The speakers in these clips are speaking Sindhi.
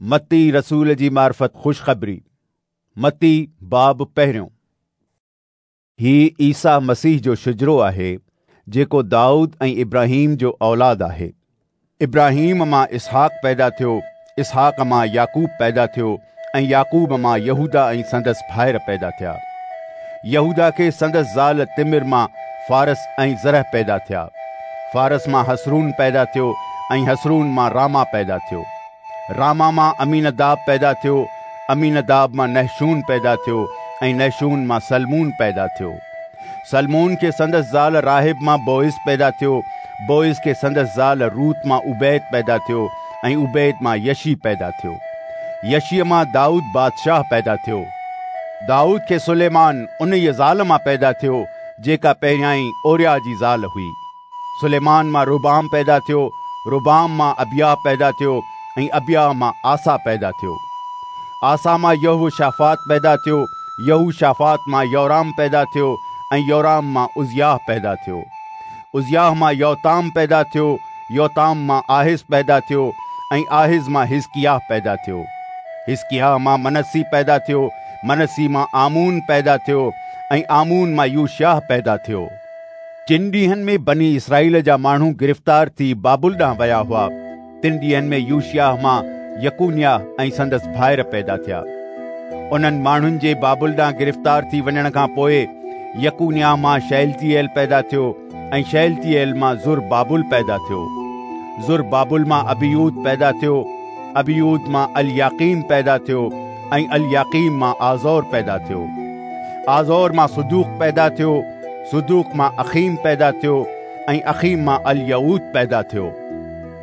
متي رسول جي معرفت خوشخبري، متي باب پهريون. هي عيسيٰ مسيح جو شجرو آهي، جيڪو دائود ۽ ابراهيم جو اولاد آهي. ابراهيم مان اسحاق پيدا ٿيو، اسحاق مان يعقوب پيدا ٿيو ۽ يعقوب مان يهوداه ۽ سندس ڀائر پيدا ٿيا. يهوداه کي سندس زال تمر مان فارص ۽ زرح پيدا ٿيا. فارص مان حصرون پيدا ٿيو ۽ حصرون مان راما پيدا ٿيو. راما مان عمينداب پيدا ٿيو، عمينداب مان نحشون پيدا ٿيو ۽ نحشون مان سلمون پيدا ٿيو. سلمون کي سندس زال راحب مان بوعز پيدا ٿيو، بوعز کي سندس زال روت مان عوبيد پيدا ٿيو ۽ عوبيد مان يشي پيدا ٿيو. يشيء مان دائود بادشاهه پيدا ٿيو. دائود کي سليمان انهيء زال مان پيدا ٿيو، جيڪا پهريائين اورياه جي زال هئي. سليمان مان رحبعام پيدا ٿيو، رحبعام مان ابياه پيدا ٿيو ۽ ابياه مان آسا پيدا ٿيو. آسا مان يهوشافاط پيدا ٿيو، يهوشافاط مان يورام پيدا ٿيو ۽ يورام مان عزياه پيدا ٿيو. عزياه مان يوتام پيدا ٿيو، يوتام مان آحز پيدا ٿيو ۽ آحز مان حزقياه پيدا ٿيو. حزقياه مان منسي پيدا ٿيو، منسي مان آمون پيدا ٿيو ۽ آمون مان يوشياه پيدا ٿيو. جن ڏينهن ۾ بني اسرائيل جا ماڻهو گرفتار ٿي بابل ڏانهن ويا هئا، تن ڏينهن ۾ يوشياه مان يڪونياه ۽ سندس ڀائر پيدا ٿيا. انهن ماڻهن جي بابل ڏانهن گرفتار ٿي وڃڻ کان پوء يڪونياه مان شيلتيئيل پيدا ٿيو ۽ شيلتيئيل مان زربابل پيدا ٿيو. زربابل مان ابيود پيدا ٿيو، ابيود مان الياقيم پيدا ٿيو ۽ الياقيم مان آزور پيدا ٿيو. آزور مان صدوق پيدا ٿيو، صدوق مان اخيم پيدا ٿيو ۽ اخيم مان اليعود پيدا ٿيو.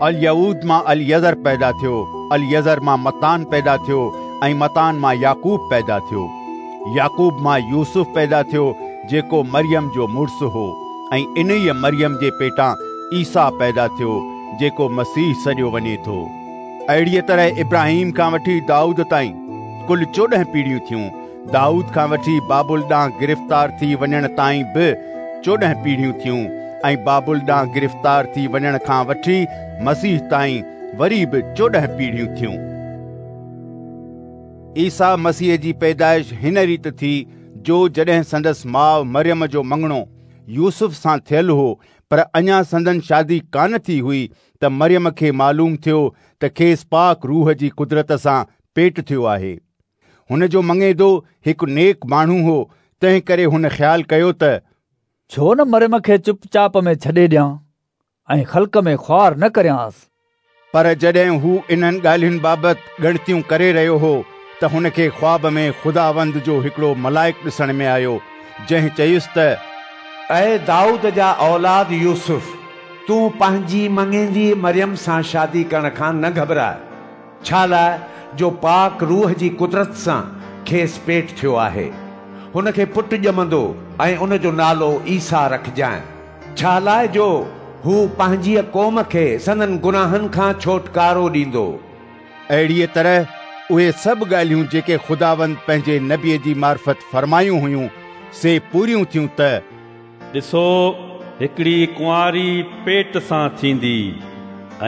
اليعود مان اليعزر پيدا ٿيو، اليعزر مان متان پيدا ٿيو ۽ متان مان يعقوب پيدا ٿيو. يعقوب مان يوسف پيدا ٿيو، جيڪو مريم جو مڙس هو ۽ انهيء مريم جي پيٽان عيسيٰ پيدا ٿيو، جيڪو مسيح سڏيو وڃي ٿو. اهڙيء طرح ابراهيم کان وٺي دائود تائين ڪل 14 پيڙهيون ٿيون. دائود کان وٺي بابل ڏانهن گرفتار ٿي وڃڻ تائين به 14 پيڙهيون ٿيون ۽ بابل ڏانهن گرفتار ٿي وڃڻ کان وٺي مسيح تائين وري به 14 پيڙهيون ٿيون. عيسيٰ مسيح جي پيدائش هن ريت ٿي جو جڏهن سندس ماء مريم جو مڱڻو يوسف سان ٿيل هو، پر اڃا سندن شادي ڪانه ٿي هئي ته مريم کي معلوم ٿيو ته کيس پاڪ روح جي قدرت سان پيٽ ٿيو آهي. هن جو مڱيندو هڪ نيڪ ماڻهو هو، تنهن ڪري هن خيال ڪيو ته ڇو نه مريم کي چپ چاپ ۾ ڇڏي ڏيان ۽ خلق ۾ خوار نه ڪريانس. پر جڏهن هو انهن ڳالهين بابت ڳڻتيون ڪري رهيو هو ته هن کي خواب ۾ خداوند جو هڪڙو ملائڪ ڏسڻ ۾ آيو، جنهن چيس ته. اي دائود جا اولاد يوسف، تون پنهنجي مڱيندي مريم سان شادي ڪرڻ کان نه گهٻراء. ڇالاء جو پاڪ روح جي قدرت سان کيس پيٽ ٿيو آهي. هن کي پٽ ڄمندو ۽ ان جو نالو عيسيٰ رکجانء، ڇالاء جو هو پنهنجيء قوم کي سندن گناهن کان ڇوٽڪارو ڏيندو. اهڙيء طرح اهي سڀ ڳالهيون جيڪي خداوند پنهنجي نبيء جي معرفت فرمايون هيون، سي پوريون ٿيون ته. ڏسو، هڪڙي ڪنواري پيٽ سان ٿيندي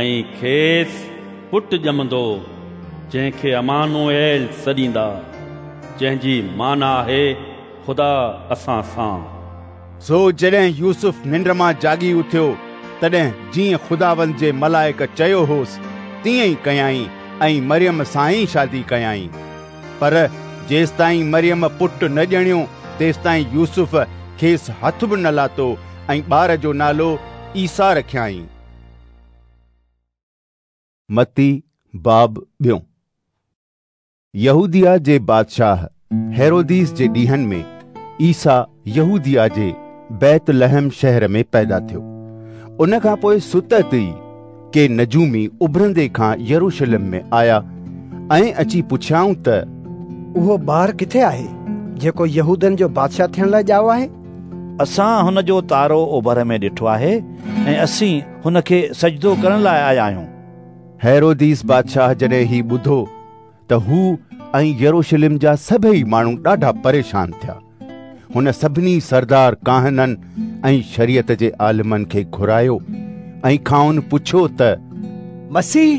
۽ کيس پٽ ڄمندو، جنهن کي عمانوئيل سڏيندا، جنهن جي معنيٰ آهي خدا اسان سان. سو جڏهن يوسف ننڊ مان جاڳي اٿيو، تڏهن جيئن خداوند جي ملائڪ چيو هوس، تيئن ئي ڪيائين ۽ مريم سان ئي شادي ڪيائين. پر جيستائين مريم پٽ نه ڄڻيو، تيستائين يوسف کيس هٿ به نه لاتو ۽ ٻار جو نالو عيسيٰ رکيائين. متي باب ٻيون. يهوديه جي بادشاهه هيروديس جي ڏينهن ۾ عيسيٰ يهوديه جي بيت لحم شهر ۾ پيدا ٿيو. ان کان پوء ستت ئي ڪي نجومي اڀرندي کان يروشلم ۾ آيا ۽ اچي پڇيائون ته، اهو ٻار ڪٿي آهي، جيڪو يهودين جو بادشاهه ٿيڻ لاء ڄائو آهي؟ اسان هن جو تارو اوڀر ۾ ڏٺو آهي ۽ اسين هن کي سجدو ڪرڻ لاء آيا آهيون. هيروديس بادشاهه جڏهن هي ٻڌو ته هو ۽ يروشلم جا سڀيئي ماڻهو ڏاڍا پريشان ٿيا. هن سڀني سردار ڪاهنن ۽ شريعت جي عالمن کي گهرايو ۽ کانئن پڇيو ته مسيح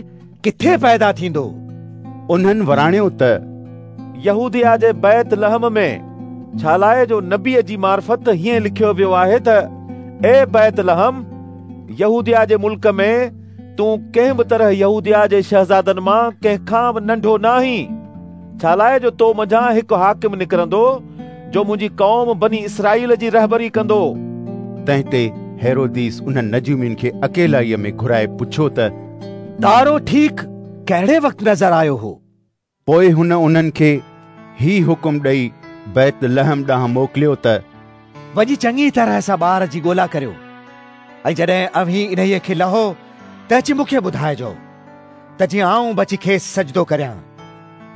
ڪٿي پيدا ٿيندو؟ انهن وراڻيو ته يهوديه جي بيت لحم ۾، ڇالاءِ جو نبيء جي معرفت هيئن لکيو ويو آهي ته اي بيت لحم، يهوديه جي ملڪ ۾ تون ڪنهن به طرح يهوديه جي شهزادن مان ڪنهن کان به ننڍو ناهين، ڇالاءِ جو تو منجهان هڪ حاڪم نڪرندو، جو منهنجي قوم بني اسرائيل جي رهبري ڪندو. تنهن تي هيروديس انهن نجومين کي اڪيلائيء ۾ گهرائي پڇيو ته تارو ٺيڪ ڪهڙي وقت نظر آيو هو؟ پوء هن انهن کي هي حڪم ڏئي بيت لحم ڏانهن موڪليو ته وڃي چڱي طرح سان ٻار جي ڳولا ڪريو ۽ جڏهن اوهين انهيء کي لهو ته اچي مون کي ٻڌائجو ته جيئن آئون به اچي کيس سجدو ڪريان.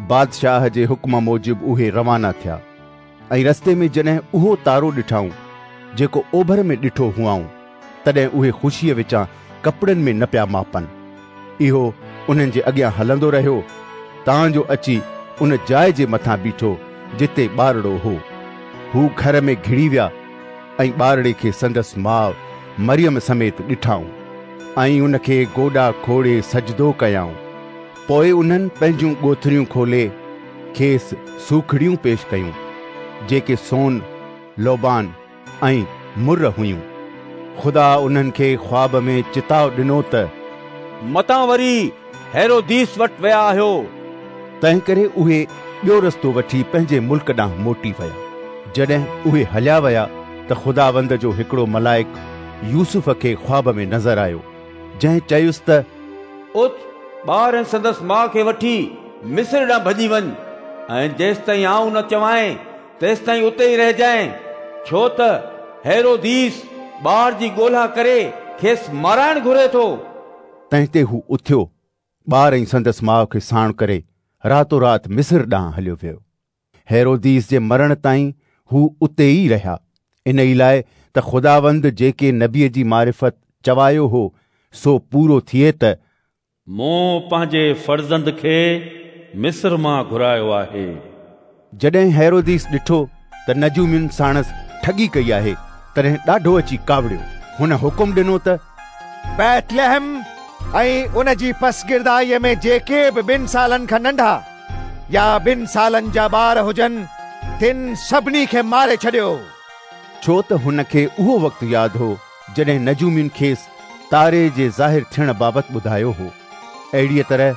بادشاهه جي حڪم موجب اهي روانا ٿيا ۽ رستي ۾ جڏهن اهو تارو ڏٺائون جيڪو اوڀر ۾ ڏٺو هئائون، تڏهن اهي خوشيء وچان ڪپڙن ۾ نه پيا ماپن. اهو انهن جي اڳيان هلندو رهيو، تان جو اچي ان جاء جي مٿان بيٺو جتي ٻارڙو هو. هو گهر ۾ گهڙي ويا ۽ ٻارڙي کي سندس ماء مريم سميت ڏٺائون ۽ ان کي گوڏا کوڙي سجدو ڪيائون. پوء انهن پنهنجون ڳوٿريون کولي کيس سوکڙيون پيش ڪيون، جيڪي سون، لوبان ۽ مر هيون. خدا انهن کي خواب ۾ چتاء ڏنو ته متان وري هيروديس وٽ ويا آهيو. تنهنڪري اهي ٻيو رستو وٺي پنهنجي ملڪ ڏانهن موٽي ويا. جڏهن اهي هليا ويا ته خداوند جو هڪڙو ملائڪ يوسف کي خواب ۾ نظر آيو، جنهن چيس ته اٿ، ٻار ۽ سندس ماء کي وٺي مصر ڏانهن ڀڄي وڃ، ۽ جيستائين آئون نه چوانء تيستائين اتي ئي رهجانء، ڇو ته هيروديس ٻار جي ڳولا ڪري کيس مارائڻ گهري ٿو. تنهن تي هو اٿيو، ٻار ۽ سندس ماء کي ساڻ ڪري راتو رات مصر ڏانهن هليو ويو. هيروديس جي مرڻ تائين هو اتي ئي رهيا، انهي لاء ته خداوند جيڪي نبيء جي معرفت چوايو هو، سو پورو ٿئي ته. مون پنهنجي فرزند کي مصر مان گهرايو آهي. جڏهن هيروديس ڏٺو ته نجومين ساڻس ٺڳي ڪئي آهي، تڏهن ڏاڍو اچي ڪاوڙيو. هن حڪم ڏنو ته. بيتلحم ۽ ان جي پسگردائيء ۾ جيڪي به ٻن سالن کان ننڍا يا ٻن سالن جا ٻار هجن، تن سڀني کي ماري ڇڏيو. ڇو ته هن کي اهو وقت ياد هو جڏهن نجومين کيس تاري جي ظاهر ٿيڻ بابت ٻڌايو هو. اهڙيء طرح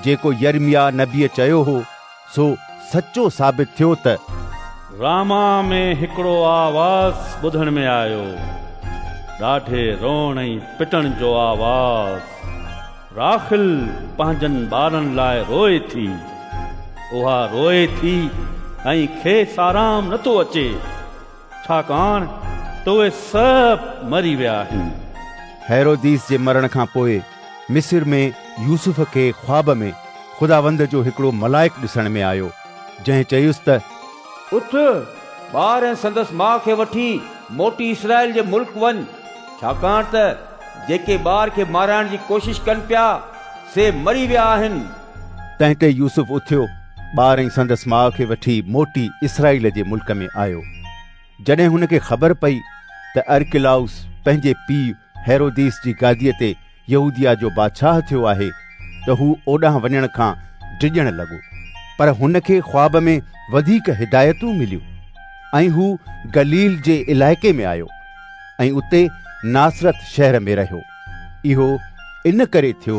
جيڪو يرمياه نبيء چيو هو، سو سچو ثابت ٿيو ته. راما ۾ هڪڙو آواز ٻڌڻ ۾ آيو، ڏاڍي روئڻ ۽ پٽڻ جو آواز. راخل پنهنجن ٻارن لاء روئي ٿي، اها روئي ٿي ۽ کيس آرام نٿو اچي. ڇاڪاڻ ته اهي سڀ مري ويا آهن. هيروديس جي مرڻ کان پوء مصر ۾ يوسف کي خواب ۾ خداوند جو هڪڙو ملائڪ ڏسڻ ۾ آيو، جنهن چيس ته. اٿ، ٻار ۽ سندس ماء کي وٺي موٽي اسرائيل جي ملڪ وڃ، ڇاڪاڻ ته جيڪي ٻار کي مارائڻ جي ڪوشش ڪن پيا، سي مري ويا آهن. تنهن تي يوسف اٿيو، ٻار ۽ سندس ماء کي وٺي موٽي اسرائيل جي ملڪ ۾ آيو. جڏهن هن کي خبر پئي ته ارڪلاؤس پنهنجي پيء هيروديس جي گاديء تي يهوديه جو بادشاهه ٿيو آهي ته هو اوڏانهن وڃڻ کان ڊڄڻ لڳو. پر هن کي خواب ۾ وڌيڪ هدايتون مليون ۽ هو گليل جي علائقي ۾ آيو ۽ اتي ناصرت شهر ۾ رهيو. اهو ان ڪري ٿيو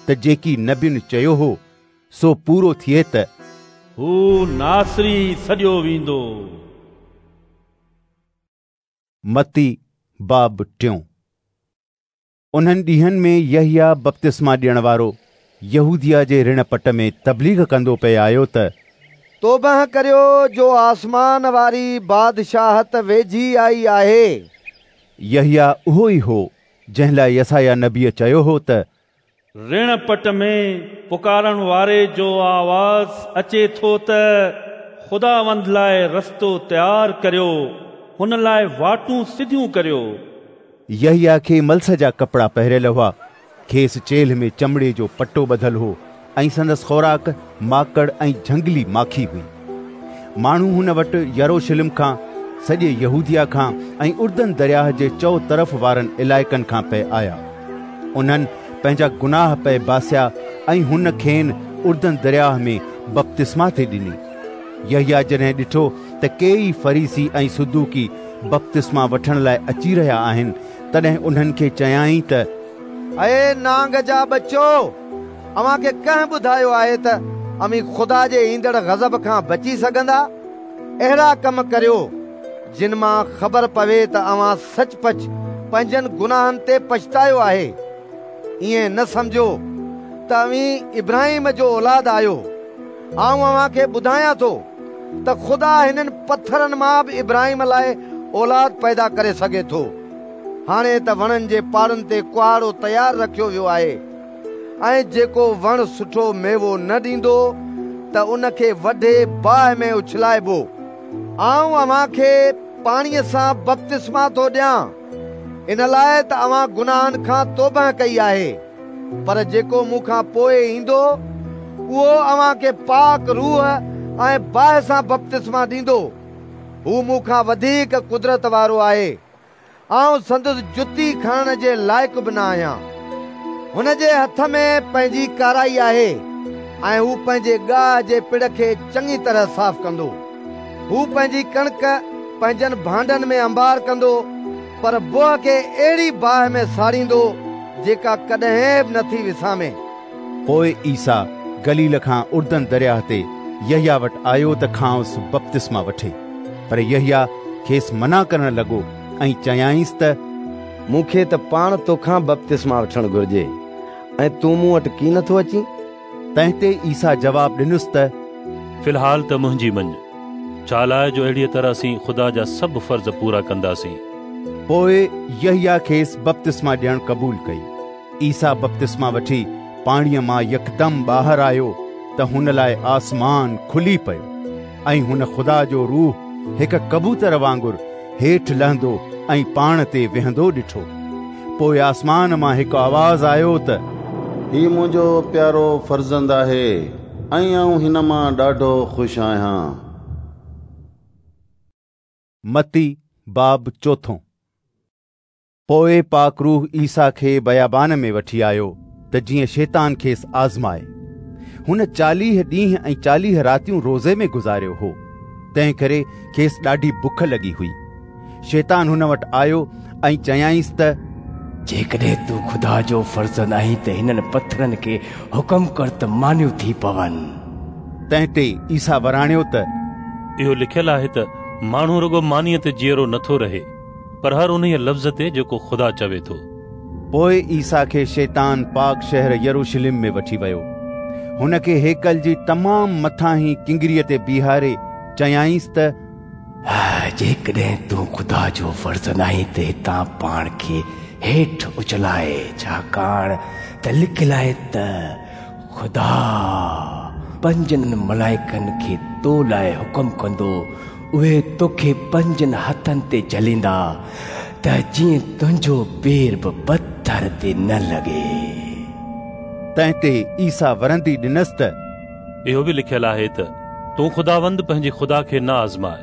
ته جيڪي نبين چيو هو سو پورو ٿئي ته. هو ناصري سڏيو ويندو. متي باب ٽيون. انهن ڏينهن ۾ يحيٰ بپتسما ڏيڻ وارو يهوديه جي رڻ پٽ ۾ تبليغ ڪندو پئي آيو ته. توبهه ڪريو جو آسمان واري بادشاهت ويجهي آئي آهي. يحيٰ اهو ئي هو جنهن لاء يسعياه نبيء چيو هو ته. رڻ پٽ ۾ پڪارڻ واري جو آواز اچي ٿو ته خداوند لاء رستو تيار ڪريو، هن لاء واٽون سڌيون ڪريو. يحيٰ کي ملس جا ڪپڙا پهريل هئا، کيس چيلهه ۾ چمڙي جو پٽو ٻڌل هو ۽ سندس خوراڪ ماڪڙ ۽ جهنگلي ماکي هئي. ماڻهو هن وٽ يروشلم کان، سڄي يهوديه کان ۽ اردن درياهه جي چؤ طرف وارن علائقن کان پئي آيا. انهن پنهنجا گناهه پئي باسيا ۽ هن کين اردن درياهه ۾ بپتسما ٿي ڏني. يحيٰ جڏهن ڏٺو ته ڪيئي فريسي ۽ صدوقي بپتسما وٺڻ لاء اچي رهيا آهن، تڏهن انهن کي چيائين ته اي نانگ جا ٻچو، اوهان کي ڪنهن ٻڌايو آهي ته اوهين خدا جي ايندڙ غضب کان بچي سگهندا؟ اهڙا ڪم ڪريو، جن مان خبر پوي ته اوهان سچ پچ پنهنجن گناهن تي پڇتايو آهي. ائين نه سمجهو ته اوهين ابراهيم جو اولاد آهيو. آئون اوهان کي ٻڌايان ٿو ته خدا هنن پٿرن مان به ابراهيم لاء اولاد پيدا ڪري سگهي ٿو. هاڻي ته وڻن جي پاڙن تي ڪهاڙو تيار رکيو ويو آهي ۽ جيڪو وڻ سٺو ميوو نه ڏيندو ته ان کي وڍي باهه ۾ اڇلائبو. آئون اوهان کي پاڻيء سان بپتسما ٿو ڏيان، ان لاء ته اوهان گناهن کان توبهه ڪئي آهي، پر جيڪو مون کان پوء ايندو، اهو اوهان کي پاڪ روح ۽ باهه سان بپتسما ڏيندو. هو مون کان وڌيڪ قدرت وارو آهي. آئون سندس جتي کڻڻ جي لائق به نه آهيان. هن جي هٿ ۾ پنهنجي ڪارائي آهي ۽ هو پنهنجي ڳاهه جي پڙ کي چڱي طرح صاف ڪندو. هو پنهنجي ڪڻڪ پنهنجن ڀانڊن ۾ انبار ڪندو، پر بوهه کي اهڙي باهه ۾ ساڙيندو، جيڪا ڪڏهن به نٿي وسامي. پوء عيسيٰ گليل کان اردن درياهه تي يحيٰ وٽ آيو ته کانئس بپتسما وٺي. پر يحيٰ کيس منع ڪرڻ لڳو ۽ چيائينس ته مون کي ته پاڻ توکان بپتسما وٺڻ گهرجي ۽ تون مون وٽ ڪين ٿو اچين؟ تنهن تي عيسيٰ جواب ڏنس ته في الحال ته منهنجي مڃ، ڇالاء جو اهڙيء طرح اسين خدا جا سڀ فرض پورا ڪنداسين. پوء يحيٰ کيس بپتسما ڏيڻ قبول ڪئي. عيسيٰ بپتسما وٺي پاڻيء مان يڪدم ٻاهر آيو ته هن لاء آسمان کلي پيو ۽ هن خدا جو روح هڪ ڪبوتر وانگر هيٺ لهندو ۽ پاڻ تي ويهندو ڏٺو. پوء آسمان مان هڪ آواز آيو ته هي منهنجو پيارو فرزند آهي ۽ آئون هن مان ڏاڍو خوش آهيان. متي باب چوٿون. پوء پاڪ روح عيسيٰ کي بيابان ۾ وٺي آيو ته جيئن شيطان کيس آزمائي. هن 40 ڏينهن ۽ 40 راتيون روزي ۾ گذاريو هو، تنهنڪري کيس ڏاڍي بک لڳي هئي. شيطان هن وٽ آيو ۽ چيائينس ته جيڪڏهن تون خدا جو فرزند آهين ته هنن پٿرن کي حڪم ڪر ته مانيون ٿي پون. تنهن تي عيسيٰ وراڻيو ته اهو لکيل آهي ته ماڻهو رڳو مانيء تي جيئرو نٿو رهي، پر هر انهيء لفظ تي جيڪو خدا چوي ٿو. پوء عيسيٰ کي شيطان پاڪ شهر يروشلم ۾ وٺي ويو. هن کي هيڪل جي تمام مٿاهين ڪنگريء تي بيهاري چيائينس ته. جيڪڏهن تون خدا جو فرزند آهين ته هتان پاڻ کي هيٺ اڇلاء، ڇاڪاڻ ته لکيل آهي ته خدا پنهنجن ملائڪن کي تو لاء حڪم ڪندو، اهي توکي پنهنجن هٿن تي جهليندا ته جيئن تنهنجو پير به پٿر تي نه لڳي. تنهن تي عيسيٰ ورندي ڏنس ته. اهو به لکيل آهي ته تون خداوند پنهنجي خدا کي نه آزماء.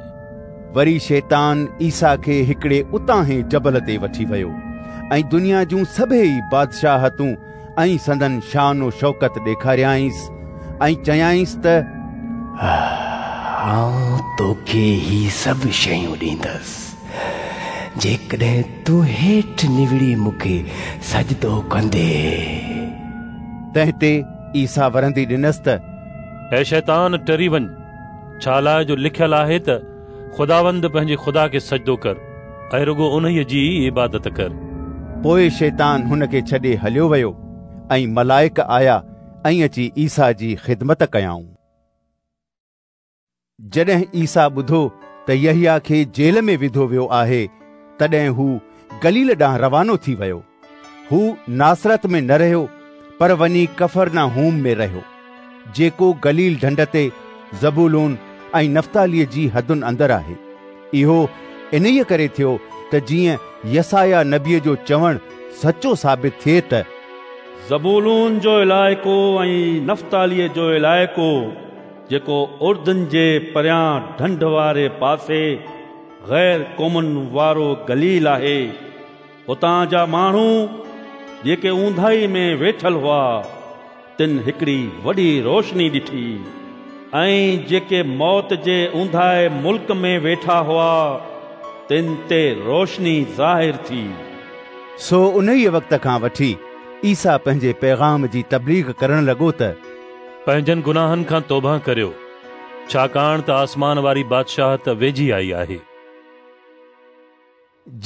وري شيطان عيسيٰ کي هڪڙي اتاهين جبل تي وٺي ويو ۽ دنيا جون سڀيئي بادشاهتون ۽ سندن شان و شوڪت ڏيکاريائينس ۽ چيائينس ته. آئون توکي هي سڀ شيون ڏيندس، جيڪڏهن تون هيٺ نوڙي مون کي سجدو ڪندين. تنهن تي عيسيٰ ورندي ڏنس ته. اي شيطان، ٽري وڃ، ڇالاء جو لکيل آهي ته خداوند پنهنجي خدا کي سجدو ڪر ۽ رڳو انهيء جي ئي عبادت ڪر. پوء شيطان هن کي ڇڏي هليو ويو ۽ ملائڪ آيا ۽ اچي عيسيٰ جي خدمت ڪيائون. جڏهن عيسيٰ ٻڌو ته يحيٰ کي جيل ۾ وڌو ويو آهي، تڏهن هو گليل ڏانهن روانو ٿي ويو. هو ناصرت ۾ نه رهيو، پر وڃي ڪفرناحوم ۾ رهيو، جيڪو گليل ڍنڍ تي زبولون ۽ نفتاليء جي حدن اندر آهي. اهو انهيء ڪري ٿيو ته جيئن يسعياه نبيء جو چوڻ سچو ثابت ٿئي ته. زبولون جو علائقو ۽ نفتاليء جو علائقو، جيڪو اردن جي پريان ڍنڍ واري پاسي غير قومن وارو گليل آهي، اتان جا ماڻهو جيڪي اونداهي ۾ ويٺل هئا، تن هڪڙي وڏي روشني ڏٺي، ۽ جيڪي موت جي اونداهي ملڪ ۾ ويٺا هئا تن تي روشني ظاهر ٿي. سو انهيء وقت کان وٺي عيسيٰ پنهنجي پيغام جي تبليغ ڪرڻ لڳو ته پنهنجن گناهن کان توبهه ڪريو، ڇاڪاڻ ته آسمان واري بادشاهت ويجهي آئي آهي.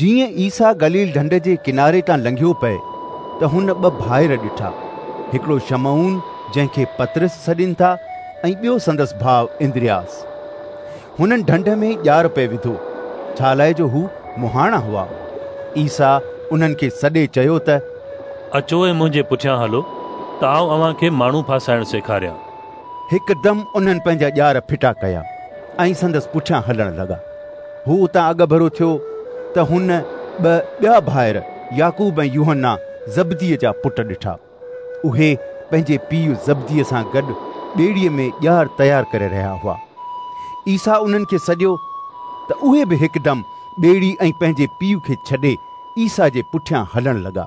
جيئن عيسيٰ گليل ڍنڍ جي ڪناري تان لنگهيو پئي ته هن ٻه ڀائر ڏٺا، هڪڙو شمعون جنهن کي پطرس سڏين ٿا ۽ ٻيو سندس ڀاء اندرياس. هنن ڍنڍ ۾ ڄار پئي وڌو، ڇالاء جو هو مهاڻا هئا. عيسيٰ انهن کي سڏي چيو ته، اچو ۽ منهنجي پٺيان هلو ته آئون اوهان کي ماڻهو ڦاسائڻ سيکاريان. هڪدم انهن پنهنجا ڄار ڦٽا ڪيا ۽ سندس پٺيان هلڻ لڳا. هو اتان اڳڀرو ٿيو ته هن ٻه ٻيا ڀائر يعقوب ۽ يوحنا زبديء جا پٽ ڏٺا. اهي پنهنجي پيء زبديء سان گڏ ٻيڙيء ۾ ڄار تيار ڪري رهيا هئا. عيسيٰ انهن کي سڏيو ته اهي به هڪدم ٻيڙي ۽ پنهنجي پيء کي ڇڏي عيسيٰ جي پٺيان هلڻ لڳا.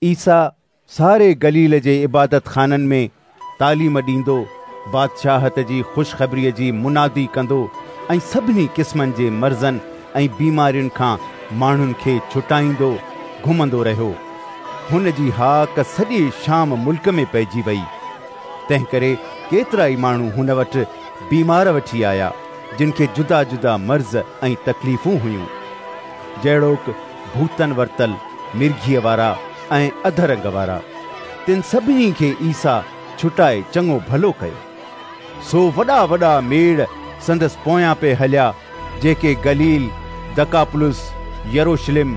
عيسيٰ ساري گليل جي عبادتخانن ۾ تعليم ڏيندو، بادشاهت جي خوشخبريء جي منادي ڪندو ۽ سڀني قسمن جي مرضن ۽ بيمارين کان ماڻهن کي ڇٽائيندو گهمندو رهيو. هن جي هاڪ سڄي شام ملڪ ۾ پئجي ويئي. تنهنڪري ڪيترائي ماڻهو هن وٽ بيمار وٺي آيا، جن کي جدا جدا مرض ۽ تڪليفون هيون، جهڙوڪ ڀوتن ورتل، مرگهيء وارا ۽ اڌ رنگ وارا، تن سڀني کي عيسيٰ ڇٽائي چڱو ڀلو ڪيو. سو وڏا وڏا ميڙ سندس پويان پئي هليا، جيڪي گليل، دڪاپلس، يروشلم،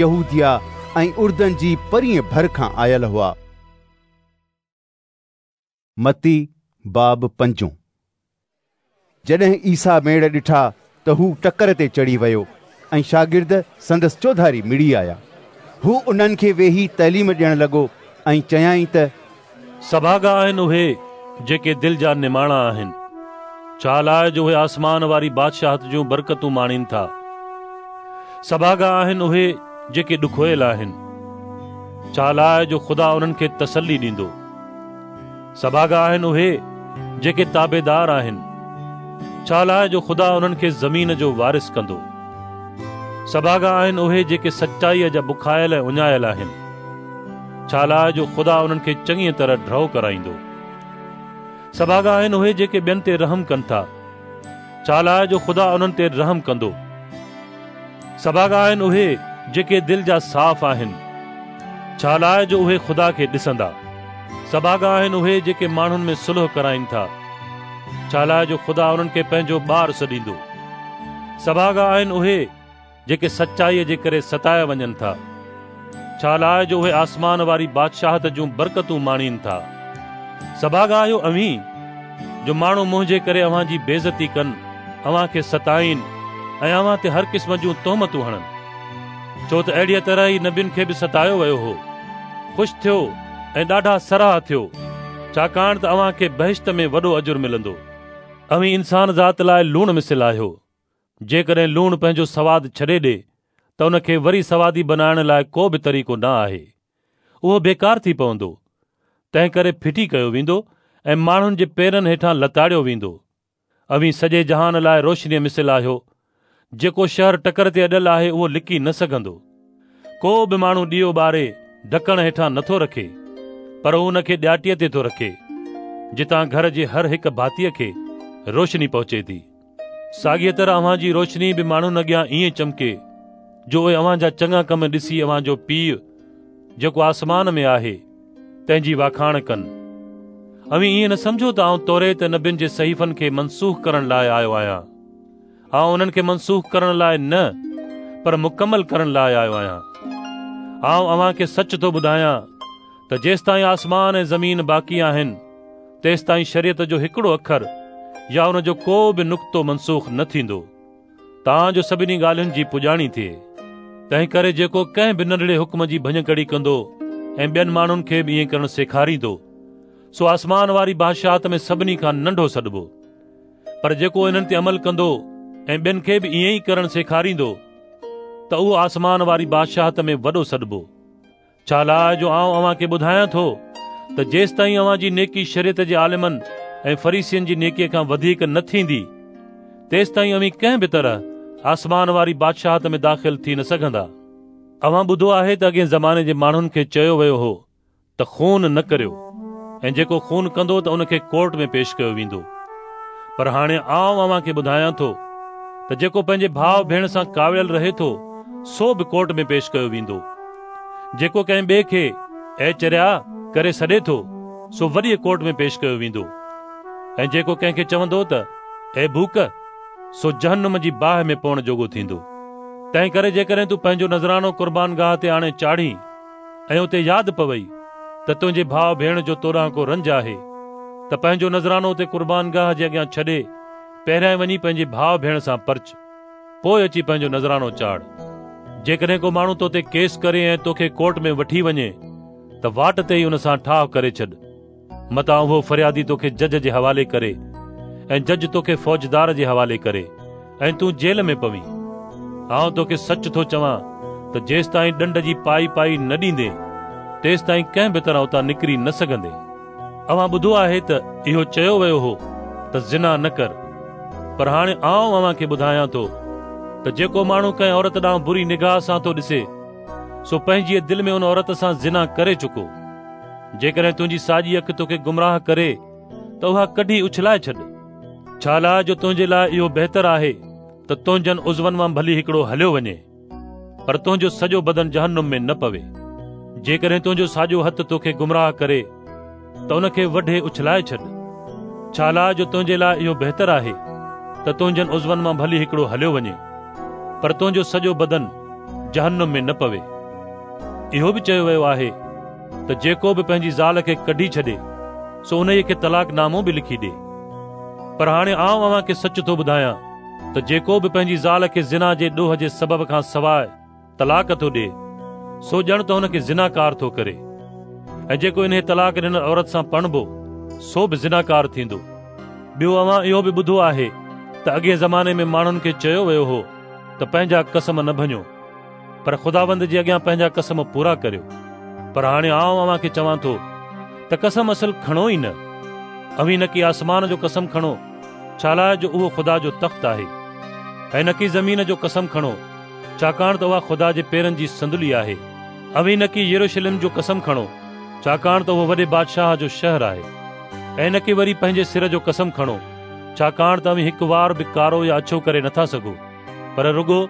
يهوديه ۽ اردن جي پرينء ڀر کان آيل هئا. متي باب پنجون. جڏهن عيسيٰ ميڙ ڏٺا ته هو ٽڪر تي چڙهي ويو ۽ شاگرد سندس چوڌاري مڙي آيا. هو انهن کي ويهي تعليم ڏيڻ لڳو ۽ چيائين ته. سڀاڳا آهن اهي جيڪي دل جا نماڻا آهن، ڇالاء جو اهي آسمان واري بادشاهت جون برڪتون ماڻين ٿا. سڀاڳا آهن اهي جيڪي ڏکويل آهن، ڇالاء جو خدا انهن کي تسلي ڏيندو. سڀاڳا آهن اهي جيڪي تابعدار آهن، ڇالاء جو خدا انهن کي زمين جو وارث ڪندو. سڀاڳا آهن اهي جيڪي سچائيء جا بکايل ۽ اڃايل آهن، ڇالاء جو خدا انهن کي چڱيء طرح ڍؤ ڪرائيندو. سڀاڳا آهن اهي جيڪي ٻين تي رحم ڪن ٿا، ڇالاء جو خدا انهن تي رحم ڪندو. سڀاڳا آهن اهي جيڪي دل جا صاف آهن، ڇالاء جو اهي خدا کي ڏسندا. سڀاڳا آهن اهي جيڪي ماڻهن ۾ صلح ڪرائين ٿا، ڇالاء جو خدا انهن کي پنهنجو ٻار سڏيندو. سڀاڳا آهن اهي جيڪي سچائيء جي ڪري ستايا وڃن ٿا، ڇالاء جو اهي آسمان واري بادشاهت جون برڪتون ماڻين ٿا. سڀاڳا آهيو اوهين، جو ماڻهو منهنجي ڪري اوهان جي بيعزتي ڪن، اوهان کي ستائين ۽ اوهان تي هر قسم جون تهمتون هڻن. ڇو ته اهڙيء طرح ئي نبين کي به ستايو ويو هو. خوش ٿيو ۽ ڏاڍا سرها ٿيو، ڇاڪاڻ ته اوهان کي بهشت ۾ وڏو اجر ملندو. اوهين انسان ذات لاء لوڻ مثل آهيو. جيڪڏهن لوڻ پنهنجو سواد ڇڏي ڏي ته ان کي وري سوادي بنائڻ لاء ڪو به طريقو نه آهي. اهو بيڪار ٿي پوندو. تنهنڪري ڦٽي ڪيو ويندو ۽ ماڻهن جي پيرن هيٺان لتاڙيو ويندو. اوهين سڄي جهان لاء روشنيء مثل آهيو. جيڪو شهر ٽڪر تي اڏيل آهي اهو لڪي نه سگهندو. ڪو به ماڻهو ڏيئو ٻاري ڍڪڻ هيٺان نٿو رکي، پر هو ان کي ڏياٽيء تي ٿو رکي، جتان گهر جي هر هڪ ڀاتيء کي روشني پهچي ٿي. ساڳيء طرح اوهان جي روشني به ماڻهن اڳيان ائين چمڪي، جو اهي اوهان جا چڱا ڪم ڏسي اوهان جو پيء، جيڪو آسمان ۾ آهي، تنهن جي واکاڻ ڪن. اوهين ائين نه سمجهو ته آئون توريت ۽ نبين جي صحيفن کي منسوخ ڪرڻ لاء آيو آهيان. آئون انهن کي منسوخ ڪرڻ لاء نه، پر مڪمل ڪرڻ لاء آيو آهيان. آئون اوهان کي سچ ٿو ٻڌايان ته جيستائين آسمان ۽ زمين باقي آهن، تيستائين شريعت جو هڪڙو اکر يا ان جو ڪو به نقطو منسوخ نه ٿيندو، تان جو سڀني ڳالهين جي پڄاڻي ٿئي. تنهنڪري جيڪو ڪنهن به ننڍڙي حڪم جي ڀڃڪڙي ڪندو ۽ ٻين ماڻهن کي به ائين ڪرڻ سيکاريندو، سو آسمان واري بادشاهت ۾ سڀني کان ننڍو سڏبو. پر جيڪو انهن تي عمل ڪندو ۽ ٻين کي به ائين ئي ڪرڻ سيکاريندو ته اهو آسمان واري بادشاهت ۾ وڏو سڏبو. ڇالاء جو آئون اوهان کي ٻڌايان ٿو ته جيستائين اوهان جي نيڪي شريعت جي عالمن ۽ فريسين جي نيڪيء کان وڌيڪ نه ٿيندي، تيستائين اوهين ڪنهن به طرح آسمان واري بادشاهت ۾ داخل ٿي نه سگهندا. اوهان ٻڌو آهي ته اڳئين زماني جي ماڻهن کي چيو ويو هو ته خون نه ڪريو ۽ جيڪو خون ڪندو ته ان کي ڪورٽ ۾ پيش ڪيو ويندو. پر هاڻي آئون اوهان کي ٻڌايان ٿو ته جيڪو پنهنجي ڀاء ڀيڻ سان ڪاوڙيل رهي ٿو سو به ڪورٽ ۾ پيش ڪيو ويندو. جيڪو ڪنهن ٻئي کي اي چريا ڪري سڏي ٿو سو وڏيء ڪورٽ ۾ پيش ڪيو ويندو ۽ جيڪو ڪنهن کي چوندو ته اي ڀوڪ سو جهنم جي باهه ۾ پوڻ جوڳو ٿيندو. تنهنڪري جيڪڏهن تون پنهنجو نذرانو قربانگاهه تي آڻي چاڙهين ۽ اتي ياد پوئي ته تنهنجي ڀاء ڀيڻ جو تو ڏانهن ڪو رنج آهي ته پنهنجو نذرانو اتي قربانگاهه جي اڳيان ڇڏي پهريائين وڃي پنهنجي ڀاء ڀيڻ سان پرچ، پوء اچي پنهنجو نذرانو چاڙهه. جيڪڏهن ڪو ماڻهو تو تي ڪيس ڪري ۽ توکي ڪورٽ ۾ وٺي وڃي ته واٽ تي ئي ان سان ٺاهه ڪري ڇڏ، متان اهو فريادي توکي جج جي حوالي ڪري ۽ جج توکي فوجدار جي حوالي ڪري ۽ تون جيل ۾ پوين. آئون توکي سچ ٿو چوان ته جيستائين ڏنڊ جي پائي پائي نه ڏيندين، تيستائين ڪنهن به طرح اتان نڪري نه سگهندين. اوهان ٻڌو آهي ته اهو چيو ويو هو ته زنا نه ڪر. پر هاڻي آئون اوهان کي ٻڌايان ٿو ته جيڪو ماڻهو ڪنهن عورت ڏانهن بري نگاهه سان ٿو ڏسي، سو پنهنجيء دل ۾ ان عورت سان زنا ڪري چڪو. جيڪڏهن تنهنجي ساڄي اک توکي گمراهه ڪري ته اها ڪڍي اڇلائي ڇڏ، ڇالاء جو تنهنجي لاء اهو بهتر آهي ته تنهنجن عضون مان ڀلي هڪڙو هليو وڃي، پر تنهنجو سڄو بدن جهنم ۾ نه پوي. جيڪڏهن تنهنجو ساڄو هٿ توکي گمراهه ڪري ته ان کي وڍي اڇلائي ڇڏ، ڇالاء جو تنهنجي لاء اهو بهتر آهي ته تنهنجن عضون مان ڀلي هڪڙو هليو وڃي، پر تنهنجو سڄو بدن جهنم ۾ نه پوي. اهو به چيو ويو آهي ته جيڪو به پنهنجي زال کي ڪڍي ڇڏي سو انهيء کي طلاق نامو به لکي ڏي. پر هاڻي آئون اوهان کي سچ ٿو ٻڌايان ته جيڪو به پنهنجي زال کي زنا جي ڏوهه جي سبب کان سواء طلاق ٿو ڏئي سو ڄڻ ته هن کي زناڪار ٿو ڪري ۽ جيڪو انهيء طلاق ڏنل عورت سان پرڻبو سو به زناڪار ٿيندو. ٻيو اوهان اهو به ٻڌو آهي ته اڳئين زماني ۾ ماڻهن کي چيو ويو هو ته پنهنجا قسم نه ڀڃو. پر خداوند جي اڳيان پنهنجا قسم پورا ڪريو. پر هاڻي آئون اوهان کي چوان ٿو ته قسم اصل کڻو ئي نه. اوهين نڪي آسمان جو قسم کڻو، ڇالاء جو اهو خدا جو تخت آهي، ۽ نڪي زمين جو قسم کڻو، ڇاڪاڻ ته اها خدا جي پيرن جي صندلي آهي. اوهين نڪي يروشلم جو قسم کڻو، ڇاڪاڻ ته اهو وڏي بادشاهه جو شهر آهي، ۽ نڪي وري پنهنجي سر جو قسم کڻو، ڇاڪاڻ ته اوهين هڪ وار به ڪارو يا اڇو ڪري نٿا سگهو. پر رڳو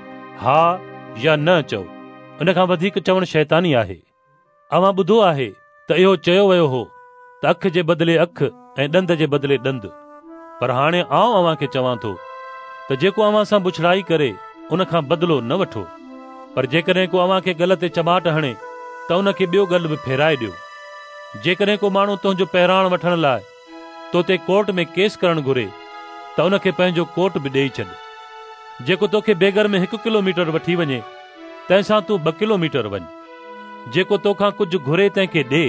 ها يا نه چئو، ان کان وڌيڪ چوڻ شيطاني آهي. اوهان ٻڌو آهي ته اهو چيو ويو هو ته اک جي بدلي اک ۽ ڏند جي بدلي ڏند. پر هاڻي آئون اوهان کي چوان ٿو ته جيڪو اوهان سان بڇڙائي ڪري ان کان بدلو نه وٺو، پر جيڪڏهن ڪو اوهان کي ڳل تي چماٽ هڻي ته ان کي ٻيو ڳل به ڦيرائي ڏيو. جيڪڏهن ڪو ماڻهو تنهنجو پهراڻ وٺڻ لاء تو تي ڪورٽ ۾ ڪيس ڪرڻ گهري ته ان کي پنهنجو ڪوٽ به ڏيئي ڇڏ. جيڪو توکي بيگر ۾ هڪ ڪلوميٽر وٺي وڃي، تنهن سان تون 2 ڪلوميٽر وڃ. جيڪو توکان ڪجهه گهري تنهن کي ڏي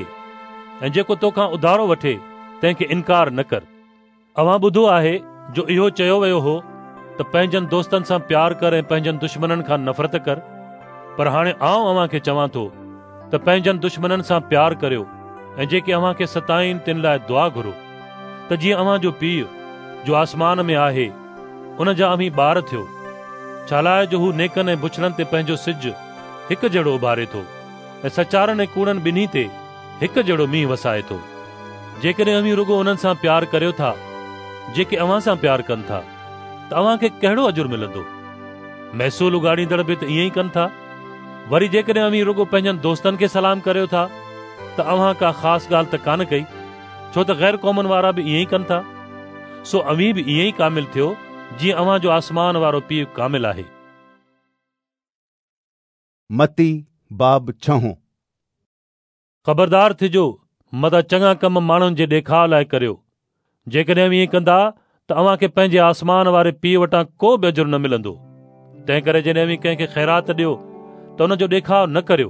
۽ جيڪو توکان اڌارو وٺي تنهن کي انڪار نه ڪر. اوهان ٻڌو آهي جو اهو چيو ويو هو ته پنهنجن دوستن سان پيار ڪر ۽ پنهنجن دشمنن کان نفرت ڪر. پر هاڻي آئون اوهان کي چوان ٿو ته پنهنجن دشمنن سان پيار ڪريو ۽ جيڪي اوهان کي ستائين تن لاء دعا گهرو، ته جيئن اوهان جو پيء جو آسمان ۾ آهي ان جا اوهين ٻار ٿيو، ڇالاء جو هو نيڪن ۽ بڇڙن تي پنهنجو سج هڪ جهڙو اڀاري ٿو ۽ سچارن ۽ ڪوڙن ٻنهي تي هڪ جهڙو مينهن وسائي ٿو. جيڪڏهن اوهين رڳو انهن سان پيار ڪريو ٿا جيڪي اوهان سان پيار ڪن ٿا ته اوهان کي ڪهڙو اجر ملندو؟ محصول اڳاڙيندڙ به ته ائين ئي ڪن ٿا. وري جيڪڏهن اوهين رڳو پنهنجن دوستن کي سلام ڪريو ٿا ته اوهان ڪا خاص ڳالهه ته ڪانه ڪئي، ڇو ته غير قومن وارا به ائين ئي ڪن ٿا. سو اوهين به ائين ئي ڪامل ٿيو جيئن اوهان جو آسمان وارو پيء ڪامل آهي. متي باب ڇهون. خبردار ٿجو، متان چڱا ڪم ماڻهن جي ڏيکاء لاء ڪريو. جيڪڏهن اوهين ائين ڪندا ته اوهان کي پنهنجي آسمان واري پيء وٽان ڪو به اجر نه ملندو. تنهنڪري جڏهن اوهين ڪنهن کي خيرات ڏيو ته ان جو ڏيکاء نه ڪريو،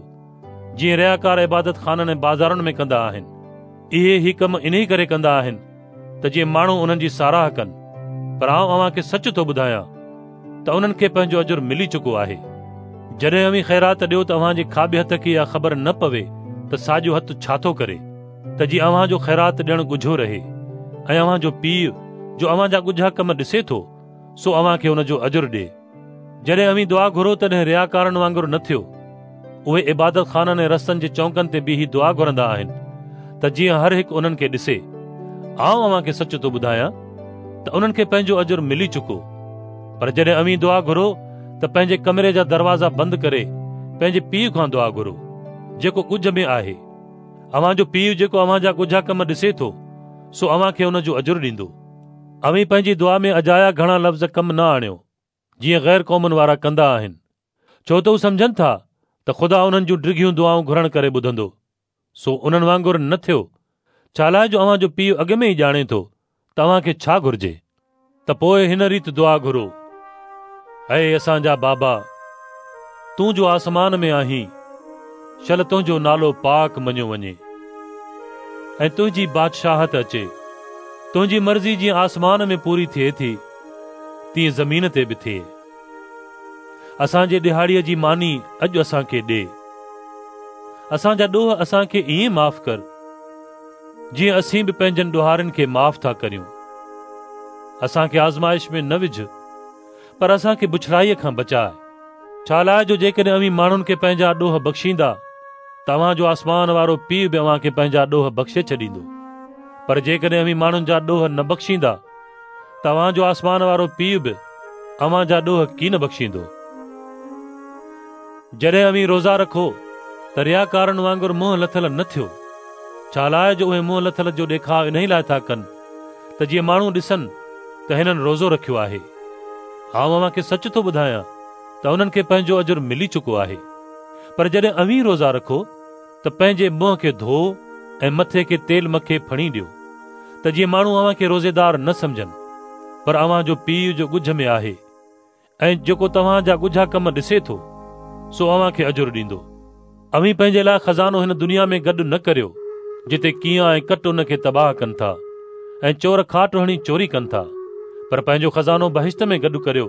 جيئن رياڪار عبادت خانن ۽ بازارن ۾ ڪندا آهن. اهي هي ڪم انهي ڪري ڪندا آهن ته جيئن ماڻهو انهن جي ساراهه ڪن. پر آئون اوهان کي سچ ٿو ٻڌايان ته انهن کي پنهنجو اجر ملي چڪو آهي. جڏهن اوهين خيرات ڏيو ته اوهان جي کاٻي هٿ کي اها خبر نه پوي ته ساڄو هٿ ڇا ٿو ڪري. ته جيئن اوهان جو خيرات ڏيڻ ڳجهو رهي ۽ اوهان جو پيء جو اوهان جا ڳجها ڪم ڏسي ٿو، سو اوهان کي ان جو اجر ڏئي. جڏهن اوهين دعا گهرو تڏهن رياڪارن وانگر نه ٿيو. اهي عبادتخانن ۽ رستن جي چونڪن تي بيهي دعا گهرندا آهن ته جيئن هر هڪ انهن کي ڏسي. آئون اوهان کي سچ ٿو ٻڌايان ته انهن کي پنهنجو اجر ملي چڪو. پر جڏهن اوهين دعا گهرو ته پنهنجي ڪمري جا دروازا بند ڪري پنهنجي پيء کان دعا گهرو، جيڪو ڳجهه ۾ آهي. اوهان جو پيء جيڪو اوهان جا ڳجها ڪم ڏسي ٿو، سو اوهان کي ان جو اجر ڏيندو. اوهين پنهنجي دعا ۾ اجايا گهڻا لفظ ڪم نه آڻيو، جيئن غير قومن وارا ڪندا آهن، ڇو ته هو سمجهن ٿا ته خدا انهن جون ڊگهيون دعائون گهرڻ ڪري ٻڌندو. سو انهن وانگر نه ٿيو، ڇالاء جو اوهان جو پيء اڳ ۾ ئي ڄاڻي ٿو ته اوهان کي ڇا گهرجي. ته پوء هن ريت دعا گهرو، اي اسان جا بابا، تون جو آسمان ۾ آهين، شل تنهنجو نالو پاڪ مڃيو وڃي ۽ تنهنجي بادشاهت اچي. تنهنجي مرضي جيئن آسمان ۾ پوري ٿئي ٿي، تيئن زمين تي به ٿئي. اسان جي ڏهاڙيء جي ماني اڄ اسان کي ڏي. اسان جا ڏوهه اسان کي ائين معاف ڪر، جيئن اسين به پنهنجن ڏوهارين کي معاف ٿا ڪريون. اسان کي آزمائش ۾ نه وجهه، پر اسان کي بڇڙائيء کان بچاء. ڇالاء جو جيڪڏهن اوهين ماڻهن کي پنهنجا ڏوهه بخشيندا، ته اوهان جو آسمان وارو پيء به اوهان کي پنهنجا ڏوهه بخشي ڇڏيندو. پر جيڪڏهن اوهين ماڻهن جا ڏوهه نه بخشيندا، ته اوهان جو آسمان وارو پيء به اوهان جا ڏوهه ڪين بخشيندو. جڏهن اوهين روزا رکو ته رياڪارن وانگر منهن لٿل نه ٿيو، ڇالاء جو اهي منهن لٿل جو ڏيکاء انهي لاء ٿا ڪن ته جيئن ماڻهو ڏسن ته هنن روزو رکيو آهي. آئون اوهان کي سچ ٿو ٻڌايان ته انهن کي پنهنجو اجر ملي چڪو آهي. پر جڏهن اوهين روزا رکو ته پنهنجي منهن کي ڌوئو ۽ مٿي کي تيل مکي ڦڻي ڏيو ته جيئن ماڻهو اوهان کي روزيدار نه سمجهن، پر اوهان جو پيء جو ڳجهه ۾ آهي ۽ جيڪو توهان جا ڳجها ڪم ڏسي ٿو، سو اوهان کي اجر ڏيندو. اوهين پنهنجي لاء خزانو هن دنيا ۾ گڏ نه ڪريو، جتي ڪينئان ۽ ڪٽ ان کي تباهه ڪن ٿا ۽ چور کاٽ هڻي چوري ڪن ٿا، پر پنهنجو خزانو بهشت ۾ گڏ ڪريو،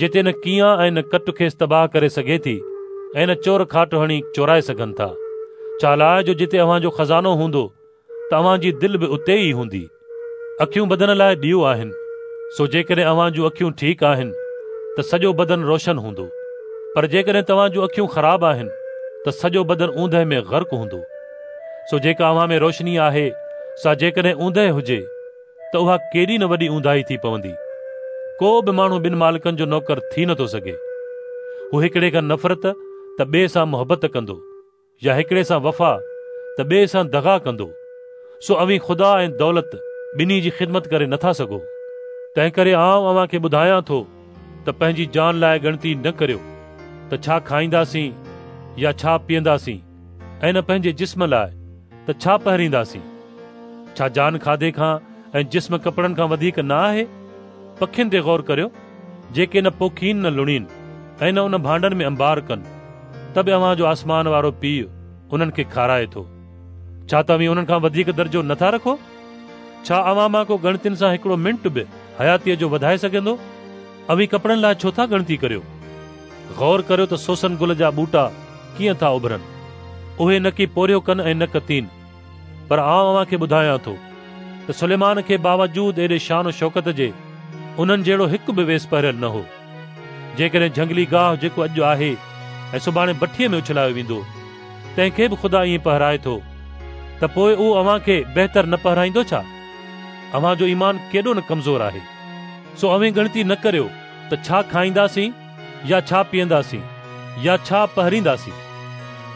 جتي نه ڪينئان ۽ نه ڪٽ کيس تباهه ڪري سگهي ٿي ۽ نه چور کاٽ هڻي چورائي سگهن ٿا. ڇالاء جو جتي اوهان جو خزانو هوندو ته اوهان جي دل به اتي ئي هوندي. اکيون بدن لاء ڏيئو آهن، سو جيڪڏهن اوهان جون اکيون ٺيڪ آهن ته سڄو بدن روشن هوندو، پر جيڪڏهن توهان جون اکيون خراب آهن ته سڄو بدن اوندهه ۾ غرق هوندو. سو جيڪا اوهان ۾ روشني آهي سا جيڪڏهن اوندهه هجي ته اها ڪيڏي نه وڏي اونداهي ٿي پوندي. ڪو به ماڻهو ٻن مالڪن جو نوڪر ٿي نٿو سگهي. هو هڪڙي کان نفرت ته ٻئي سان محبت ڪندو، يا هڪڙي سان وفا ته ٻئي سان دغا ڪندو. سو اوهين خدا ۽ دولت ٻنهي جي خدمت ڪري نٿا سگهو. تنهنڪري آئون اوهان کي ٻڌايان ٿو ته پنهنجي جان لاء ڳڻتي نه ڪريو ته ڇا کائينداسين يا ڇا پيئنداسين، ۽ نه پنهنجي جسم لاء ته ڇا پهرينداسين. ڇا جان کاڌي کان ۽ جسم ڪپڙن کان وڌيڪ نه آهي؟ پکين تي غور ڪريو، جيڪي نه پوکين نه لڻين ۽ نه ان ڀانڊن ۾ انبار ڪن، ته به اوهان جو آسمان وارو پيء انهن کي کارائي ٿو. ڇا توهين انهن کان وڌيڪ درجو نه ٿا رکو؟ ڇا اوهان مان ڪو ڳڻتين سان هڪڙو منٽ به حياتيء جو وڌائي سگهندو؟ اوهين ڪپڙن لاء ڇو ٿا ڳڻتي ڪريو؟ غور ڪريو ته سوسن گل جا ٻوٽا ڪيئن ٿا اڀرن. اهي نه ڪي پورهيو ڪن ۽ نه ڪتين. پر آئون اوهان کي ٻڌايان ٿو ته سليمان کي باوجود ايڏي شان و شوڪت جي انهن جهڙو هڪ به ويس پهريل نه هو. جيڪڏهن جهنگلي گاهه جيڪو اڄ آهي ۽ سڀاڻي بٺيء ۾ اڇلايو ويندو، تنهن کي به خدا ائين پهرائي ٿو ته پوء اهو اوهان کي بهتر نه پهرائيندو ڇا؟ اوهان جو ايمان ڪيڏو نه ڪمزور آهي. سو اوهين ڳڻتي نه ڪريو ته ڇا کائينداسين يا ڇا پيئنداسين يا ڇا پهرينداسين.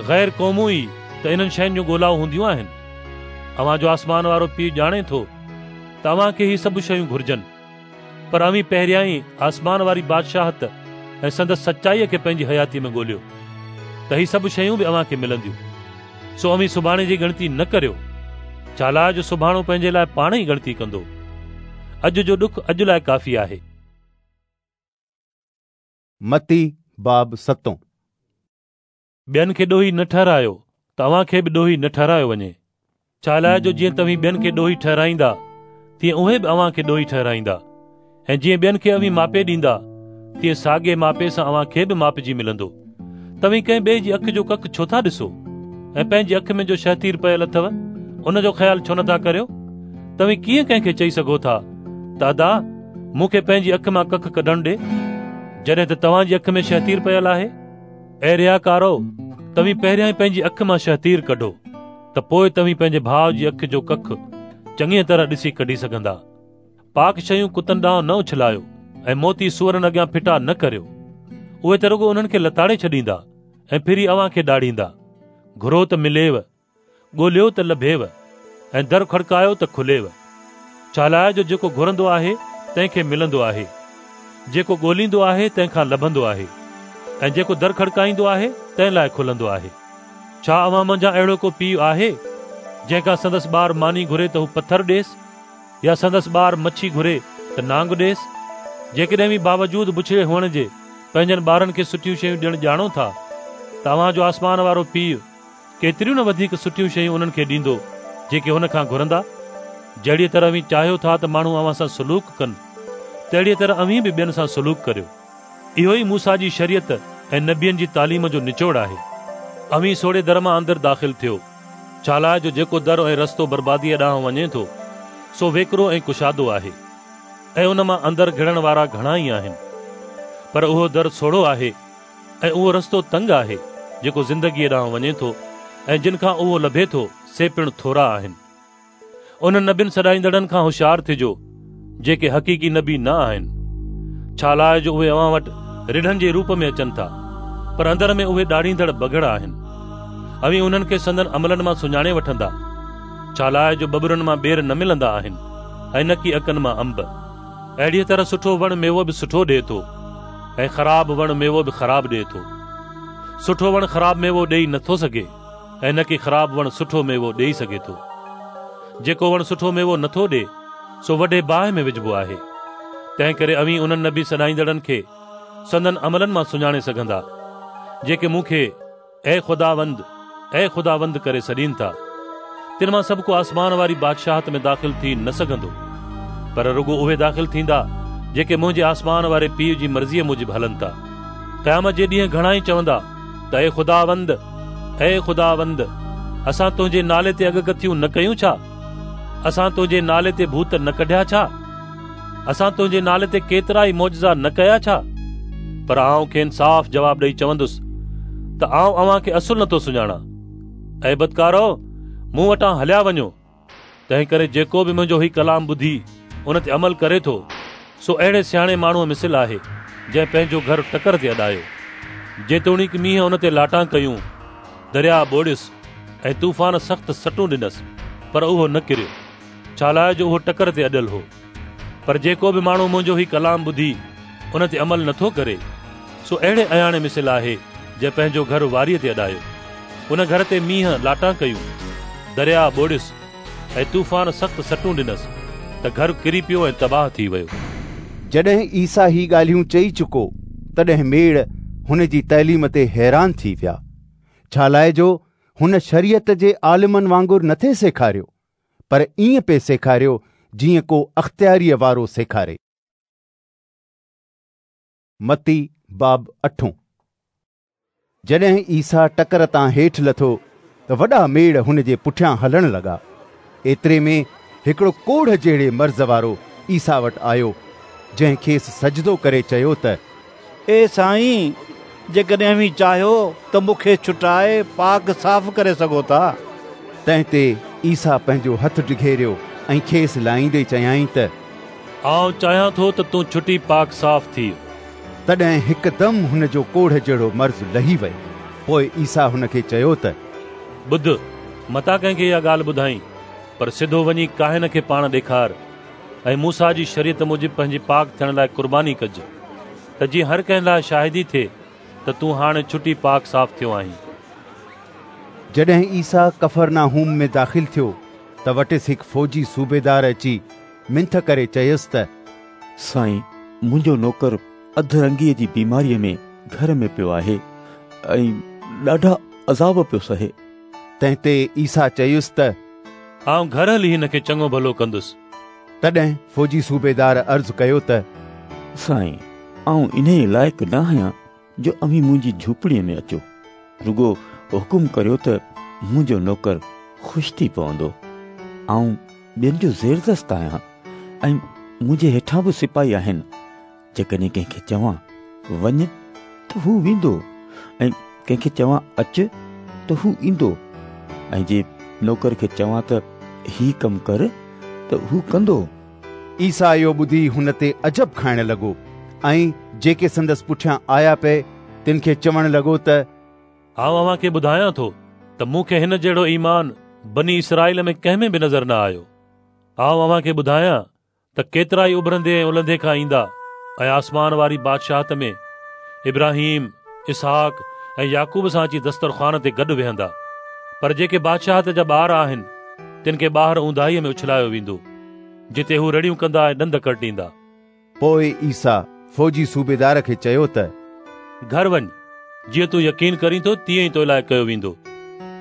غير قومون ئي ته انهن شين جون ڳولائو هونديون آهن. اوهان جو آسمان وارو پيء ڄاڻي ٿو ته اوهان کي هي سڀ شيون گهرجن. پر اوهين پهريائين آسمان واري بادشاهت ۽ سندس سچائيء کي پنهنجي حياتيء ۾ ڳوليو ته هي سڀ شيون به اوهان کي ملنديون. سو اوهين سڀاڻي جي ڳڻتي نه ڪريو، ڇالاء جو سڀاڻو پنهنجي لاء پاڻ ئي ڳڻتي ڪندو. اڄ جو ڏک اڄ لاء ڪافي آهي. متي باب ستون. ٻين کي ڏوهي نه ٺهرايو ته اوهان کي به ڏوهي نه ٺهرايو وڃي. ڇالاء جو جيئن توهين ٻين کي ڏوهي ٺهرائيندا، تيئن اهي به اوهان کي ڏوهي ٺهرائيندا، ۽ جيئن ٻين کي اوهين ماپي ڏيندا، تيئن ساڳئي ماپي سان اوهان کي به ماپجي ملندو. توهين ڪنهن ٻئي جي اک جو ڪک ڇو ٿا ڏسو، ۽ پنهنجي اک ۾ جو شهتير پيل اٿو، ان جو خيال ڇو نٿا ڪريو؟ توهين ڪيئن ڪنهن کي چئي سگهو ٿا ته ادا، مون کي پنهنجي اک مان ڪک ڪڍڻ ڏي، جڏهن ته توهان جي اک ۾ شهتير پيل آهي؟ اي رياڪارؤ، توهين پهريائين پنهنجي اک مان شهتير ڪڍو، ته پوء توهين پنهنجي ڀاء جي اک جو ڪک چڱيء طرح ڏسي ڪڍي سگهندا. پاڪ شيون ڪتن ڏانهن نه اڇلايو ۽ موتي سوئرن اڳيان ڦٽا نه ڪريو. اهي ته رڳو انهن کي لتاڙي ڇڏيندا ۽ ڦري اوهان کي ڏاڙهيندا. گهرو ته مليو، ڳوليو ته لڀيو ۽ در کڙڪايو ته کليو. ڇالاء جو جيڪو گهرندو آهي تنهن کي ملندو آهي، جيڪو ڳوليندو آهي تنهن کان لڀندو آهي ۽ جيڪو در کڙڪائيندو آهي تنهن لاء کلندو آهي. ڇا اوهان منجهان اهڙو ڪو پيء آهي، جنهن کان سندس ٻار ماني گهري ته هو پٿر ڏيس؟ يا سندس ٻار مڇي گهري ته نانگ ڏيس؟ جيڪڏهن اوهين باوجود بڇڙي هئڻ جي پنهنجن ٻارن کي سٺيون شيون ڏيڻ ڄاڻو ٿا ته اوهان جو آسمان وارو پيء ڪيتريون نه وڌيڪ سٺيون شيون انهن کي ڏيندو جيڪي هن کان گهرندا. جهڙيء طرح اوهين چاهيو ٿا ته ماڻهو اوهان سان سلوڪ ڪن، تهڙيء طرح اوهين به ٻين سان سلوڪ ڪريو. اهو ئي موسيٰ جي شريعت ۽ نبين جي تعليم جو نچوڙ آهي. اوهين سوڙهي در مان اندر داخل ٿيو، ڇالاء جو جيڪو در ۽ رستو برباديء ڏانهن وڃي ٿو، سو ويڪرو ۽ ڪشادو آهي، ۽ ان مان اندر گهڙڻ وارا گهڻا ئي آهن. پر اهو در سوڙهو آهي ۽ اهو رستو تنگ آهي، جيڪو زندگيء ڏانهن وڃي ٿو، ۽ جن کان اهو لڀي ٿو، سي پڻ ٿورا آهن. انهن نبين سڏائيندڙن کان هوشيار ٿجو، جيڪي حقيقي نبي نه آهن، ڇالاء جو اهي اوهان وٽ رڍن جي روپ ۾ اچن ٿا، پر اندر ۾ اهي ڏاڙهيندڙ بگهڙ آهن. اوهين انهن کي سندن عملن مان سڃاڻي وٺندا، ڇالاء جو ٻٻرن مان ٻير نه ملندا آهن ۽ نڪي اڪن مان انب. اهڙيء طرح سٺو وڻ ميوو به سٺو ڏئي ٿو ۽ خراب وڻ ميوو به خراب ڏئي ٿو. سٺو وڻ خراب ميوو ڏيئي نٿو سگهي. ۽ نه ڪي خراب وڻ سٺو ميوو ڏيئي سگهي ٿو. جيڪو وڻ سٺو ميوو نٿو ڏئي، سو وڍي باهه ۾ وجهبو آهي. تنهنڪري اوهين انهن نبي سڏائيندڙن کي سندن عملن مان سڃاڻي سگهندا، جيڪي مون کي اي خداوند، اي خداوند ڪري سڏين ٿا. تن مان سڀ ڪو آسمان واري بادشاهت ۾ داخل ٿي نه سگهندو، پر رڳو اهي داخل ٿيندا، جيڪي منهنجي آسمان واري پيء جي مرضيء موجب هلن ٿا. قيامت جي ڏينهن گهڻا ئي چوندا ته اي خداوند، اي خداوند، اسان تنهنجي نالي تي اڳڪٿيون نه ڪيون ڇا؟ اسان تنهنجي نالي تي ڀوت نه ڪڍيا ڇا؟ اسان تنهنجي نالي تي ڪيترا ئي معجزا نه ڪيا ڇا؟ پر آئون کين صاف جواب ڏئي چوندس ته آئون اوهان کي اصل نٿو سڃاڻان. اي بدڪارؤ، مون وٽان هليا وڃو. تنهنڪري جيڪو به منهنجو هي ڪلام ٻڌي ان تي عمل ڪري ٿو، سو اهڙي سياڻي ماڻهوء مثل آهي، جنهن پنهنجو گهر ٽڪر تي اڏايو. جيتوڻيڪ مينهن ان تي لاٽان ڪيون، درياء ٻوڙيس ۽ طوفان سخت سٽون ڏنس، پر اهو نه ڪريو، ڇالاء جو اهو ٽڪر تي اڏيل هو. پر جيڪو به ماڻهو منهنجو هي ڪلام ٻڌي ان تي عمل نٿو ڪري، سو اهڙي اياڻي مثل آهي، جنهن پنهنجو گهر واريء تي اڏايو. ان گهر تي مينهن لاٽان ڪيون، درياء ٻوڙيس ۽ طوفان سخت سٽون ڏنس ته گهر ڪري پيو ۽ تباهه ٿي ويو. جڏهن عيسيٰ هي ڳالهيون چئي چڪو، تڏهن ميڙ هن جي تعليم تي حيران ٿي ويا، ڇالاء جو هن شريعت جي عالمن وانگر نٿي سيکاريو، پر ائين پئي سيکاريو جيئن ڪو اختياريء وارو سيکاري. متي باب اٺون. جڏهن عيسيٰ ٽڪر تان هيٺ لٿو ته وڏا ميڙ هن جي پٺيان هلڻ لڳا. ايتري ۾ هڪڙو ڪوڙهه جهڙي مرض وارو عيسيٰ وٽ آيو، جنهن کيس سجدو ڪري چيو ته. اي سائين، جيڪڏهن اوهين چاهيو ته مون کي ڇٽائي پاڪ صاف ڪري سگهو ٿا. تنهن تي عيسيٰ پنهنجو هٿ ڊگهيريو ۽ کيس لائيندي چيائين ته. آئون چاهيان ٿو ته تون ڇٽي پاڪ صاف ٿيء. تڏهن هڪدم هن جو ڪوڙهه جهڙو مرض لهي ويو. پوء عيسيٰ هن کي چيو ته. ٻڌ، متان ڪنهن کي اها ڳالهه ٻڌائين، پر سڌو وڃي ڪاهن کي پاڻ ڏيکار ۽ موسيٰ جي شريعت موجب پنهنجي پاڪ ٿيڻ لاء قرباني ڪج، ته جيئن هر ڪنهن لاء شاهدي ٿئي ته تون هاڻي ڇٽي پاڪ صاف ٿيو آهين. جڏهن عيسيٰ ڪفرناحوم ۾ داخل ٿيو ته وٽس هڪ فوجي صوبيدار اچي منٿ ڪري چيس ته. سائين، منهنجو نوڪر اڌ رنگيء جي بيماريء ۾ گهر ۾ پيو آهي ۽ ڏاڍا عذاب پيو سهي. تنهن تي عيسيٰ چيس ته. آئون گهر هلي هن کي چڱو ڀلو ڪندس. تڏهن فوجي صوبيدار عرض ڪيو ته. سائين، آئون انهيء لائق نه آهيان جو اوهين منهنجي جهوپڙيء ۾ اچو. رڳو حڪم ڪريو ته منهنجو نوڪر خوش ٿي پوندو. آئون ٻين جو زيردست آهيان ۽ منهنجي هيٺان به سپاهي آهن. جيڪڏهن ڪنهن کي چوان وڃ ته هو ويندو ۽ ڪنهن کي چوان اچ ته هو ايندو ۽ جي نوڪر کي چوان ته هي ڪم ڪر ته هو ڪندو. عيسيٰ اهو ٻڌي هن تي عجب کائڻ لڳو ۽ جيڪي سندس پٺيان آيا پئي تن کي چوڻ لڳو ته. آئون اوهان کي ٻڌايان ٿو ته مون کي هن جهڙو ايمان بني اسرائيل ۾ ڪنهن ۾ به نظر نه آيو. آئون اوهان کي ٻڌايان ته ڪيترائي اڀرندي ۽ الهندي کان ايندا ۽ آسمان واري بادشاهت ۾ ابراهيم، اسحاق ۽ يعقوب سان اچي دسترخوان تي گڏ ويهندا. پر جيڪي بادشاهت جا ٻار آهن، تن کي ٻاهر اونداهيء ۾ اڇلايو ويندو، جتي هو رڙيون ڪندا ۽ ڏند ڪرٽيندا. پوء عيسيٰ فوجي صوبيدار کي چيو ته. گهر وڃ، جيئن تون يقين ڪرين ٿو تيئن ئي تو لاء ڪيو ويندو.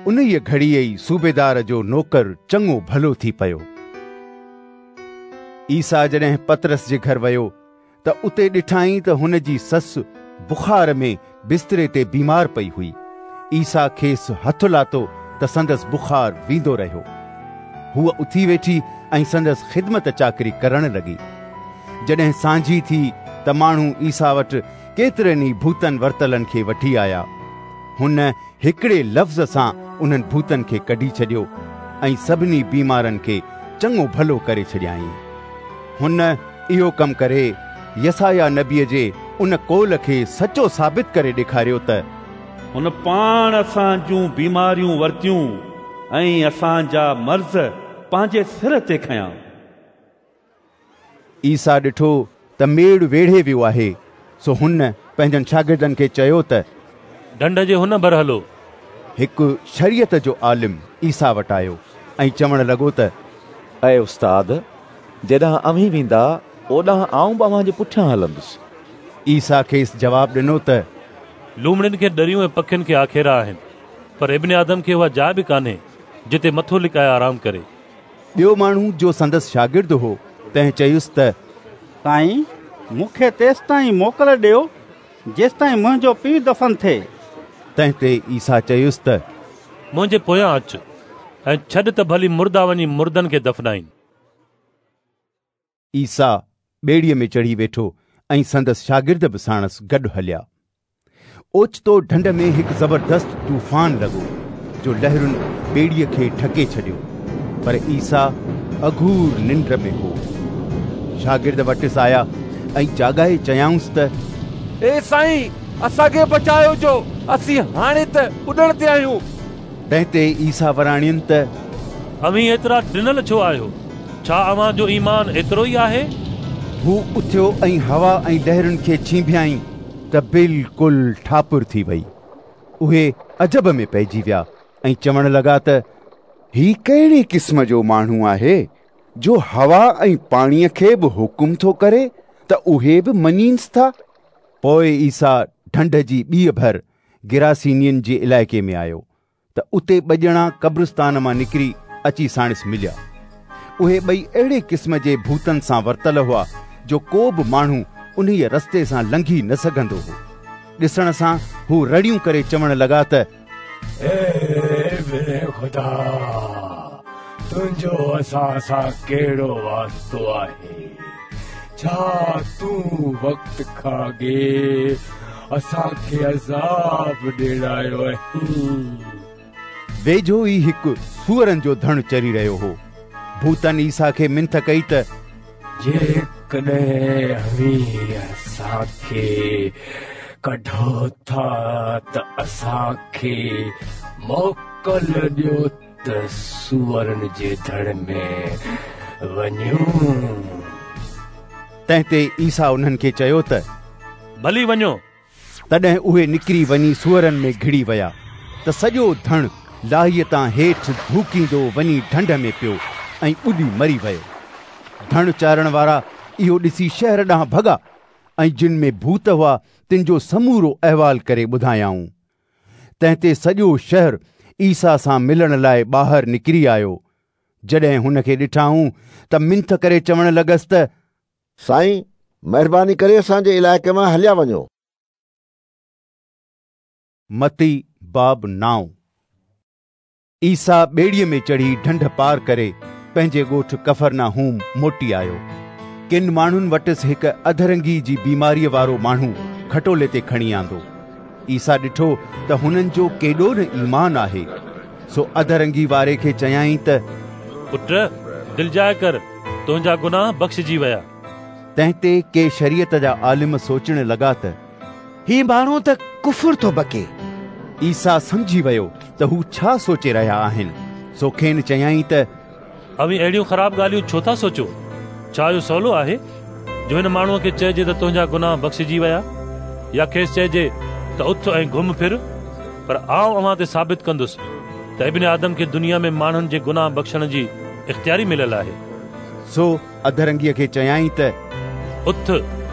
انهيء گهڙيء ئي صوبيدار جو نوڪر چڱو ڀلو ٿي پيو. عيسيٰ جڏهن پطرس جي گهر ويو ته اتي ڏٺائين ته هن جي سس بخار ۾ بستري تي بيمار پئي هئي. عيسيٰ کيس هٿ لاتو ته سندس بخار ويندو رهيو. هوء اٿي ويٺي ۽ سندس خدمت چاڪري ڪرڻ لڳي. جڏهن سانجهي ٿي ته ماڻهو عيسيٰ وٽ ڪيترن ئي ڀوتن ورتلن کي وٺي آيا. هن هڪڙي لفظ سان انهن ڀوتن کي ڪڍي ڇڏيو ۽ سڀني بيمارن کي چڱو ڀلو ڪري ڇڏيائين. هن اهو ڪم ڪري يسعياه نبيء جي ان قول کي سچو ثابت ڪري ڏيکاريو ته. هن پاڻ اسان جون بيماريون ورتيون ۽ اسان جا مرض پنهنجي سر تي کنيا. عيسيٰ ڏٺو ته ميڙ ويڙهي ويو آهي، سو هن پنهنجن شاگردن کي چيو ته. ڍنڍ جي هن ڀر هلو. هڪ شريعت جو عالم عيسيٰ وٽ آيو ۽ چوڻ لڳو ته. اي استاد، جيڏانهن اوهين ويندا، اوڏانهن آئون به اوهان جي پٺيان هلندس. عيسيٰ کيس جواب ڏنو ته. لومڙين کي ڏريون ۽ پکين کي آکيرا آهن، پر ابن آدم کي اها جاء به ڪانهي، جتي مٿو لڪائي آرام ڪري. ٻيو ماڻهو جو سندس شاگرد هو، تنهن چيس ته. سائين، مون کي تيستائين موڪل ڏيو، جيستائين منهنجو پيء دفن ٿئي. تنهن تي عيسيٰ چيس ته. منهنجي پويان اچ، ۽ ڇڏ ته ڀلي مردا وڃي مردن کي دفنائين. عيسيٰ ٻيڙيء ۾ چڙهي ويٺو ۽ سندس شاگرد به ساڻس گڏ هليا. اوچتو ڍنڍ ۾ هڪ زبردست طوفان لڳو، جو لهرن ٻيڙيء کي ڍڪي ڇڏيو، پر عيسيٰ اگهور ننڊ ۾ هو. شاگرد وٽس آيا ۽ جاڳائي چيائونس ته. اي سائين، اسان کي بچايو جو اسين هاڻي ته ٻڏڻ تي آهيون. تنهن تي عيسيٰ وراڻين ته. اوهين ايترا ڊنل ڇو آهيو؟ ڇا اوهان جو ايمان ايترو ئي آهي؟ هو اٿيو ۽ هوا ۽ لهرن کي ڇينڀيائين ته بلڪل ٺاپر ٿي وئي. اهي عجب ۾ پئجي ويا ۽ چوڻ لڳا ته. هي ڪهڙي قسم جو ماڻهو آهي جو هوا ۽ پاڻيء کي به حڪم ٿو ڪري ته اهي به مڃينس ٿا؟ پوء عيسيٰ ڍنڍ جي ٻيء ڀر گراسينين جي علائقي ۾ آيو ته اتي ٻه ڄڻا قبرستان مان نڪري اچي ساڻس مليا. اهي ٻئي اهڙي قسم جي ڀوتن سان ورتل هئا جو ڪو به ماڻهو انهيء رستي سان لنگهي نه سگهندو هو. ڏسڻ سان هو رڙيون ڪري چوڻ لڳا ته. اي ابن خدا، تنهنجو اسان سان ڪهڙو واسطو آهي؟ ڇا تون وقت کان اڳي اسان کي عذاب ڏيڻ آيو آهين؟ ويجهو ئي هڪ سوئرن جو ڌڻ چري رهيو هو. ڀوتن عيسيٰ کي منٿ ڪئي ته. جيڪڏهن اوهين اسان کي ڪڍو ٿا ته اسان کي موڪل ڏيو ته سوئرن جي ڌڻ ۾ وڃون. تنهن تي عيسيٰ انهن کي چيو ته. ڀلي وڃو. تڏهن اهي نڪري وڃي سوئرن ۾ گهڙي ويا ته سڄو ڌڻ لاهيء تان هيٺ ڌوڪيندو وڃي ڍنڍ ۾ پيو ۽ ٻڏي مري ويو. ڌڻ چارڻ وارا اهو ڏسي شهر ڏانهن ڀڳا ۽ جن ۾ ڀوت هئا تن جو سمورو احوال ڪري ٻڌايائون. تنهن تي سڄو شهر عيسيٰ سان ملڻ لاء ٻاهر نڪري آيو. جڏهن هن کي ڏٺائون ته منٿ ڪري چوڻ لڳس ته. سائين، مهرباني ڪري اسان جي علائقي مان هليا وڃو. متي باب نائون. عيسيٰ ٻيڙيء ۾ چڙهي ڍنڍ پار ڪري پنهنجي ڳوٺ ڪفرناحوم موٽي آيو. ڪن ماڻهن وٽس هڪ اڌرنگي جي بيماريء وارو ماڻهو کٽولي تي کڻي آندو. عيسيٰ ڏٺو ته هنن جو ڪيڏو نه ايمان آهي، سو اڌرنگي واري کي چيائين ته پٽ، دلجاء ڪر، تنهنجا گناهه بخشجي ويا. تنهن تي ڪي شريعت جا عالم سوچڻ لڳا ته هي ماڻهو ته ڪفر ٿو بڪي. عيسيٰ سمجهي ويو ته هو ڇا سوچي رهيا آهن، سو کين چيائين ته اوهين اهڙيون خراب ڳالهيون ڇو ٿا سوچو؟ ڇا اهو سولو آهي جو هن ماڻهوء کي چئجي ته تنهنجا گناهه بخشجي ويا يا کيس چئجي ته اٿ ۽ گهم ڦر؟ پر آئون اوهان تي ثابت ڪندس ته ابن آدم کي دنيا ۾ ماڻهن جي گناهه بخشڻ جي اختياري مليل آهي. سو اڌرنگيء کي چيائين ته اٿ،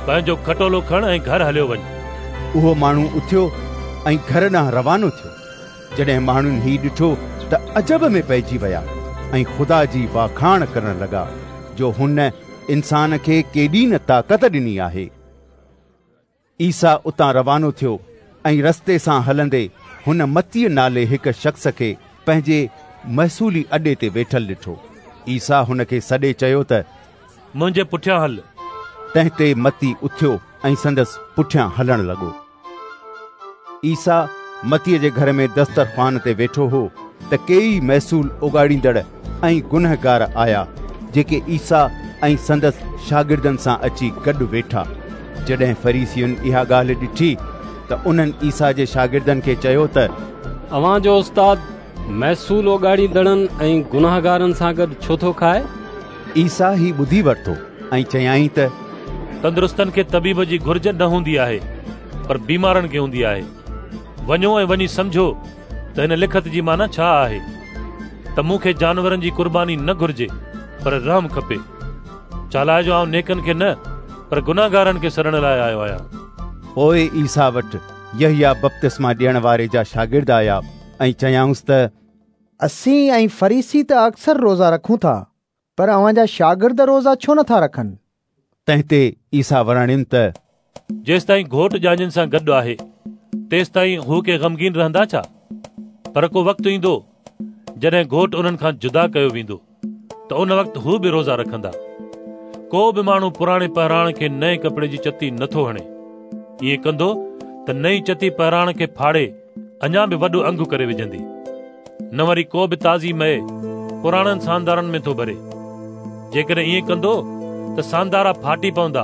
پنهنجو کٽولو کڻ ۽ گهر هليو وڃ. اهو ماڻهو اٿيو ۽ گهر ڏانهن روانو ٿيو. جڏهن ماڻهن هي ڏٺو ته عجب ۾ پئجي ويا ۽ خدا جي واکاڻ ڪرڻ لڳا، جو هن انسان کي ڪيڏي نه طاقت ڏني آهي. عيسيٰ اتان روانو ٿيو ۽ رستي سان هلندي هن متيء نالي هڪ شخص کي پنهنجي محصولي اڏي تي ويٺل ڏٺو. عيسيٰ هن کي سڏي چيو ته منهنجي پٺيان هل. تنهن تي متي اٿيو ۽ سندس پٺيان هلڻ لڳو. عيسيٰ متيء جي گهر ۾ دسترخوان تي ويٺو هو ته ڪيئي محصول اوڳاڙيندڙ ۽ گنهگار آيا، جيڪي عيسيٰ ۽ سندس شاگردن سان اچي گڏ ويٺا. جڏهن فريسين اها ڳالهه ڏٺي ته انهن عيسيٰ جي شاگردن کي چيو ته اوهان جو استاد محصول اوڳاڙيندڙن ۽ گنهگارن سان گڏ ڇو ٿو کائي؟ عيسيٰ هي ٻڌي ورتو ۽ چيائين ته تندرستن کي طبيب جي گهرج نه هوندي آهي، پر بيمارن کي هوندي آهي. وڃو ۽ وڃي سمجهو ته هن لکت جي معنيٰ ڇا آهي ته مون کي جانورن جي قرباني نه گهرجي پر رحم کپي. ڇالاء جو آئون نيڪن کي نه پر گنهگارن کي سڏڻ لاء آيو آهيان. پوء عيسيٰ وٽ يحيٰ بپتسما ڏيڻ واري جا شاگرد آيا ۽ چيائونس ته اسين ۽ فريسي ته اڪثر روزا رکون ٿا، پر اوهان جا شاگرد روزا ڇو نٿا رکن؟ تنهن تي عيسيٰ وراڻين ته جيستائين گهوٽ ڄاڃين سان گڏ آهي، تيستائين هو ڪي غمگين رهندا ڇا؟ پر ڪو وقت ايندو، جڏهن گهوٽ انهن کان جدا ڪيو ويندو، ته ان وقت هو به روزا رکندا. ڪو به ماڻهو پراڻي پهراڻ کي نئين ڪپڙي جي چتي نٿو هڻي. ائين ڪندو ته نئين چتي پهراڻ کي ڦاڙي اڃا به وڏو انگ ڪري وجهندي. نه وري ڪو به تازي مئي پراڻن ساندارن ۾ ٿو ڀري. جيڪڏهن ائين ڪندو ته ساندارا ڦاٽي پوندا،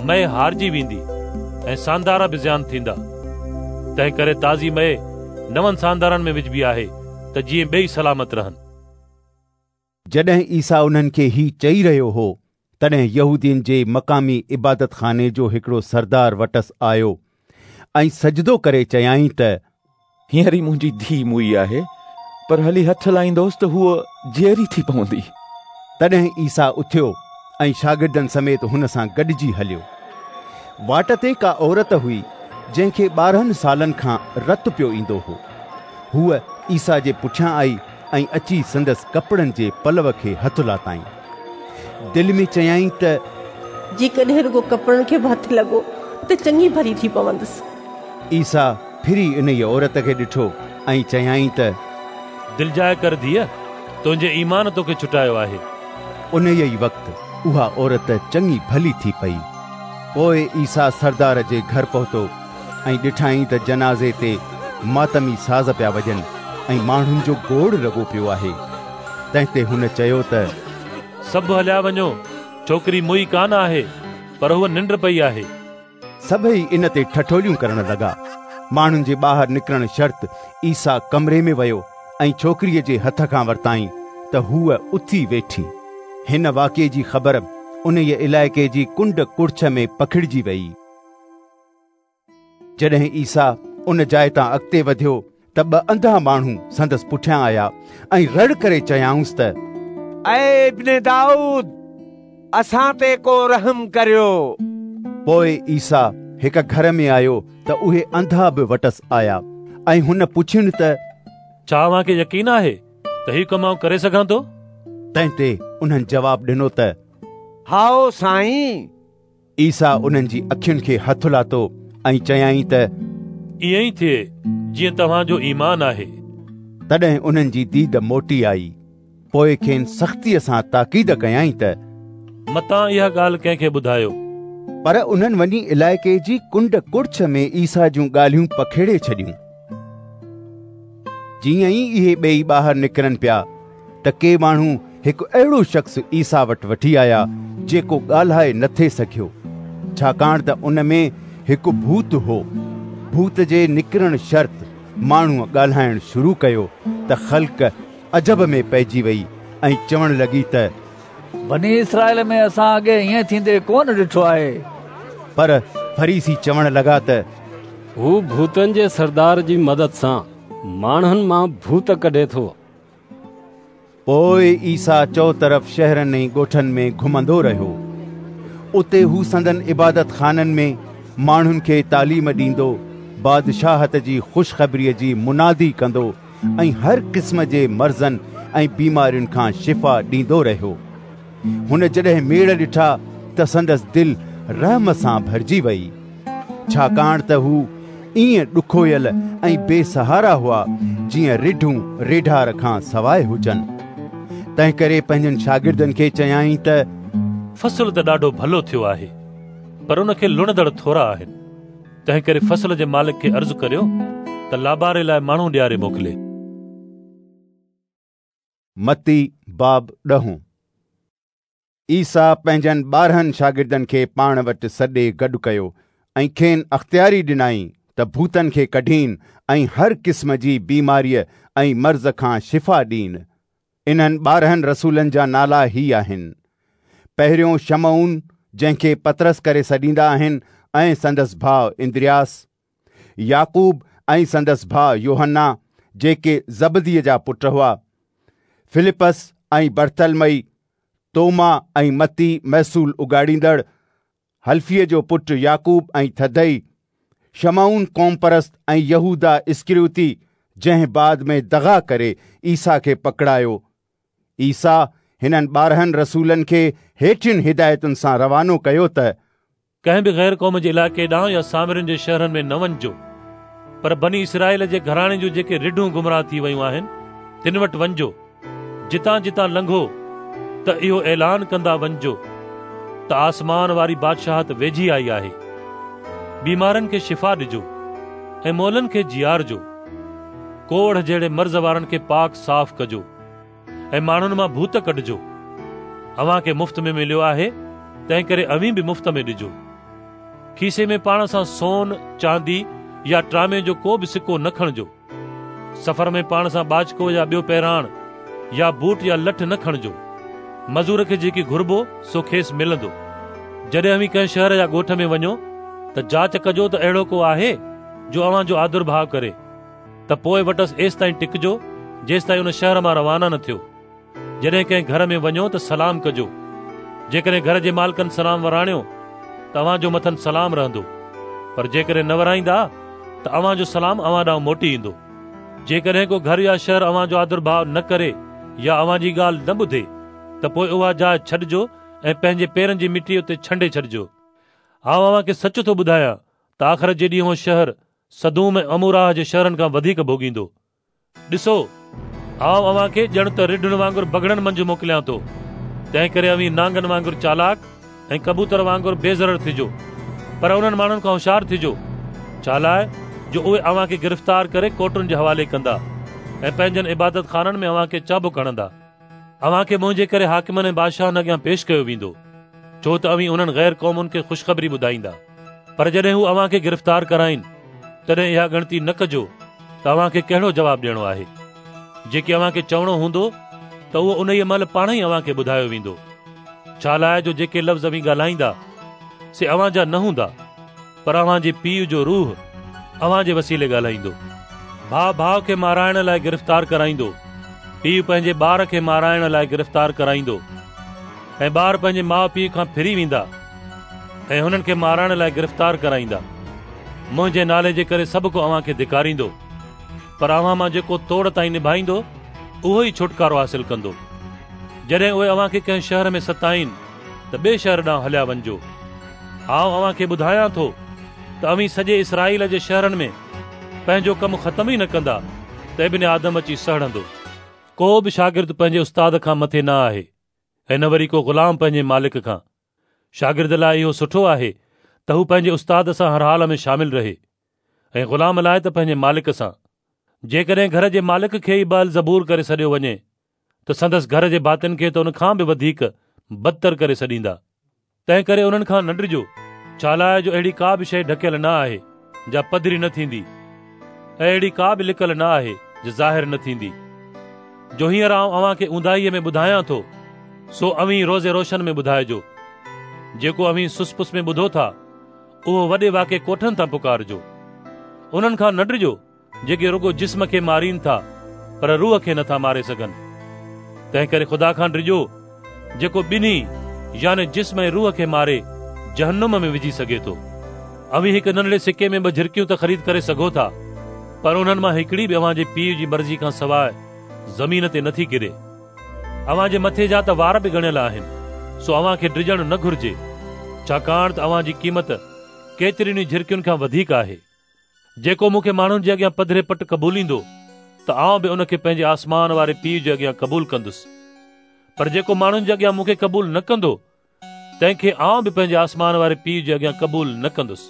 مئي هارجي ويندي ۽ ساندارا به زيان ٿيندا. تنهن ڪري تازي مئي نون ساندارن ۾ وجهبي آهي ته جيئن ٻئي سلامت رهن. جڏهن عيسيٰ انهن کي هي چئي رهيو هو، تڏهن يهودين جي مقامي عبادتخاني جو هڪڙو سردار وٽس آيو ۽ سجدو ڪري چيائين ته هينئر ئي منهنجي ڌيء موئي آهي، پر هلي هٿ لائيندوس ته هوء جيئري ٿي پوندي. تڏهن عيسيٰ اٿيو ۽ شاگردن سميت هن سان گڏجي هليو. واٽ تي ڪا عورت هئي، جنهن کي 12 سالن کان رت پيو ايندو هو. هوء عيسيٰ جي پٺيان آئي ۽ اچي سندس ڪپڙن جي پلو کي هٿ لاتائين. دل ۾ چيائين ته جيڪڏهن رڳو ڪپڙن کي به هٿ لڳو ته چڱي ڀلي ٿي پوندس. عيسيٰ ڦري انهيء عورت کي ڏٺو ۽ چيائين ته دلجاء ڪر ڌيء، تنهنجي ايمان توکي ڇٽايو آهي. انهيء ئي وقت اها عورت چڱي ڀلي ٿي پئي. پوء عيسيٰ سردار جي گهر پهتو ۽ ڏٺائين ته جنازي تي ماتمي ساز پيا وڄن ۽ ماڻهن جو گوڙ لڳو پيو آهي. تنهن تي هن چيو ته سڀ هليا وڃو، ڇوڪري موئي ڪانه آهي، پر هوء ننڊ پئي آهي. سڀئي ان تي ٺٺوليون ڪرڻ لڳا. ماڻهن جي ٻاهر نڪرڻ شرط عيسيٰ ڪمري ۾ ويو ۽ ڇوڪريء جي هٿ کان ورتائين ته هوء اٿي ويٺي. هن واقعي جي خبر انهيء علائقي جي ڪنڊ ڪڙڇ ۾ پکڙجي ويئي. جڏهن عيسيٰ ان جاء تان اڳتي وڌيو ته ٻه انڌا ماڻهو سندس پٺيان آيا ۽ رڙ ڪري چيائونس ته اي ابن دائود، اسان تي ڪو رحم ڪريو. پوء عيسيٰ هڪ گهر ۾ آيو ته اهي انڌا به وٽس آيا ۽ هن پڇين ته ڇا اوهان کي يقين آهي ته هي ڪم آئون ڪري سگهان ٿو؟ تنهن تي انهن جواب ڏنو ته هائو سائين. عيسيٰ انهن جي اکين کي هٿ لاتو ۽ چيائين ته ائين ئي ٿئي جيئن توهان جو ايمان آهي. تڏهن انهن جي ديد موٽي آئي. پوءِ کين سختيءَ سان تاڪيد ڪيائين ته متان اها ڳالهه ڪنهن کي ٻڌايو. پر انهن وڃي علائقي جي ڪنڊ ڪڙڇ ۾ عيسيٰ جون ڳالهيون پکيڙي ڇڏيون. جيئن ئي اهي ٻيئي ٻاهر نڪرن پيا ته ڪي ماڻهو هڪ اهڙو شخص عيسيٰ وٽ وٺي آيا جيڪو ڳالهائي نه ٿي سگهيو، ڇاڪاڻ ته ان ۾ هڪ ڀوت هو. ڀوت جي نڪرڻ شرط ماڻهوءَ ڳالهائڻ شروع ڪيو ته خلق عجب ۾ پئجي وئي ۽ چوڻ لڳي ته بني اسرائيل ۾ اسان اڳي ائين ٿيندي ڪونه ڏٺو آهي. پر فريسي چوڻ لڳا ته هو ڀوتن جي سردار جي مدد سان ماڻهن مان ڀوت ڪڍي ٿو. پوءِ عيسيٰ چؤطرف شهرن ۽ ڳوٺن ۾ گهمندو رهيو. اتي هو سندن عبادتخانن ۾ ماڻهن کي تعليم ڏيندو، بادشاهت جي خوشخبريءَ جي منادي ڪندو ۽ هر قسم جي مرضن ۽ بيمارين کان شفا ڏيندو رهيو. هن جڏهن ميڙ ڏٺا ته سندس دل رحم سان ڀرجي وئي، ڇاڪاڻ ته هو ائين ڏکويل ۽ بي سهارا هئا جيئن رڍون ريڍار کان سواءِ هجن. تنهنڪري پنهنجن شاگردن کي چيائين ته فصل ته ڏاڍو ڀلو ٿيو آهي، پر ان کي لڻندڙ ٿورا آهن. تنهنڪري فصل جي مالڪ کي عرض ڪريو ته لاباري لاءِ ماڻهو ڏياري موڪلي. متي باب ڏهون. عيسيٰ پنهنجن 12 شاگردن کي پاڻ وٽ سڏي گڏ ڪيو ۽ کين اختياري ڏنائين ته ڀوتن کي ڪڍين ۽ هر قسم جي بيماريءَ ۽ مرض کان شفا ڏين. انهن 12 رسولن جا نالا هي آهن: پهريون شمعون، جنهن کي پطرس ڪري سڏيندا آهن، ۽ سندس ڀاءُ اندرياس، يعقوب ۽ سندس ڀاءُ يوحنا، جيڪي زبديءَ جا پٽ هئا، فلپس ۽ برتلمئي، توما ۽ متي محصول اڳاڙيندڙ، حلفيءَ جو پٽ يعقوب ۽ ٿدئي، شمعون قومپرست ۽ يهوداه اسڪريوتي، جنهن بعد ۾ دغا ڪري عيسيٰ کي پڪڙايو. عيسيٰ هنن 12 رسولن کي هيٺين هدايتن سان روانو ڪيو ته ڪنهن به غير قوم جي علائقي ڏانهن يا سامرين جي شهرن ۾ نه وڃجو، پر بني اسرائيل جي گهراڻي جون جيڪي رڍون گمراهه ٿي ويون آهن تن وٽ وڃجو. جتان جتان لنگهو ته اهو اعلان ڪندا وڃجو ته آسمان واري بادشاهت ويجهي آئي آهي. بيمارن کي شفا ڏجو ۽ مئلن کي جيارجو. ڪوڙهه جهڙي مرض وارن کي پاڪ صاف ڪجو ۽ ماڻهن مان ڀوت ڪڍجو. اوهان کي مفت ۾ مليو آهي، تنهنڪري اوهين به مفت ۾ ڏجو. کيسي ۾ پاڻ سان سون، چاندي يا ٽرامي جو ڪو به سڪو نه کڻجو. سفر ۾ پاڻ سان ٻاچڪو يا ٻيو پهراڻ يا بوٽ يا لٺ نه کڻجو. مزور کي جيڪي گهربو سو کيس ملندو. جڏهن اوهين ڪنهن شهر يا ڳوٺ ۾ وڃو ته جاچ ڪجو ته اهڙو ڪو آهي جو اوهان جو آدر ڀاءُ ڪري، ته پوءِ وٽس ايستائين ٽڪجو جيستائين ان شهر مان روانا نه ٿيو. جڏهن ڪنهن گهر ۾ وڃو ته سلام ڪجو. جيڪڏهن گهر جي مالڪن سلام وراڻيو ته اوهان جو مٿن سلام رهندو، پر جيڪڏهن نه ورائيندا ته اوهان جو سلام اوهان ڏانهن موٽي ايندو. جيڪڏهن ڪو گهر يا شهر اوهان جو آدر ڀاءُ نه ڪري يا اوهان جي ڳالهه نه ٻڌي ته پوءِ اها جاءِ ڇڏجو ۽ پنهنجي پيرن جي مٽي اتي ڇنڊي ڇڏجو. آئون اوهان کي سچ ٿو ٻڌايان ته آخرت جي ڏينهن اهو شهر سدوم ۽ عموراه جي شهرن کان وڌيڪ ڀوڳيندو. ڏسو، آئون اوهان کي ڄڻ ته رڍن وانگر بگهڙن منجهه موڪليان ٿو، تنهنڪري اوهين نانگن وانگر چالاڪ ۽ ڪبوتر وانگر بي ضرر ٿجو. پر انهن ماڻهن کان هوشيار ٿجو، ڇالاءِ جو اهي اوهان کي گرفتار ڪري ڪورٽن جي حوالي ڪندا ۽ پنهنجن عبادتخانن ۾ اوهان کي چابڪ هڻندا. اوهان کي منهنجي ڪري حاڪمن ۽ بادشاهن اڳيان پيش ڪيو ويندو، ڇو ته اوهين انهن غير قومن کي خوشخبري ٻڌائيندا. پر جڏهن هو اوهان کي گرفتار ڪرائين، تڏهن اها ڳڻتي نه ڪجو ته اوهان کي ڪهڙو جواب ڏيڻو آهي. جيڪي اوهان کي چوڻو هوندو ته اهو انهيء مهل پاڻ ئي اوهان کي ٻڌايو ويندو. ڇالاءِ جو جيڪي لفظ اوهين ڳالهائيندا سي اوهان جا نه هوندا، پر اوهان جي پيءُ جو روح اوهان جي وسيلي ڳالهائيندو. ڀاءُ ڀاءُ کي مارائڻ لاءِ گرفتار ڪرائيندو، پيءُ پنهنجي ٻار کي مارائڻ لاءِ گرفتار ڪرائيندو، ۽ ٻار پنهنجي ماءُ پيءُ کان ڦري ويندا ۽ هنن کي مارائڻ لاءِ گرفتار ڪرائيندا. منهنجي نالي جي ڪري سڀ ڪو اوهان کي ڌڪاريندو، پر اوهان مان جيڪو توڙ تائين نڀائيندو اهو ئي ڇوٽڪارو حاصل ڪندو. جڏهن اهي اوهان کي ڪنهن شهر ۾ ستائين ته ٻئي شهر ڏانهن هليا وڃجو. آئون اوهان کي ٻڌايان ٿو ته اوهين سڄي اسرائيل جي شهرن ۾ پنهنجو ڪم ختم ئي نه ڪندا ته ابن آدم اچي سهڙندو. ڪو به شاگرد پنهنجي استاد کان مٿي نه آهي ۽ نه وري ڪو غلام پنهنجي مالڪ کان. شاگرد لاء اهو سٺو آهي ته هو پنهنجي استاد سان هر حال ۾ شامل رهي ۽ غلام لاء ته پنهنجي مالڪ سان. جيڪڏهن گهر جي مالڪ کي ئي بعلزبول ڪري سڏيو وڃي ته سندس گهر جي ڀاتين کي ته ان کان به وڌيڪ بدتر ڪري سڏيندا. تنهنڪري انهن کان نه ڊڄو، ڇالاء جو اهڙي ڪا به شيء ڍڪيل نه آهي، جا پڌري نه ٿيندي، ۽ اهڙي ڪا به لڪل نه آهي، جا ظاهر نه ٿيندي. جو هينئر آئون اوهان کي اونداهيء ۾ ٻڌايان ٿو، سو اوهين روز روشن ۾ ٻڌائجو. جيڪو اوهين سس پس ۾ ٻڌو ٿا، اهو وڏي واڪي ڪوٺن تان پڪارجو. انهن کان نه ڊڄو، جيڪي رڳو جسم کي مارين ٿا پر روح کي نٿا ماري سگهن. تنهنڪري خدا کان ڊڄو، جيڪو ٻنهي يعني جسم ۽ روح کي ماري جهنم ۾ وجهي سگهي ٿو. اوهين هڪ ننڍڙي سڪي ۾ ٻه جهرڪيون ته خريد ڪري سگهو ٿا، پر انهن مان هڪڙي به اوهان جي پيء جي مرضي کان سواء زمين تي نٿي ڪري. اوهان جي مٿي جا ته وار به ڳڻيل آهن، سو اوهان کي ڊڄڻ نه گهرجي، ڇاڪاڻ ته اوهان جي قيمت ڪيترين ئي جهرڪين کان وڌيڪ آهي. جيڪو مون کي ماڻهن جي اڳيان پڌري پٽ قبوليندو ته آئون به ان کي پنهنجي آسمان واري پيء جي اڳيان قبول ڪندس. پر جيڪو ماڻهن جي اڳيان مون کي قبول نه ڪندو، تنهن کي آئون به پنهنجي آسمان واري پيء جي اڳيان قبول نه ڪندس.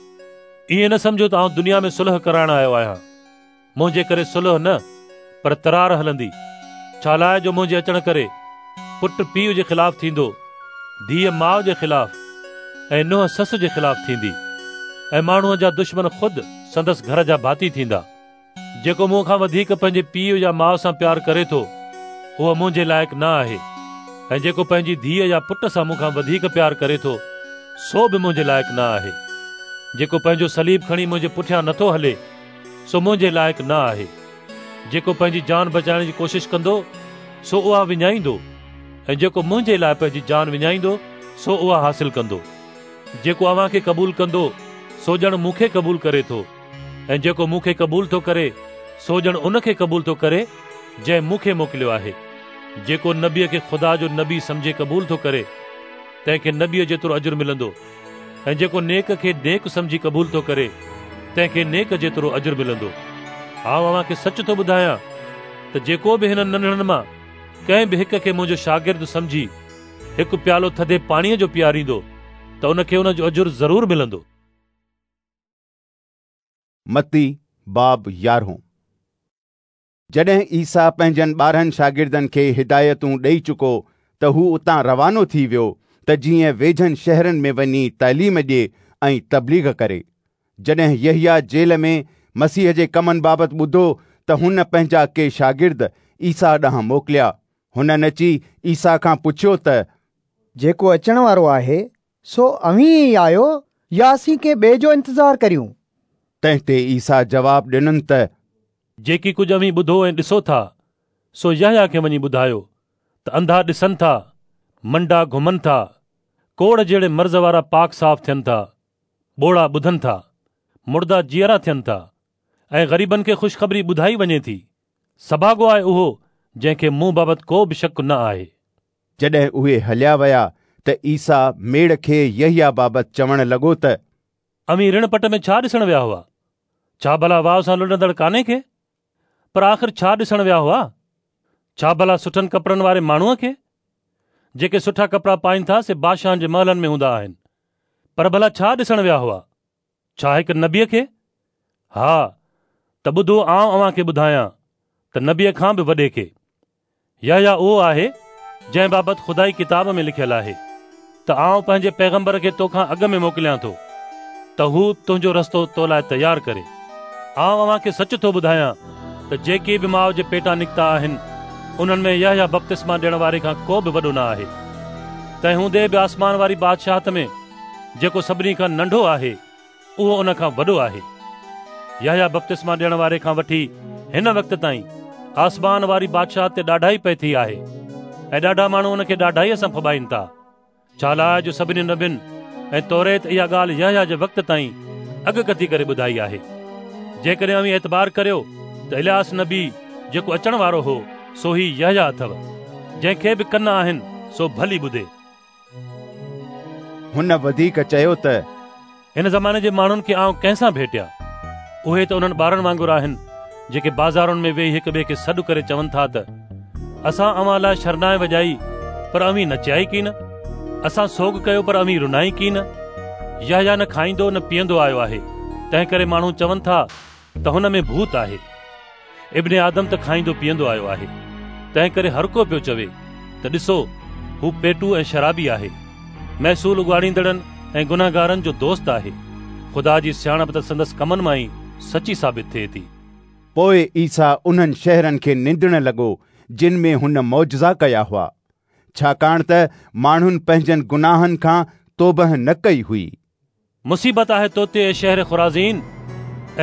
ائين نه سمجهو ته آئون دنيا ۾ صلح ڪرائڻ آيو آهيان. منهنجي ڪري صلح نه، پر ترار هلندي. ڇالاء جو منهنجي اچڻ ڪري پٽ پيء جي خلاف ٿيندو، ڌيء ماء جي خلاف ۽ ننهن سس جي خلاف ٿيندي ۽ ماڻهوء جا دشمن خود سندس گهر جا ڀاتي ٿيندا. جيڪو مون کان وڌيڪ پنهنجي پيء يا ماء سان پيار ڪري ٿو، اهو منهنجي لائق نه آهي ۽ جيڪو پنهنجي ڌيء يا پٽ سان مون کان وڌيڪ پيار ڪري ٿو، سو به منهنجي لائق نه آهي. جيڪو پنهنجو صليب کڻي منهنجي پٺيان نٿو هلي، سو منهنجي لائق نه آهي. جيڪو پنهنجي جان بچائڻ جي ڪوشش ڪندو، سو اها وڃائيندو ۽ جيڪو منهنجي لاء پنهنجي جان وڃائيندو، سو اها حاصل ڪندو. جيڪو اوهان کي قبول ڪندو، سو ڄڻ مون کي قبول ڪري ٿو ۽ جيڪو مون کي قبول ٿو ڪري، سو ڄڻ ان کي قبول ٿو ڪري، جنهن مون کي موڪليو آهي. جيڪو نبيء کي خدا جو نبي سمجهي قبول ٿو ڪري، تنهن کي نبيء جيترو اجر ملندو ۽ جيڪو نيڪ کي نيڪ سمجهي قبول ٿو ڪري، تنهن کي نيڪ جيترو اجر ملندو. آئون اوهان کي سچ ٿو ٻڌايان ته جيڪو به هنن ننڍڙن مان ڪنهن به هڪ کي منهنجو شاگرد سمجهي هڪ پيالو ٿڌي پاڻيء جو پياريندو ته ان کي ان جو اجر ضرور ملندو. متي باب يارهون. جڏهن عيسيٰ پنهنجن 12 شاگردن کي هدايتون ڏيئي چڪو ته هو اتان روانو ٿي ويو ته جيئن ويجهن شهرن ۾ وڃي تعليم ڏئي ۽ تبليغ ڪري. جڏهن يحيٰ جيل ۾ مسيح جي ڪمن بابت ٻڌو ته هن پنهنجا ڪي شاگرد عيسيٰ ڏانهن موڪليا. هنن اچي عيسيٰ کان پڇيو ته، جيڪو اچڻ وارو آهي، سو اوهين ئي آهيو يا اسين ڪنهن ٻئي جو انتظار ڪريون؟ تنهن تي عيسيٰ جواب ڏنن ته، جيڪي ڪجهه اوهين ٻڌو ۽ ڏسو ٿا، سو يحيٰ کي وڃي ٻڌايو ته انڌا ڏسن ٿا، منڊا گهمن ٿا، ڪوڙهه جهڙي مرض وارا پاڪ صاف ٿين ٿا، ٻوڙا ٻڌن ٿا، مڙدا جيئرا ٿين ٿا ۽ غريبن کي خوشخبري ٻڌائي وڃي ٿي. سڀاڳو آهي اهو جنهن کي مون بابت ڪو به شڪ نه آهي. جڏهن اهي هليا ويا ته عيسيٰ ميڙ کي يحيٰ بابت چوڻ لڳو ته. اوهين رڻ پٽ ۾ ڇا ڏسڻ ويا هئا؟ ڇا ڀلا واء سان لڏندڙ ڪاني کي؟ پر آخر ڇا ڏسڻ ويا هئا؟ ڇا ڀلا سٺن ڪپڙن واري ماڻهوء کي؟ جيڪي سٺا ڪپڙا پائين ٿا سي بادشاهن جي محلن ۾ هوندا آهن. پر ڀلا ڇا ڏسڻ ويا هئا؟ ڇا هڪ نبيء کي؟ ها، ته ٻڌو آئون اوهان کي ٻڌايان ته نبيء کان به وڏي کي. يحيٰ اهو آهي، جنهن بابت خدائي ڪتاب ۾ لکيل آهي ته آئون پنهنجي پيغمبر کي تو کان اڳ ۾ موڪليان ٿو ته هو تنهنجو رستو تو لاء تيار ڪري. آئون اوهان کي سچ ٿو ٻڌايان ته جيڪي به ماء جي پيٽان نڪتا آهن، انهن ۾ يحيٰ بپتسما ڏيڻ واري کان ڪو به وڏو نه آهي. تنهن هوندي به آسمان واري بادشاهت ۾ جيڪو سڀني کان ننڍو آهي، اهو ان کان وڏو آهي. يحيٰ بپتسما ڏيڻ واري کان وٺي هن وقت تائين آسمان واري بادشاهت تي ڏاڍائي پئي ٿي آهي ۽ ڏاڍا ماڻهو ان کي ڏاڍائيء سان ڦٻائين ٿا. ڇالاء جو سڀني نبين ۽ توريت اها ڳالهه يحيٰ جي وقت تائين اڳڪٿي ڪري ٻڌائي آهي. جيڪڏهن اوهين اعتبار ڪريو ته الياس نبي جيڪو اچڻ وارو هو، سو هي يحيٰ اٿو. جنهن کي به ڪن آهن، سو ڀلي ٻڌي. هن وڌيڪ چيو ته. هن زماني جي ماڻهن کي آئون ڪنهن سان ڀيٽيان؟ اهي ته انهن ٻارن وانگر آهن، جيڪي بازارن ۾ ويهي هڪ ٻئي کي سڏ ڪري چون ٿا ته، اسان اوهان لاء شرنائي وڄائي، پر اوهين نچيا ئي ڪين. اسان سوڳ ڪيو، پر اوهين رنا ئي ڪين. يحيٰ نه کائيندو نه پيئندو آيو آهي، تنهنڪري ماڻهو چون ٿا ته هن ۾ ڀوت آهي. ابن آدم ته کائيندو پيئندو آيو آهي، تنهنڪري هر ڪو پيو چوي ته ڏسو، هو پيٽو ۽ شرابي آهي، محصول اڳاڙيندڙن ۽ گنهگارن جو دوست آهي. خدا جي سياڻپ ته سندس ڪمن مان ئي سچي ثابت ٿئي ٿي. پوء عيسيٰ انهن شهرن کي نندڻ لڳو جن ۾ هن معجزا ڪيا هئا، ڇاڪاڻ ته ماڻهن پنهنجن گناهن کان توبهه نه ڪئي هئي. مصيبت آهي تو تي اي شهر خرازين!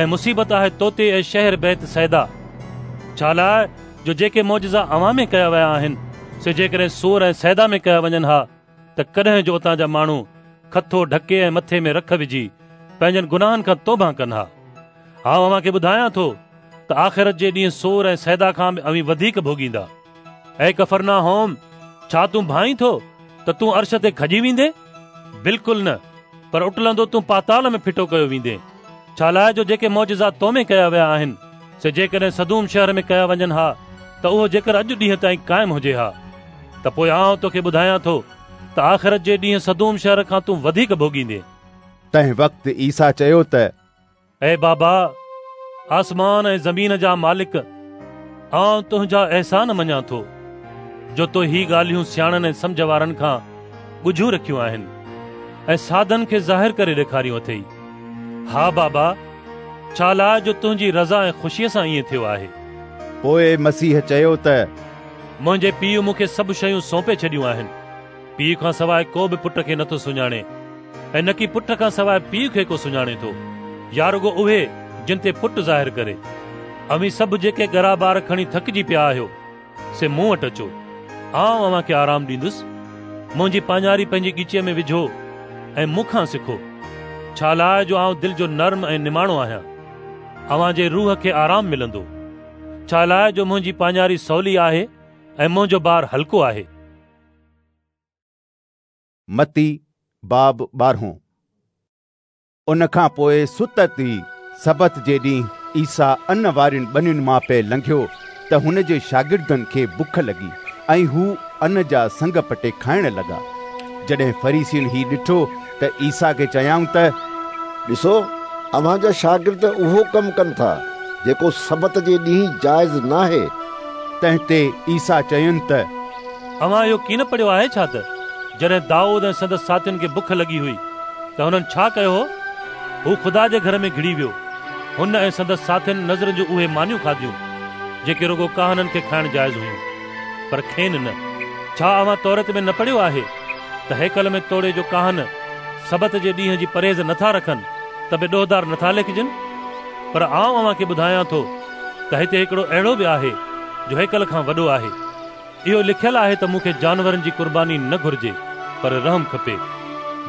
۽ مصيبت آهي تو تي اي شهر بيت صيدا! ڇالاء جو جيڪي معجزا اوهان ۾ ڪيا ويا آهن، سي جيڪڏهن صور ۽ صيدا ۾ ڪيا وڃن ها، ته ڪڏهن جو اتان جا ماڻهو کٿو ڍڪي ۽ مٿي ۾ رک وجهي پنهنجن گناهن کان توبهه ڪن ها. آئون اوهان کي ٻڌايان ٿو ته آخرت جي ڏينهن صور ۽ صيدا کان به اوهين وڌيڪ ڀوڳيندا. اي ڪفرناحوم، ڇا تون ڀانئين ٿو ته تون عرش تي کڄي ويندين؟ بلڪل نه، پر اٽلندو تون پاتال ۾ ڦٽو ڪيو ويندين. ڇالاء جو جيڪي معجزا تو ۾ ڪيا ويا آهن، سي جيڪڏهن سدوم شهر ۾ ڪيا وڃن ها ته اهو جيڪر اڄ ڏينهن تائين قائم هجي ها. ته پوء آئون توکي ٻڌايان ٿو ته آخرت جي ڏينهن سدوم شهر کان تون وڌيڪ ڀوڳيندين. تنهن وقت عيسيٰ چيو ته. اي بابا، آسمان ۽ زمين جا مالڪ، آئون تنهنجا احسان مڃان ٿو، جو تو هي ڳالهيون سياڻن ۽ سمجهه وارن کان ڳجهيون رکيون آهن ۽ سادن کي ظاهر ڪري ڏيکاريون اٿئي. ها بابا، ڇالاء جو تنهنجي رضا ۽ خوشيء سان ائين ٿيو آهي. پوء مسيح چيو ته. منهنجي پيء مون کي سڀ شيون سونپي ڇڏيون آهن. پيء کان سواء ڪو به پٽ کي نٿو سڃاڻي ۽ نڪي پٽ کان سواء پيء کي ڪو سڃاڻي ٿو، يا رڳو اهي جن تي پٽ ظاهر ڪري. اوهين سڀ جيڪي ڳرا بار کڻي ٿڪجي پيا آهيو، سي مون وٽ اچو، آئون اوهان کي آرام ڏيندس. منهنجي پاڃاري پنهنجي ڳچيء ۾ وجهو ۽ مون کان سکو، ڇالاء جو آئون دل جو نرم ۽ نماڻو آهيان. اوهان جي روح کي آرام ملندو، ڇالاء جو منهنجي پاڃاري سولي آهي ۽ منهنجو بار هلڪو آهي. متي باب ٻارهون. ان کان پوء ستت ئي سبت جي ڏينهن عيسيٰ ان وارين ٻنين مان پئي لنگهيو ته هن جي شاگردن کي بک لڳي ۽ هو ان جا سنگ پٽي کائڻ لڳا. جڏهن فريسين هي ڏٺو ته عيسيٰ کي چيائون ته، ڏسو، اوهان جا شاگرد اهو ڪم ڪن ٿا، جيڪو سبت جي ڏينهن جائز ناهي. تنهن تي عيسيٰ چين ته، اوهان اهو ڪين پڙهيو آهي ڇا ته جڏهن دائود ۽ سندس ساٿين کي بک لڳي هئي ته هنن ڇا ڪيو هو؟ هو خدا جي گهر ۾ گهڙي ويو. هن ۽ سندس ساٿين نذر جون اهي مانيون کاڌيون، جيڪي رڳو ڪاهنن کي کائڻ جائز هيون، پر کين نه. ڇا اوهان توريت ۾ نه پڙهيو آهي ته هيڪل ۾ توڙي جو ڪاهن سبت جي ڏينهن جي پرهيز نٿا رکن ته به ڏوهدار نٿا ليکجن؟ پر آئون اوهان کي ٻڌايان ٿو ته هتي هڪڙو اهڙو به آهي جو هيڪل کان وڏو آهي. اهو لکيل آهي ته مون کي جانورن جي قرباني نه گهرجي پر رحم کپي.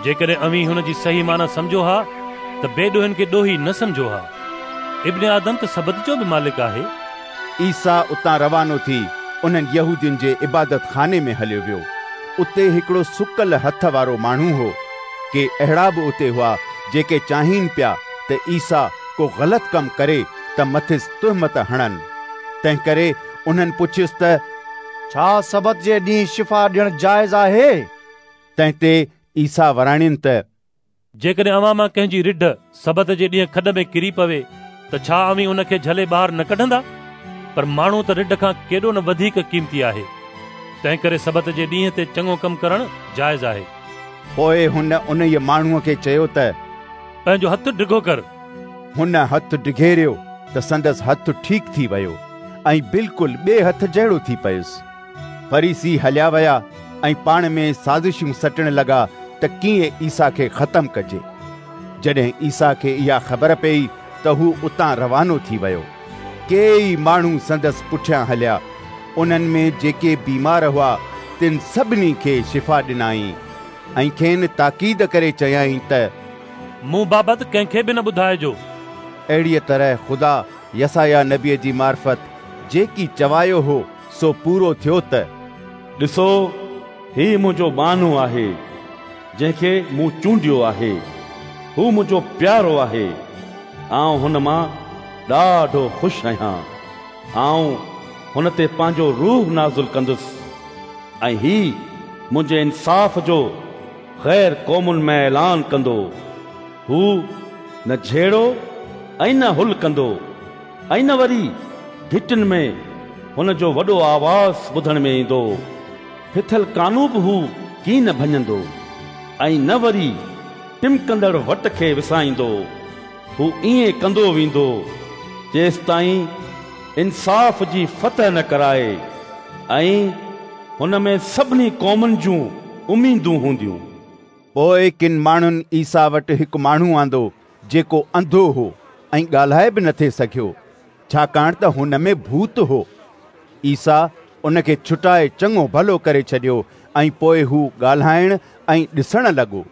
جيڪڏهن اوهين هن جي صحيح معنيٰ سمجهو ها ته بي ڏوهين کي ڏوهي نه سمجهو ها. ابن آدم ته سبت جو به مالڪ آهي. عيسيٰ اتان روانو ٿي انهن يهودين جي عبادت خاني ۾ هليو ويو. اتي هڪڙو سڪل هٿ وارو ماڻهو هو. ڪي اهڙا به اتي هئا جيڪي چاهين پيا ته عيسيٰ ڪو غلط ڪم ڪري ته مٿس تهمت هڻن. تنهنڪري انهن پڇيس ته، ڇا سبت جي ڏينهن شفا ڏيڻ جائز آهي؟ تنهن تي عيسيٰ وراڻين ته، جيڪڏهن اوهان مان ڪنهن جي رڍ سبت جي ڏينهن کڏ ۾ ڪري پوي ته ڇا اوهين ان کي جهلي ٻاهر نه ڪڍندا؟ پر ماڻهو ته رڍ کان ڪيڏو نه وڌيڪ قيمتي آهي. تنهنڪري سبت جي ڏينهن تي چڱو ڪم ڪرڻ جائز آهي. پوء هن انهيء ماڻهوء کي چيو ته، پنهنجو هٿ ڊگهو ڪر. هن هٿ ڊگهيريو ته سندس هٿ ٺيڪ ٿي ويو ۽ بلڪل ٻئي هٿ جهڙو ٿي پيس. فريسي هليا ويا ۽ پاڻ ۾ سازشون سٽڻ لڳا ته ڪيئن عيسيٰ کي ختم ڪجي. جڏهن عيسيٰ کي اها خبر پيئي ته هو اتان روانو ٿي ويو. ڪيئي ماڻهو سندس پٺيان هليا. انهن ۾ جيڪي بيمار هئا، تن سڀني کي شفا ڏنائين ۽ کين تاڪيد ڪري چيائين ته، مون بابت ڪنهن کي به نه ٻڌائجو. اهڙيء طرح خدا يسعياه نبيء جي معرفت جيڪي چوايو هو، سو پورو ٿيو ته. ڏسو، هي منهنجو ٻانهو آهي، جنهن کي مون چونڊيو آهي، هو منهنجو پيارو آهي، آئون هن مان ڏاڍو خوش آهيان، آئون هن تي پنهنجو روح نازل ڪندس ۽ هي منهنجي انصاف جو غير قومن ۾ اعلان ڪندو. هو نه جهيڙو ۽ نه هل ڪندو ۽ نه وري گهٽين ۾ هن جو وڏو آواز ٻڌڻ ۾ ايندو. ڦٿل ڪانو به هو ڪين ڀڃندو ۽ نه وري ٽمڪندڙ وٽ کي وسائيندو. هو ائين ڪندو ويندو جيستائين انصاف جي فتح نه ڪرائي ۽ هن ۾ سڀني قومن جون اميدون هونديون. پوء ڪن ماڻهن عيسيٰ وٽ هڪ ماڻهو آندو جيڪو انڌو هو ۽ ڳالهائي به نٿي سگهيو، ڇاڪاڻ ته هن ۾ ڀوت هو. عيسيٰ ان کي ڇٽائي چڱو ڀلو ڪري ڇڏيو ۽ پوء هو ڳالهائڻ ۽ ڏسڻ لڳو.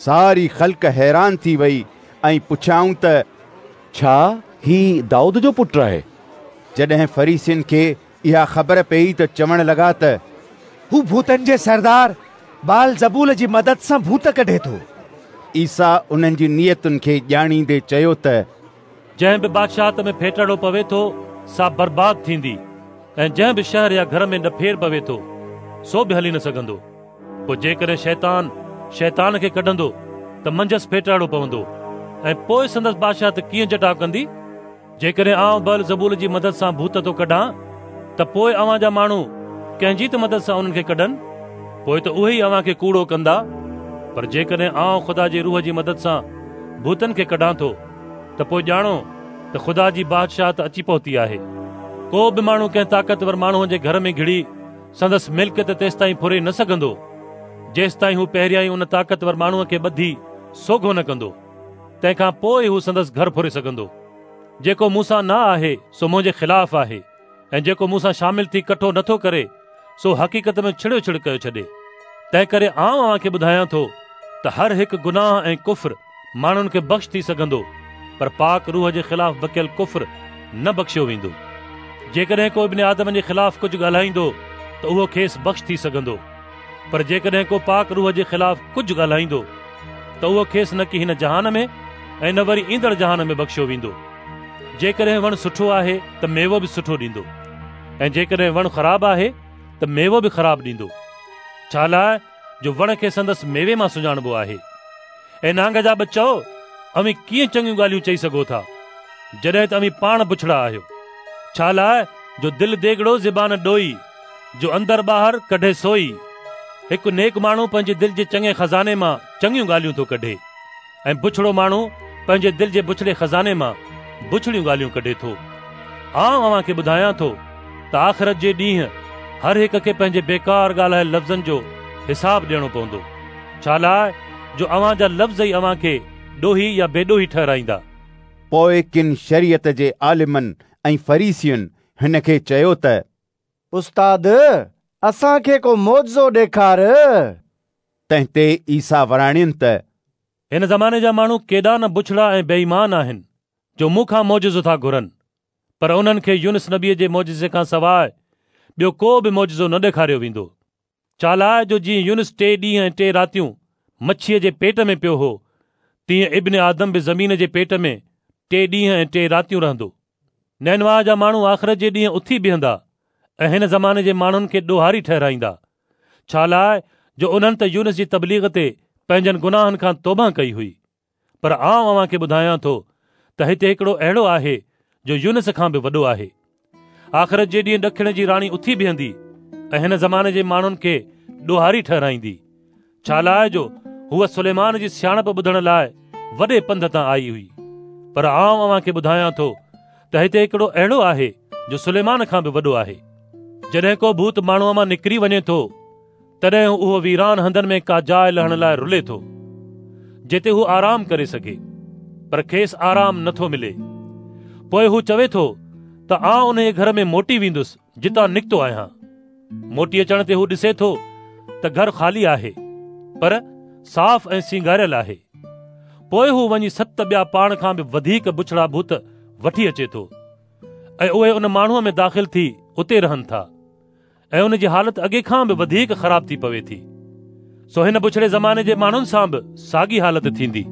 ساري خلق حيران ٿي وئي ۽ پڇيائون ته ڇا هي دائود جو پٽ آهي؟ جڏهن فريسين کي اها خبر پيئي ته چوڻ لڳا ته هو ڀوتن جي سردار بعلزبول جي مدد سان ڀوت ڪڍي ٿو. عيسيٰ انهن جي نيتن کي ڄاڻيندي چيو ته جنهن به بادشاهت ۾ ڦيٽاڙو پوي ٿو، سا برباد ٿيندي ۽ جنهن به شهر يا گهر ۾ ڏڦير پوي ٿو، سو به هلي نه سگهندو. پوء جيڪڏهن شيطان، شيطان کي ڪڍندو ته منجهس ڦيٽاڙو پوندو ۽ پوء سندس بادشاهت ڪيئن جٽاء ڪندي؟ جيڪڏهن آئون بعلزبول جي مدد سان ڀوت ٿو ڪڍان ته پوء اوهان جا ماڻهو ڪنهن جي ته مدد سان انهن کي ڪڍن؟ پوء ته اهي ئي اوهان کي ڪوڙو ڪندا. پر جيڪڏهن آئون خدا جي روح جي مدد سان ڀوتن کي ڪڍان ٿو ته پوء ڄاڻو ته خدا جي بادشاهت اچي پهتي آهي. ڪو به ماڻهو ڪنهن طاقتور ماڻهوء جي گهر ۾ گهڙي سندس ملڪيت تيستائين ڦري نه سگهندو، جيستائين هو پهريائين ان طاقتور ماڻهوء کي ٻڌي سوگهو نه ڪندو. تنهن کان پوء ئي هو سندس گهر ڦري سگهندو. جيڪو مون سان نه آهي، سو منهنجي خلاف آهي ۽ جيڪو مون سان شامل ٿي ڪٺو نه ٿو ڪري، سو حقيقت ۾ ڇڙيو ڇڙ ڪيو ڇڏي. تنهنڪري آئون اوهان کي ٻڌايان ٿو ته هر هڪ گناهه ۽ ڪفر ماڻهن کي بخش ٿي سگهندو، پر پاڪ روح جي خلاف بڪيل ڪفر نه بخشيو ويندو. جيڪڏهن ڪو ابن آدم جي خلاف ڪجهه ڳالهائيندو ته اهو کيس بخش ٿي سگهندو، پر جيڪڏهن ڪو پاڪ روح جي خلاف ڪجهه ڳالهائيندو ته اهو کيس نه ڪي هن جهان ۾ ۽ نه وري ايندڙ جهان ۾ بخشيو ويندو. جيڪڏهن وڻ سٺو آهي ته ميوو به سٺو ڏيندو ۽ جيڪڏهن وڻ خراب آهي ته ميوو به خراب ڏيندو، ڇالاء جو وڻ کي سندس ميوي مان سڃاڻبو آهي. اي نانگ جا ٻچؤ، اوهين ڪيئن چڱيون ڳالهيون چئي سگهو ٿا، جڏهن ته اوهين پاڻ بڇڙا آهيو؟ ڇالاء جو دل ديڳڙو زبان ڏوئي، جو اندر ٻاهر ڪڍي سوئي. هڪ نيڪ ماڻهو پنهنجي دل جي چڱي خزاني مان چڱيون ڳالهيون ٿو ڪڍي ۽ بڇڙو ماڻهو پنهنجي دل جي بڇڙي خزاني مان بڇڙيون ڳالهيون ڪڍي ٿو. آئون اوهان کي ٻڌايان ٿو ته آخرت جي ڏينهن هر هڪ کي پنهنجي بيڪار ڳالهايل لفظن جو حساب ڏيڻو پوندو. ڇالاء جو اوهان جا لفظ ئي اوهان کي ڏوهي يا بيڏوهي ٺهرائيندا. پوء ڪن شريعت جي عالمن ۽ فريسين هن کي چيو ته. استاد، اسان کي ڪو معجزو ڏيکار. تنهن تي عيسيٰ وراڻين ته. هن زماني جا ماڻهو ڪيڏا نه بڇڙا ۽ بي ايمان آهن، جو مون کان معجزو ٿا گهرن، پر انهن کي يونس نبيء جي معجزي کان سواء ٻيو ڪو به معجزو نه ڏيکاريو ويندو. ڇالاء جو جيئن يونس ٽي ڏينهن ۽ ٽي راتيون مڇيء جي پيٽ ۾ پيو هو، تيئن ابن آدم به زمين جي پيٽ ۾ ٽي ڏينهن ۽ ٽي راتيون رهندو. نينواه جا ماڻهو آخرت جي ڏينهن اٿي بيهندا ۽ هن زماني جي ماڻهن کي ڏوهاري ٺهرائيندا، ڇالاء جو انهن ته يونس جي تبليغ تي پنهنجن گناهن کان توبهه ڪئي هئي. پر آئون اوهان کي ٻڌايان ٿو ته هتي هڪڙو اهڙو آهي جو يونس کان به وڏو آهي. آخرت جي ڏينهن ڏکڻ جي راڻي اٿي بيهندي ۽ هن زماني جي ماڻهن کي ڏوهاري ٺهرائيندي، ڇالاء جو هوء سليمان جي سياڻپ ٻڌڻ لاء وڏي پنڌ تان آئي هئي. پر آئون اوهان کي ٻڌايان ٿو ته هتي هڪڙو اهڙو آهي جو سليمان کان به وڏو آهي. جڏهن ڪو ڀوت ماڻهوء مان نڪري وڃي ٿو تڏهن اهو ويران هنڌن ۾ ڪا جاء لهڻ لاء رلي ٿو، جتي هو آرام ڪري سگهي، پر کيس آرام نه ٿو ملي. پوء هو چوي ٿو ته آئون انهيء گهر ۾ موٽي ويندس جتان نڪتو آهيان. موٽي اچڻ تي هو ڏسي ٿو ته گهر خالي آهي، پر صاف ۽ سينگاريل آهي. پوء هو وڃي ست ٻيا پاڻ کان به وڌيڪ بڇڙا ڀوت وٺي اچي ٿو ۽ اهي ان ماڻهوء ۾ داخل ٿي اتي رهن ٿا. ۽ ان جي حالت اڳي کان به وڌيڪ خراب ٿي پوي ٿي. سو هن بڇڙي زماني جي ماڻهن سان به ساڳي حالت ٿيندي.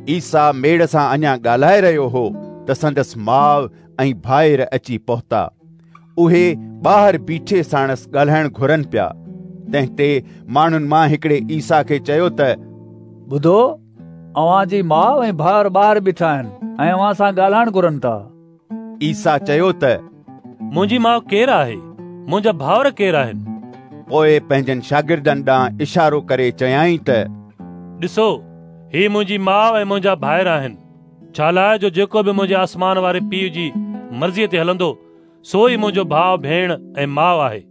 عيسيٰ ميڙ سان اڃا ڳالهائي رهيو هو ته سندس ماء ۽ ڀائر اچي پهتا. اهي ٻاهر بيٺي ساڻس ڳالهائڻ گهرن پيا. تنهن تي ماڻهن مان هڪڙي عيسيٰ کي چيو ته ٻڌو، اوهان جي ماء ۽ ڀائر ٻاهر بيٺا آهن ۽ اوهان سان ڳالهائڻ گهرن ٿا. عيسيٰ چيو ته منهنجي ماء ڪير آهي؟ منهنجا ڀائر ڪير آهن؟ پوء پنهنجن شاگردن ڏانهن اشارو ڪري چيائين ته ڏسو، هي منهنجي ماء ۽ منهنجا ڀائر آهن. ڇالاء جو جيڪو به منهنجي آسمان واري پيء جي مرضيء تي هلندو، سو ئي منهنجو ڀاء، ڀيڻ ۽ ماء آهي.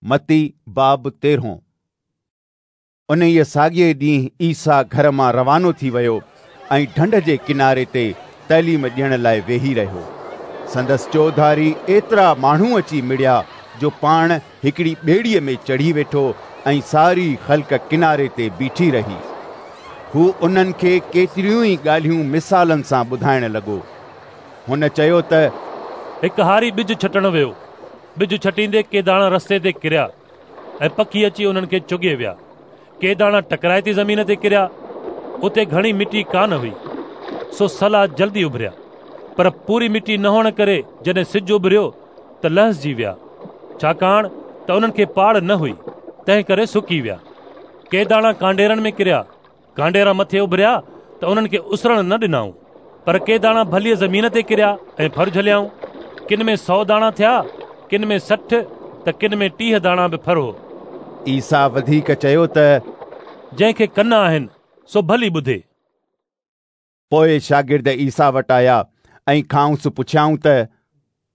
متي باب تيرهون. انهيء ساڳئي ڏينهن عيسيٰ گهر مان روانو ٿي ويو ۽ ڍنڍ جي ڪناري تي تعليم ڏيڻ لاء ويهي رهيو. سندس چوڌاري ايترا ماڻهو اچي مڙيا جو پاڻ هڪڙي ٻيڙيء ۾ چڙهي ويٺو ۽ ساري خلق ڪناري تي بيٺي رهي. هو انهن کي ڪيتريون ئي ڳالهيون مثالن سان ٻڌائڻ لڳو. هن چيو ته. هڪ هاري ٻج ڇٽڻ ويو. ٻج ڇٽيندي ڪي داڻا رستي تي ڪريا ۽ پکي اچي انهن کي چڳي ويا. ڪي داڻا ٽڪرائتي زمين تي ڪريا، اتي گهڻي مٽي ڪانه هئي، سو سلا جلدي اڀريا، پر پوري مٽي نه هئڻ ڪري جڏهن سج اڀريو ته لهسجي ويا، ڇاڪاڻ ته انهن کي پاڙ نه هئي، تنهن ڪري سڪي ويا. ڪي داڻا ڪانڊيرن ۾ ڪريا، ڪانڊيرا مٿي اڀريا ته انهن کي اسرڻ نه ڏنائون، پر ڪي داڻا ڀليء زمين تي ڪريا ۽ ڦر جهليائون. ڪن ۾ 100 داڻا ٿيا، ڪن ۾ 60 ته ڪن ۾ 30 داڻا به ڦر هو. عيسيٰ وڌيڪ چيو ته جنهن کي ڪن آهن، سو ڀلي ٻڌي. پوء شاگرد عيسيٰ وٽ آيا ۽ کانئس پڇيائون ته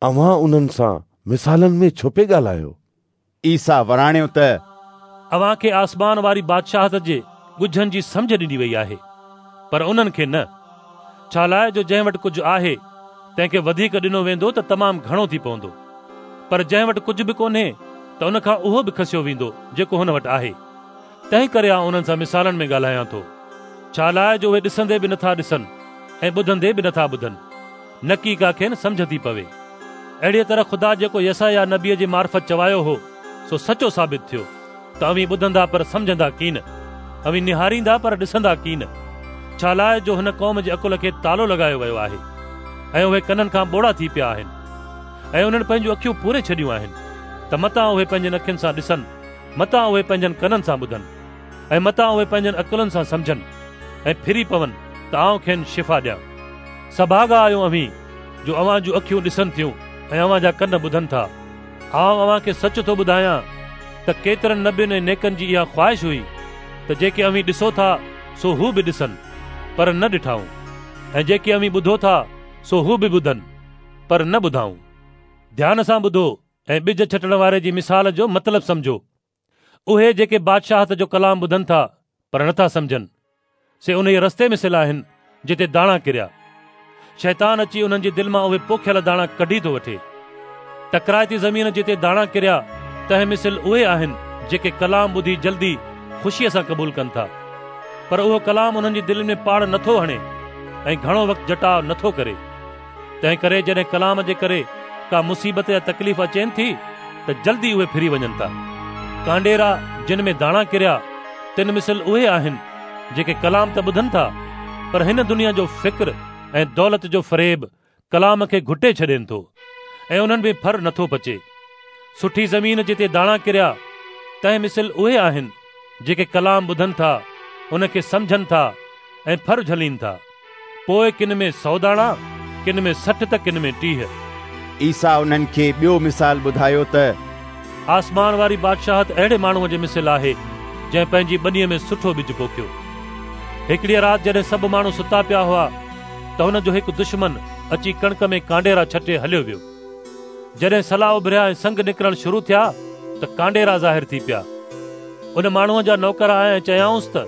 اوهان انهن سان مثالن ۾ ڇو پئي ڳالهايو؟ عيسيٰ وراڻيو ته اوهان کي آسمان واري بادشاهت جي ڳجهن جي سمجهه ڏني وئي آهي، پر انهن کي نه. ڇالاء جو جنهن وٽ ڪجهه آهي، تنهن کي وڌيڪ ڏنو ويندو ته تمام گهڻو ٿي پوندو، پر جنهن وٽ ڪجهه به ڪونهي ته ان کان اهو به کسيو ويندو جيڪو هن وٽ آهي. تنهن ڪري آئون انهن سان مثالن ۾ ڳالهايان ٿو، ڇالاء جو اهي ڏسندي به نٿا ڏسن ۽ ٻڌندي به نٿا ٻڌن، نڪي ڪا کين سمجهه ٿي پوي. اهڙيء طرح خدا جيڪو يسعياه نبيء جي معرفت چوايو هو، سو سچو ثابت ٿيو، ته اوهين ٻڌندا پر سمجهندا ڪين، اوهين نهاريندا پر ڏسندا ڪين، ڇالاء جو هن قوم جي عقل کي تالو لڳايو ويو آهي، ۽ اهي ڪنن کان ٻوڙا ٿي پيا آهن، ۽ انهن پنهنجون اکيون پوري ڇڏيون آهن، ته متان اهي پنهنجين اکين سان ڏسن، متان اهي پنهنجن ڪنن سان ٻڌن، ۽ متان اهي پنهنجن عقلن سان سمجهن، ۽ ڦري پون ته آئون کين شفا ڏيان. سڀاڳا آهيو اوهين، جو اوهان جون اکيون ڏسن ٿيون ۽ اوهان جا ڪن ٻڌن ٿا. آئون اوهان کي سچ ٿو ٻڌايان ته ڪيترن نبين ۽ نيڪن جي اها خواهش هئي ته جيڪي اوهين ڏسو ٿا سو هو به ڏسن، پر نه ڏٺائون، ۽ جيڪي اوهين ٻڌو ٿا سو هو به ٻڌن، پر نه ٻڌائون. ڌيان سان ٻڌو ۽ ٻج ڇٽڻ واري جي مثال جو مطلب سمجهو. اهي جيڪي بادشاهت جو ڪلام ٻڌن ٿا پر نٿا سمجهن، سي انهيء رستي مثل آهن جتي داڻا ڪريا. شيطان اچي انهن جي دل مان اهي پوکيل داڻا ڪڍي ٿو وٺي. ٽڪرائتي زمين جتي داڻا ڪريا، تنهن مثل اهي آهن جيڪي ڪلام ٻڌي جلدي خوشيء سان قبول ڪن ٿا. پر اهو ڪلام انهن جي دلين ۾ پاڙ نٿو هڻي ۽ گهڻو وقت جٽاء نٿو ڪري. تنهن ڪري جڏهن ڪلام جي ڪري ڪا مصيبت يا تڪليف اچين ٿي ته جلدي اهي ڦري وڃن ٿا. ڪانڊيرا جن ۾ داڻا ڪريا، تن مثل اهي آهن جيڪي ڪلام ته ٻڌن ٿا، پر هن دنيا جو فڪر ۽ دولت جو فريب ڪلام کي گهٽي ڇڏين ٿو ۽ انهن ۾ ڦر نٿو پچي. سٺي زمين جتي داڻا ڪريا، تنهن مثل اهي آهن جيڪي ڪلام ٻڌن ٿا، ان کي سمجهن ٿا ۽ ڦر جهلين ٿا. پوء ڪن ۾ 100 داڻا، ڪن ۾ 60 ته ڪن ۾ 30. عيسيٰ انهن کي ٻيو مثال ٻڌايو ته. آسمان واري بادشاهت اهڙي ماڻهوء جي مثل آهي، جنهن پنهنجي ٻنيء ۾ سٺو ٻج پوکيو. هڪڙيء رات جڏهن سڀ ماڻهو ستا پيا هئا ته هن جو هڪ دشمن اچي ڪڻڪ ۾ ڪانڊيرا ڇٽي هليو ويو. جڏهن سلا اڀريا ۽ سنگ نڪرڻ شروع ٿيا ته ڪانڊيرا ظاهر ٿي پيا. ان ماڻهوء جا نوڪر آيا ۽ چيائونس ته،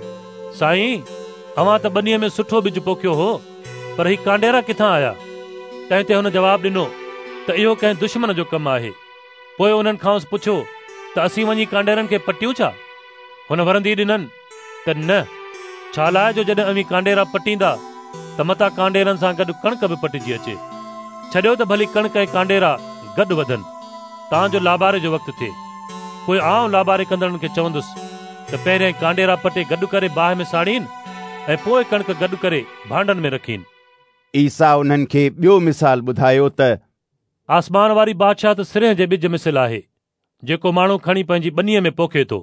سائين! اوهان ته ٻنيء ۾ سٺو ٻج پوکيو هو، پر هي ڪانڊيرا ڪٿان آيا؟ تنهن تي هن جواب ڏنو ته اهو ڪنهن دشمن جو ڪم آهي. پوء انهن کانئس پڇيو ته اسين وڃي ڪانڊيرن کي پٽيون ڇا؟ هن ورندي ڏنن ته نه، ڇالاء جو جڏهن اوهين ڪانڊيرا پٽيندا ته متان ڪانڊيرن سان گڏ ڪڻڪ به پٽجي اچي. ڇڏيو ته ڀلي ڪڻڪ ۽ ڪانڊيرا گڏ وڌن، تان جو لاباري جو وقت ٿئي. پوء آئون لاباري ڪندڙن کي چوندس ته پهريائين ڪانڊيرا پٽي گڏ ڪري باهه ۾ ساڙين ۽ پوء ڪڻڪ گڏ ڪري ڀانڊن ۾ رکين. عيسيٰ انهن کي ٻيو مثال ٻڌايو ته. آسمان واري بادشاهت سرنهن جي ٻج مثل آهي، جيڪو ماڻهو کڻي پنهنجي ٻنيء ۾ پوکي ٿو.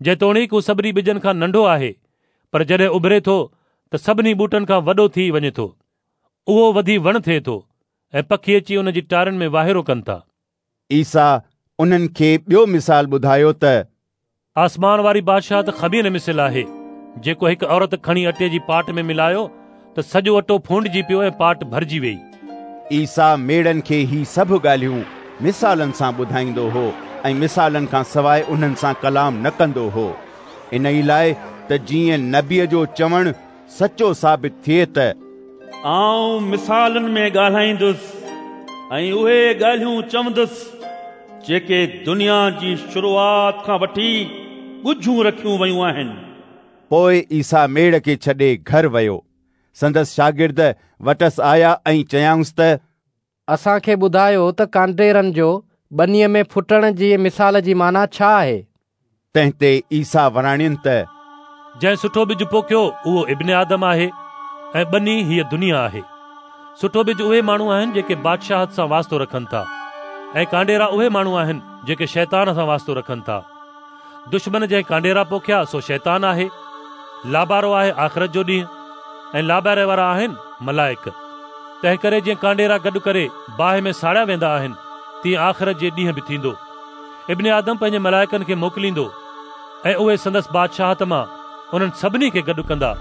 جيتوڻيڪ هو سڀني ٻجن کان ننڍو آهي، پر جڏهن اڀري ٿو ته سڀني ٻوٽن کان وڏو ٿي وڃي ٿو. اهو وڌي وڻ ٿئي ٿو ۽ پکي اچي ان جي ٽارين ۾ واهيرو ڪن ٿا. عيسيٰ انهن کي ٻيو مثال ٻڌايو ته. آسمان واري بادشاهت خمير مثل آهي، جيڪو هڪ عورت کڻي اٽي جي پاٽ ۾ ملايو ته سڄو اٽو ڦونڊجي پيو ۽ پاٽ ڀرجي ويئي. عيسيٰ ميڙن کي هي سڀ ڳالهيون مثالن سان ٻڌائيندو هو ۽ مثالن کان سواء انهن سان ڪلام نه ڪندو هو، انهي لاء ته جيئن نبيء جو چوڻ سچو ثابت ٿئي ته. آئون مثالن ۾ ڳالهائيندس ۽ اهي ڳالهيون چوندس جيڪي دنيا جي شروعات کان وٺي ڳجهيون رکيون ويون آهن. پوء عيسيٰ ميڙ کي ڇڏي گهر ويو. سندس شاگرد وٽس آيا ۽ چيائونس ته. اسان کي ٻڌايو ته ڪانڊيرن جو ٻنيء ۾ ڦٽڻ جي مثال جي معنيٰ ڇا آهي؟ تنهن تي عيسيٰ وراڻين ته. جنهن سٺو ٻج پوکيو اهو ابن آدم آهي ۽ ٻني هيء دنيا آهي. سٺو ٻج اهي ماڻهو آهن جيڪي بادشاهت سان واسطو رکن ٿا ۽ ڪانڊيرا اهي ماڻهو آهن جيڪي شيطان سان واسطو رکن ٿا. دشمن جنهن ڪانڊيرا پوکيا سو شيطان آهي. لابارو آهي آخرت جو ڏينهن ۽ لاباري وارا آهن ملائڪ. تنهنڪري جيئن ڪانڊيرا گڏ ڪري باهه ۾ ساڙيا ويندا آهن، تيئن آخرت جي ڏينهن به ٿيندو. ابن آدم پنهنجي ملائڪن کي موڪليندو ۽ اهي سندس بادشاهت مان انهن سڀني کي گڏ ڪندا،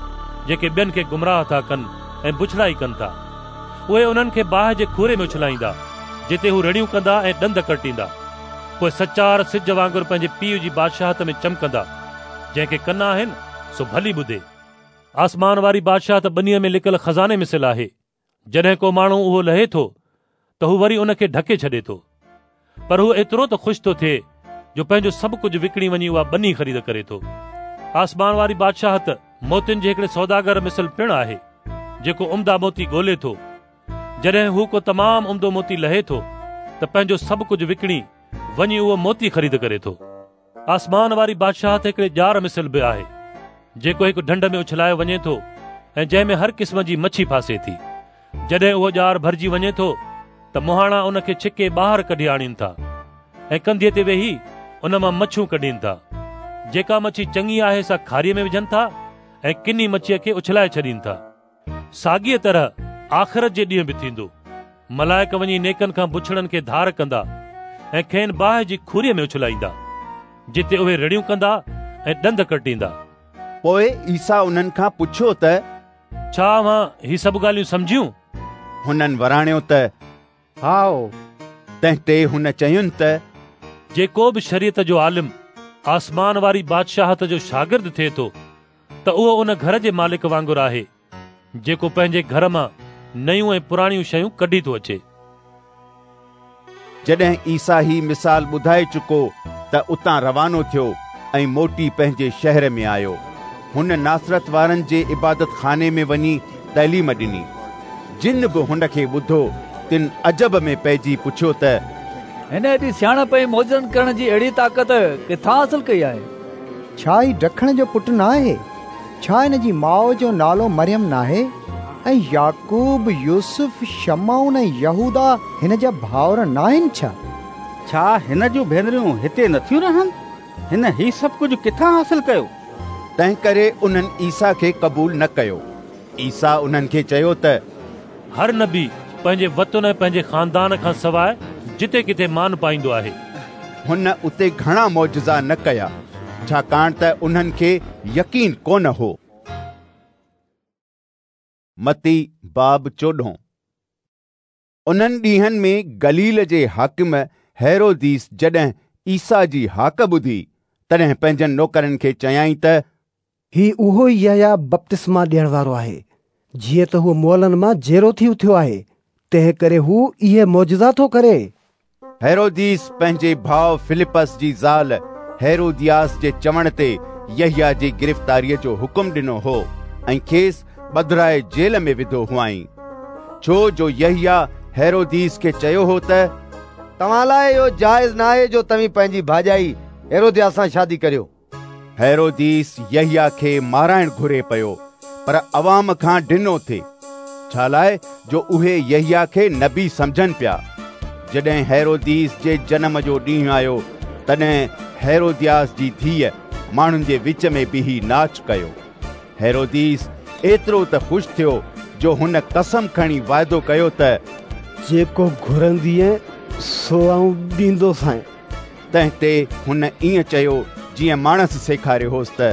جيڪي ٻين کي گمراهه ٿا ڪن ۽ بڇڙائي ڪن ٿا. اهي انهن کي باهه جي کوري ۾ اڇلائيندا، جتي هو رڙيون ڪندا ۽ ڏند ڪرٽيندا. پوء سچار سج وانگر پنهنجي پيء جي بادشاهت ۾ چمڪندا. جنهن کي ڪن آهن، سو ڀلي ٻڌي. آسمان واري بادشاهت ٻنيء ۾ لڪل خزاني مثل آهي. جڏهن ڪو ماڻهو اهو لهي ٿو ته هو وري ان کي ڍڪي ڇڏي ٿو. پر هو ايترو ته خوش ٿو ٿئي جو پنهنجو سڀ ڪجهه وڪڻي وڃي اها ٻني خريد ڪري ٿو. آسمان واري بادشاهت موتين جي هڪڙي سوداگر مثل پڻ آهي، جيڪو عمدا موتي ڳولي ٿو. جڏهن هو ڪو تمام عمدو موتي لهي ٿو ته پنهنجو سڀ ڪجهه وڪڻي وڃي اهو موتي خريد ڪري ٿو. آسمان واري بادشاهت هڪڙي ڄار مثل به آهي، جيڪو هڪ ڍنڍ ۾ اڇلايو وڃي ٿو ۽ جنهن ۾ هر قسم جي مڇي ڦاسي ٿي. جڏهن اهو ڄار ڀرجي وڃي ٿو ته مهاڻا ان کي ڇڪي ٻاهر ڪڍي آڻين ٿا ۽ ڪنڌيء تي ويهي ان مان مڇيون ڪڍين ٿا. جيڪا مڇي چڱي آهي سا کاريء ۾ وجهن ٿا ۽ ڪني مڇيء کي اڇلائي ڇڏين ٿا. ساڳيء طرح آخرت جي ڏينهن به ٿيندو. ملائڪ وڃي نيڪن کان بڇڙن کي ڌار ڪندا ۽ کين باهه جي کوريء ۾ اڇلائيندا، جتي اهي رڙيون ڪندا ۽ ڏند ڪرٽيندا. پوء عيسيٰ انهن کان پڇيو ته، ڇا اوهان هي سڀ ڳالهيون سمجهيون؟ هنن وراڻيو ته، هائو. تنهن تي هن چين ته، جيڪو به شريعت جو عالم آسمان واري بادشاهت جو شاگرد ٿئي ٿو ته اهو ان گهر جي مالڪ وانگر آهي، جيڪو پنهنجي گهر مان نيون ۽ پراڻيون شيون ڪڍي ٿو اچي. جڏهن عيسيٰ هي مثال ٻڌائي چڪو ته اتان روانو ٿيو ۽ موٽي پنهنجي شهر ۾ آيو. هن ناصرت وارن جي عبادت خاني ۾ وڃي تعليم ڏني. جن به هن کي ٻڌو تن عجب ۾ پئجي پڇيو ته. هن ايڏي سياڻپ ۽ معجزن ڪرڻ جي اهڙي طاقت ڪٿان حاصل ڪئي آهي؟ ڇا هي ڊکڻ جو پٽ ناهي؟ ڇا هن جي ماء جو نالو مريم ناهي؟ ۽ يعقوب، يوسف، شمعون ۽ يهوداه هن جا ڀائر ناهن ڇا؟ ڇا هن جون ڀينريون هتي نٿيون رهن؟ هن هي سڀ ڪجهه ڪٿان حاصل ڪيو؟ تنهنڪري انهن عيسيٰ کي قبول نه ڪيو. عيسيٰ انهن کي چيو ته، هر نبي پنهنجي وطن ۽ پنهنجي خاندان کان سواء جتي ڪٿي مان پائيندو آهي. هن اتي گهڻا معجزا نه ڪيا، ڇاڪاڻ ته انهن کي يقين ڪونه هو. متي باب چوڏهون. انهن ڏينهن ۾ گليل جي حاڪم هيروديس جڏهن عيسيٰ جي هاڪ ٻڌي، تڏهن پنهنجن نوڪرن کي چيائين ته، هي اهو ئي يحيٰ بپتسما ڏيڻ وارو آهي. جيئن ته هو مئلن مان جيئرو ٿي اٿيو آهي، تنهن ڪري هو اهي معجزا ٿو ڪري. هيروديس پنهنجي ڀاء فلپس جي زال هيرودياس جي چوڻ تي يحيٰ جي گرفتاريء جو حڪم ڏنو هو ۽ کيس ٻڌرائي جيل ۾ وڌو هئائين، ڇو جو يحيٰ هيروديس کي چيو هو ته، توهان لاء اهو جائز ناهي جو توهين پنهنجي ڀاڄائي هيرودياس سان شادي ڪريو. هيروديس يحيٰ کي مارائڻ گهري پيو، پر عوام کان ڊنو ٿي، ڇالاء جو اهي يحيٰ کي نبي سمجهن پيا. جڏهن هيروديس جي جنم جو ڏينهن آيو، تڏهن هيرودياس جي ڌيء ماڻهن جي وچ ۾ بيهي ناچ ڪيو. هيروديس ايترو ته خوش ٿيو جو هن قسم کڻي واعدو ڪيو ته جيڪو گهرندينء سو آئون ڏيندوسانء. تنهن تي هن ائين چيو جيئن ماڻس سيکاريو هوس ته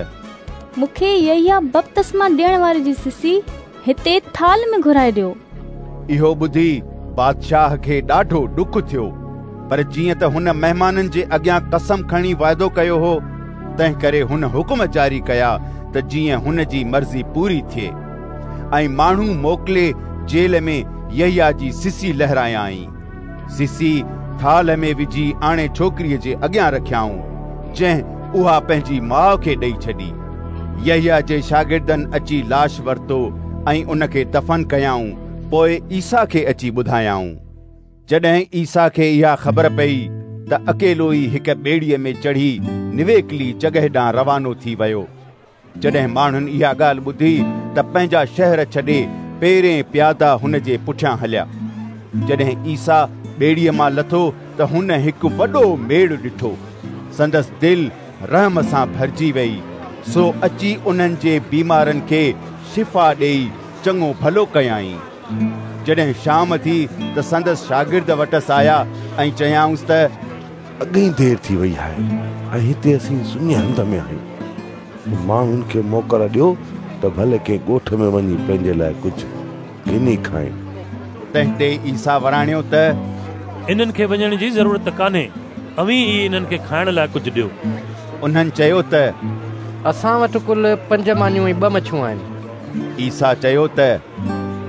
مون کي يحيٰ بپتسما ڏيڻ واري جي سسي هتي ٿالهه ۾ گهرائي ڏيو. اهو ٻڌي بادشاهه کي ڏاڍو ڏک ٿيو، پر جيئن ته هن مهمانن جي اڳيان قسم کڻي واعدو ڪيو هو، تنهنڪري هن حڪم جاري ڪيا ته جيئن هن جي مرضي پوري ٿئي. ۽ ماڻهو موڪلي جيل ۾ يحيٰ جي سسي لهرايائين. سسي ٿالهه ۾ وجهي آڻي ڇوڪريء جي اڳيان رکيائون، جنهن اها پنهنجي ماء کي ڏئي ڇڏي. يحيٰ جي شاگردن اچي لاش ورتو ۽ ان کي دفن ڪيائون، پوء عيسيٰ کي اچي ٻڌايائون. جڏهن عيسيٰ کي اها خبر پيئي ته اڪيلو ئي هڪ ٻيڙيء ۾ چڙهي نويڪلي جڳهه ڏانهن روانو ٿي ويو. جڏهن ماڻهن اها ڳالهه ٻڌي ته پنهنجا شهر ڇڏي پيرين پيادا هن جي پٺيان هليا. جڏهن عيسيٰ ٻيڙيء مان لٿو ته هن هڪ وڏو ميڙ ڏٺو. سندس دل رحم سان ڀرجي ويئي، سو اچي انهن جي بيمارن کي شفا ڏيئي چڱو ڀلو ڪيائين. جڏهن شام ٿي ته سندس شاگرد وٽس آيا ۽ چيائونس ته اڳي ئي دير ٿي وئي آهي ۽ هتي اسين سڃي هنڌ ۾ آهيون. ماڻهن کي موڪل ڏيو ته ڀلي ڪنهن ڳوٺ ۾ وڃي پنهنجي لاء ڪجهه گهني کائين. تنهن تي عيسيٰ وراڻيو ته انهن کي وڃڻ جي ضرورت ڪانهي، اوهين ئي انهن کي کائڻ لاء ڪجهه ڏيو. انهن چيو ته اسان وٽ ڪل پنج مانيون ۽ ٻه مڇيون آهن. عيسيٰ چيو ته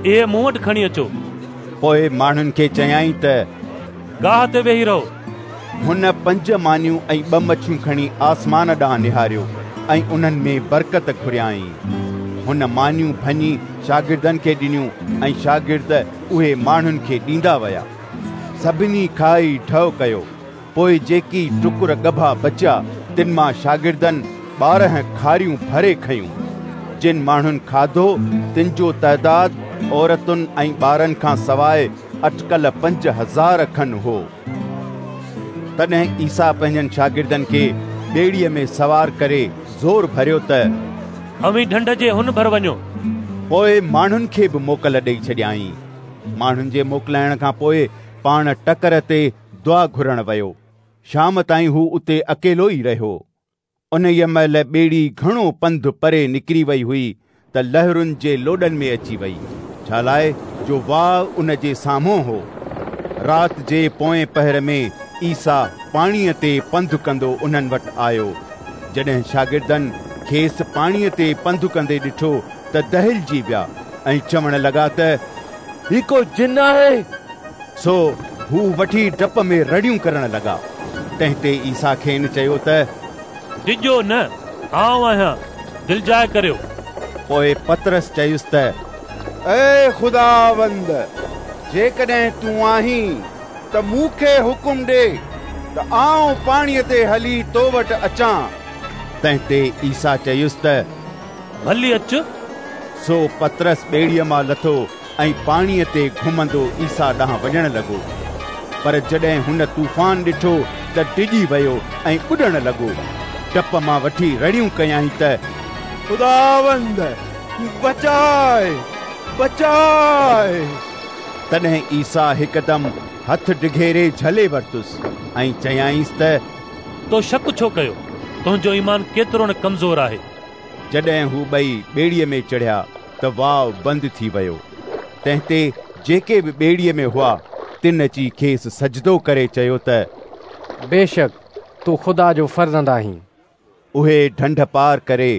اهي مون وٽ کڻي اچو. پوء ماڻهن کي چيائين ته گاهه تي ويهي رهو. هن پنج مانيون ۽ ٻه مڇيون کڻي آسمان ڏانهن نهاريو ۽ انهن ۾ برڪت گهريائين. هن مانيون ڀڃي شاگردن کي ڏنيون ۽ شاگرد اهي ماڻهن کي ڏيندا ويا. سڀني کائي ڍؤ ڪيو. پوء جيڪي ٽڪر ڳڀا بچيا، تن مان شاگردن 12 کاريون ڀري کنيون. جن ماڻهن کاڌو، تن جو تعداد عورتن ۽ ٻارن کان سواء اٽڪل 5000 کن هو. تڏهن عيسيٰ پنهنجن شاگردن کي ٻيڙيء ۾ سوار ڪري زور ڀريو ته اوهين ڍنڍ جي هن ڀر وڃو. پوء ماڻهن کي به موڪل ڏيئي ڇڏيائين. ماڻهن جي موڪلائڻ کان پوء پاڻ ٽڪر تي دعا گهرڻ ويو. شام تائين هو اتي اڪيلو ئي رهيو. انهيء مهل ٻيڙي گهڻو پنڌ پري نڪري وئي هئي ته لهرن جي لوڏن ۾ اچي وئي، ڇالاء جو واء ان جي سامهون هو. رات جي پوئين پهر ۾ عيسيٰ پاڻيء تي پنڌ ڪندو انهن وٽ آيو. جڏهن شاگردن کيس پاڻيء تي پنڌ ڪندي ڏٺو ته دهلجي ويا ۽ چوڻ لڳا ته هي ڪو جن آهي. سو هو وٺي ڊپ ۾ رڙيون ڪرڻ لڳا. تنهن تي عيسيٰ کين چيو ته ڊڄو نه، آئون آهيان، دلجاء ڪريو. پوء پطرس چيس ته اي خداوند، جيڪڏهن تون آهين ته مون کي حڪم ڏي ته آئون پاڻيء تي هلي تو وٽ اچان. تنهن تي عيسيٰ چيس ته ڀلي اچ. سو پطرس ٻيڙيء مان لٿو ۽ پاڻيء تي گهمندو عيسيٰ ڏانهن وڃڻ لڳو. پر جڏهن هن طوفان ڏٺو ته ڊڄي ويو ۽ ٻڏڻ لڳو. ڊپ مان وٺي رڙيون ڪيائين ته خداوند، بچاء! بچاء! تڏهن عيسيٰ هڪدم هٿ ڊگهيري جهلي ورتس ۽ چيائينس ته تو شڪ ڇو ڪيو؟ تنهنجو ايمان ڪيترو نه ڪمزور آهي! جڏهن هو ٻئي ٻيڙيء ۾ چڙهيا ته واء بند ٿي ويو. تنهن تي جيڪي به ٻيڙيء ۾ هئا، تن اچي کيس سجدو ڪري چيو ته بيشڪ تون خدا جو فرزند آهين. اهي ڍنڍ پار ڪري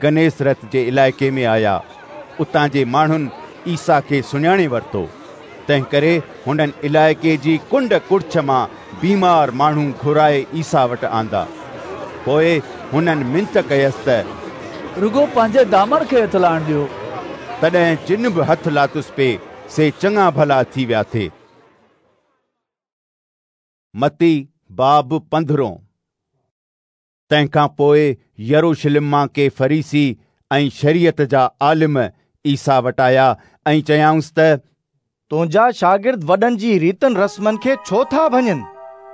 گنيسرت جي علائقي ۾ آيا. اتان جي ماڻهن عيسيٰ کي سڃاڻي ورتو، تنهنڪري هنن علائقي جي ڪنڊ ڪڙڇ مان بيمار ماڻهو گهرائي عيسيٰ وٽ آندا. پوء هنن منت ڪيس ته رڳو پنهنجي دامن کي هٿ لائڻ ڏيو. تڏهن جن به هٿ لاتس پئي، سي چڱا ڀلا ٿي ويا ٿي. متي باب پندرهون. تنهن کان پوء يروشلم مان ڪي فريسي ۽ شريعت جا عالم عيسيٰ وٽ آيا ۽ چيائونس ته तुंहिंजा शागिर्द वॾनि जी रीतनि रस्मनि खे छो था भञनि?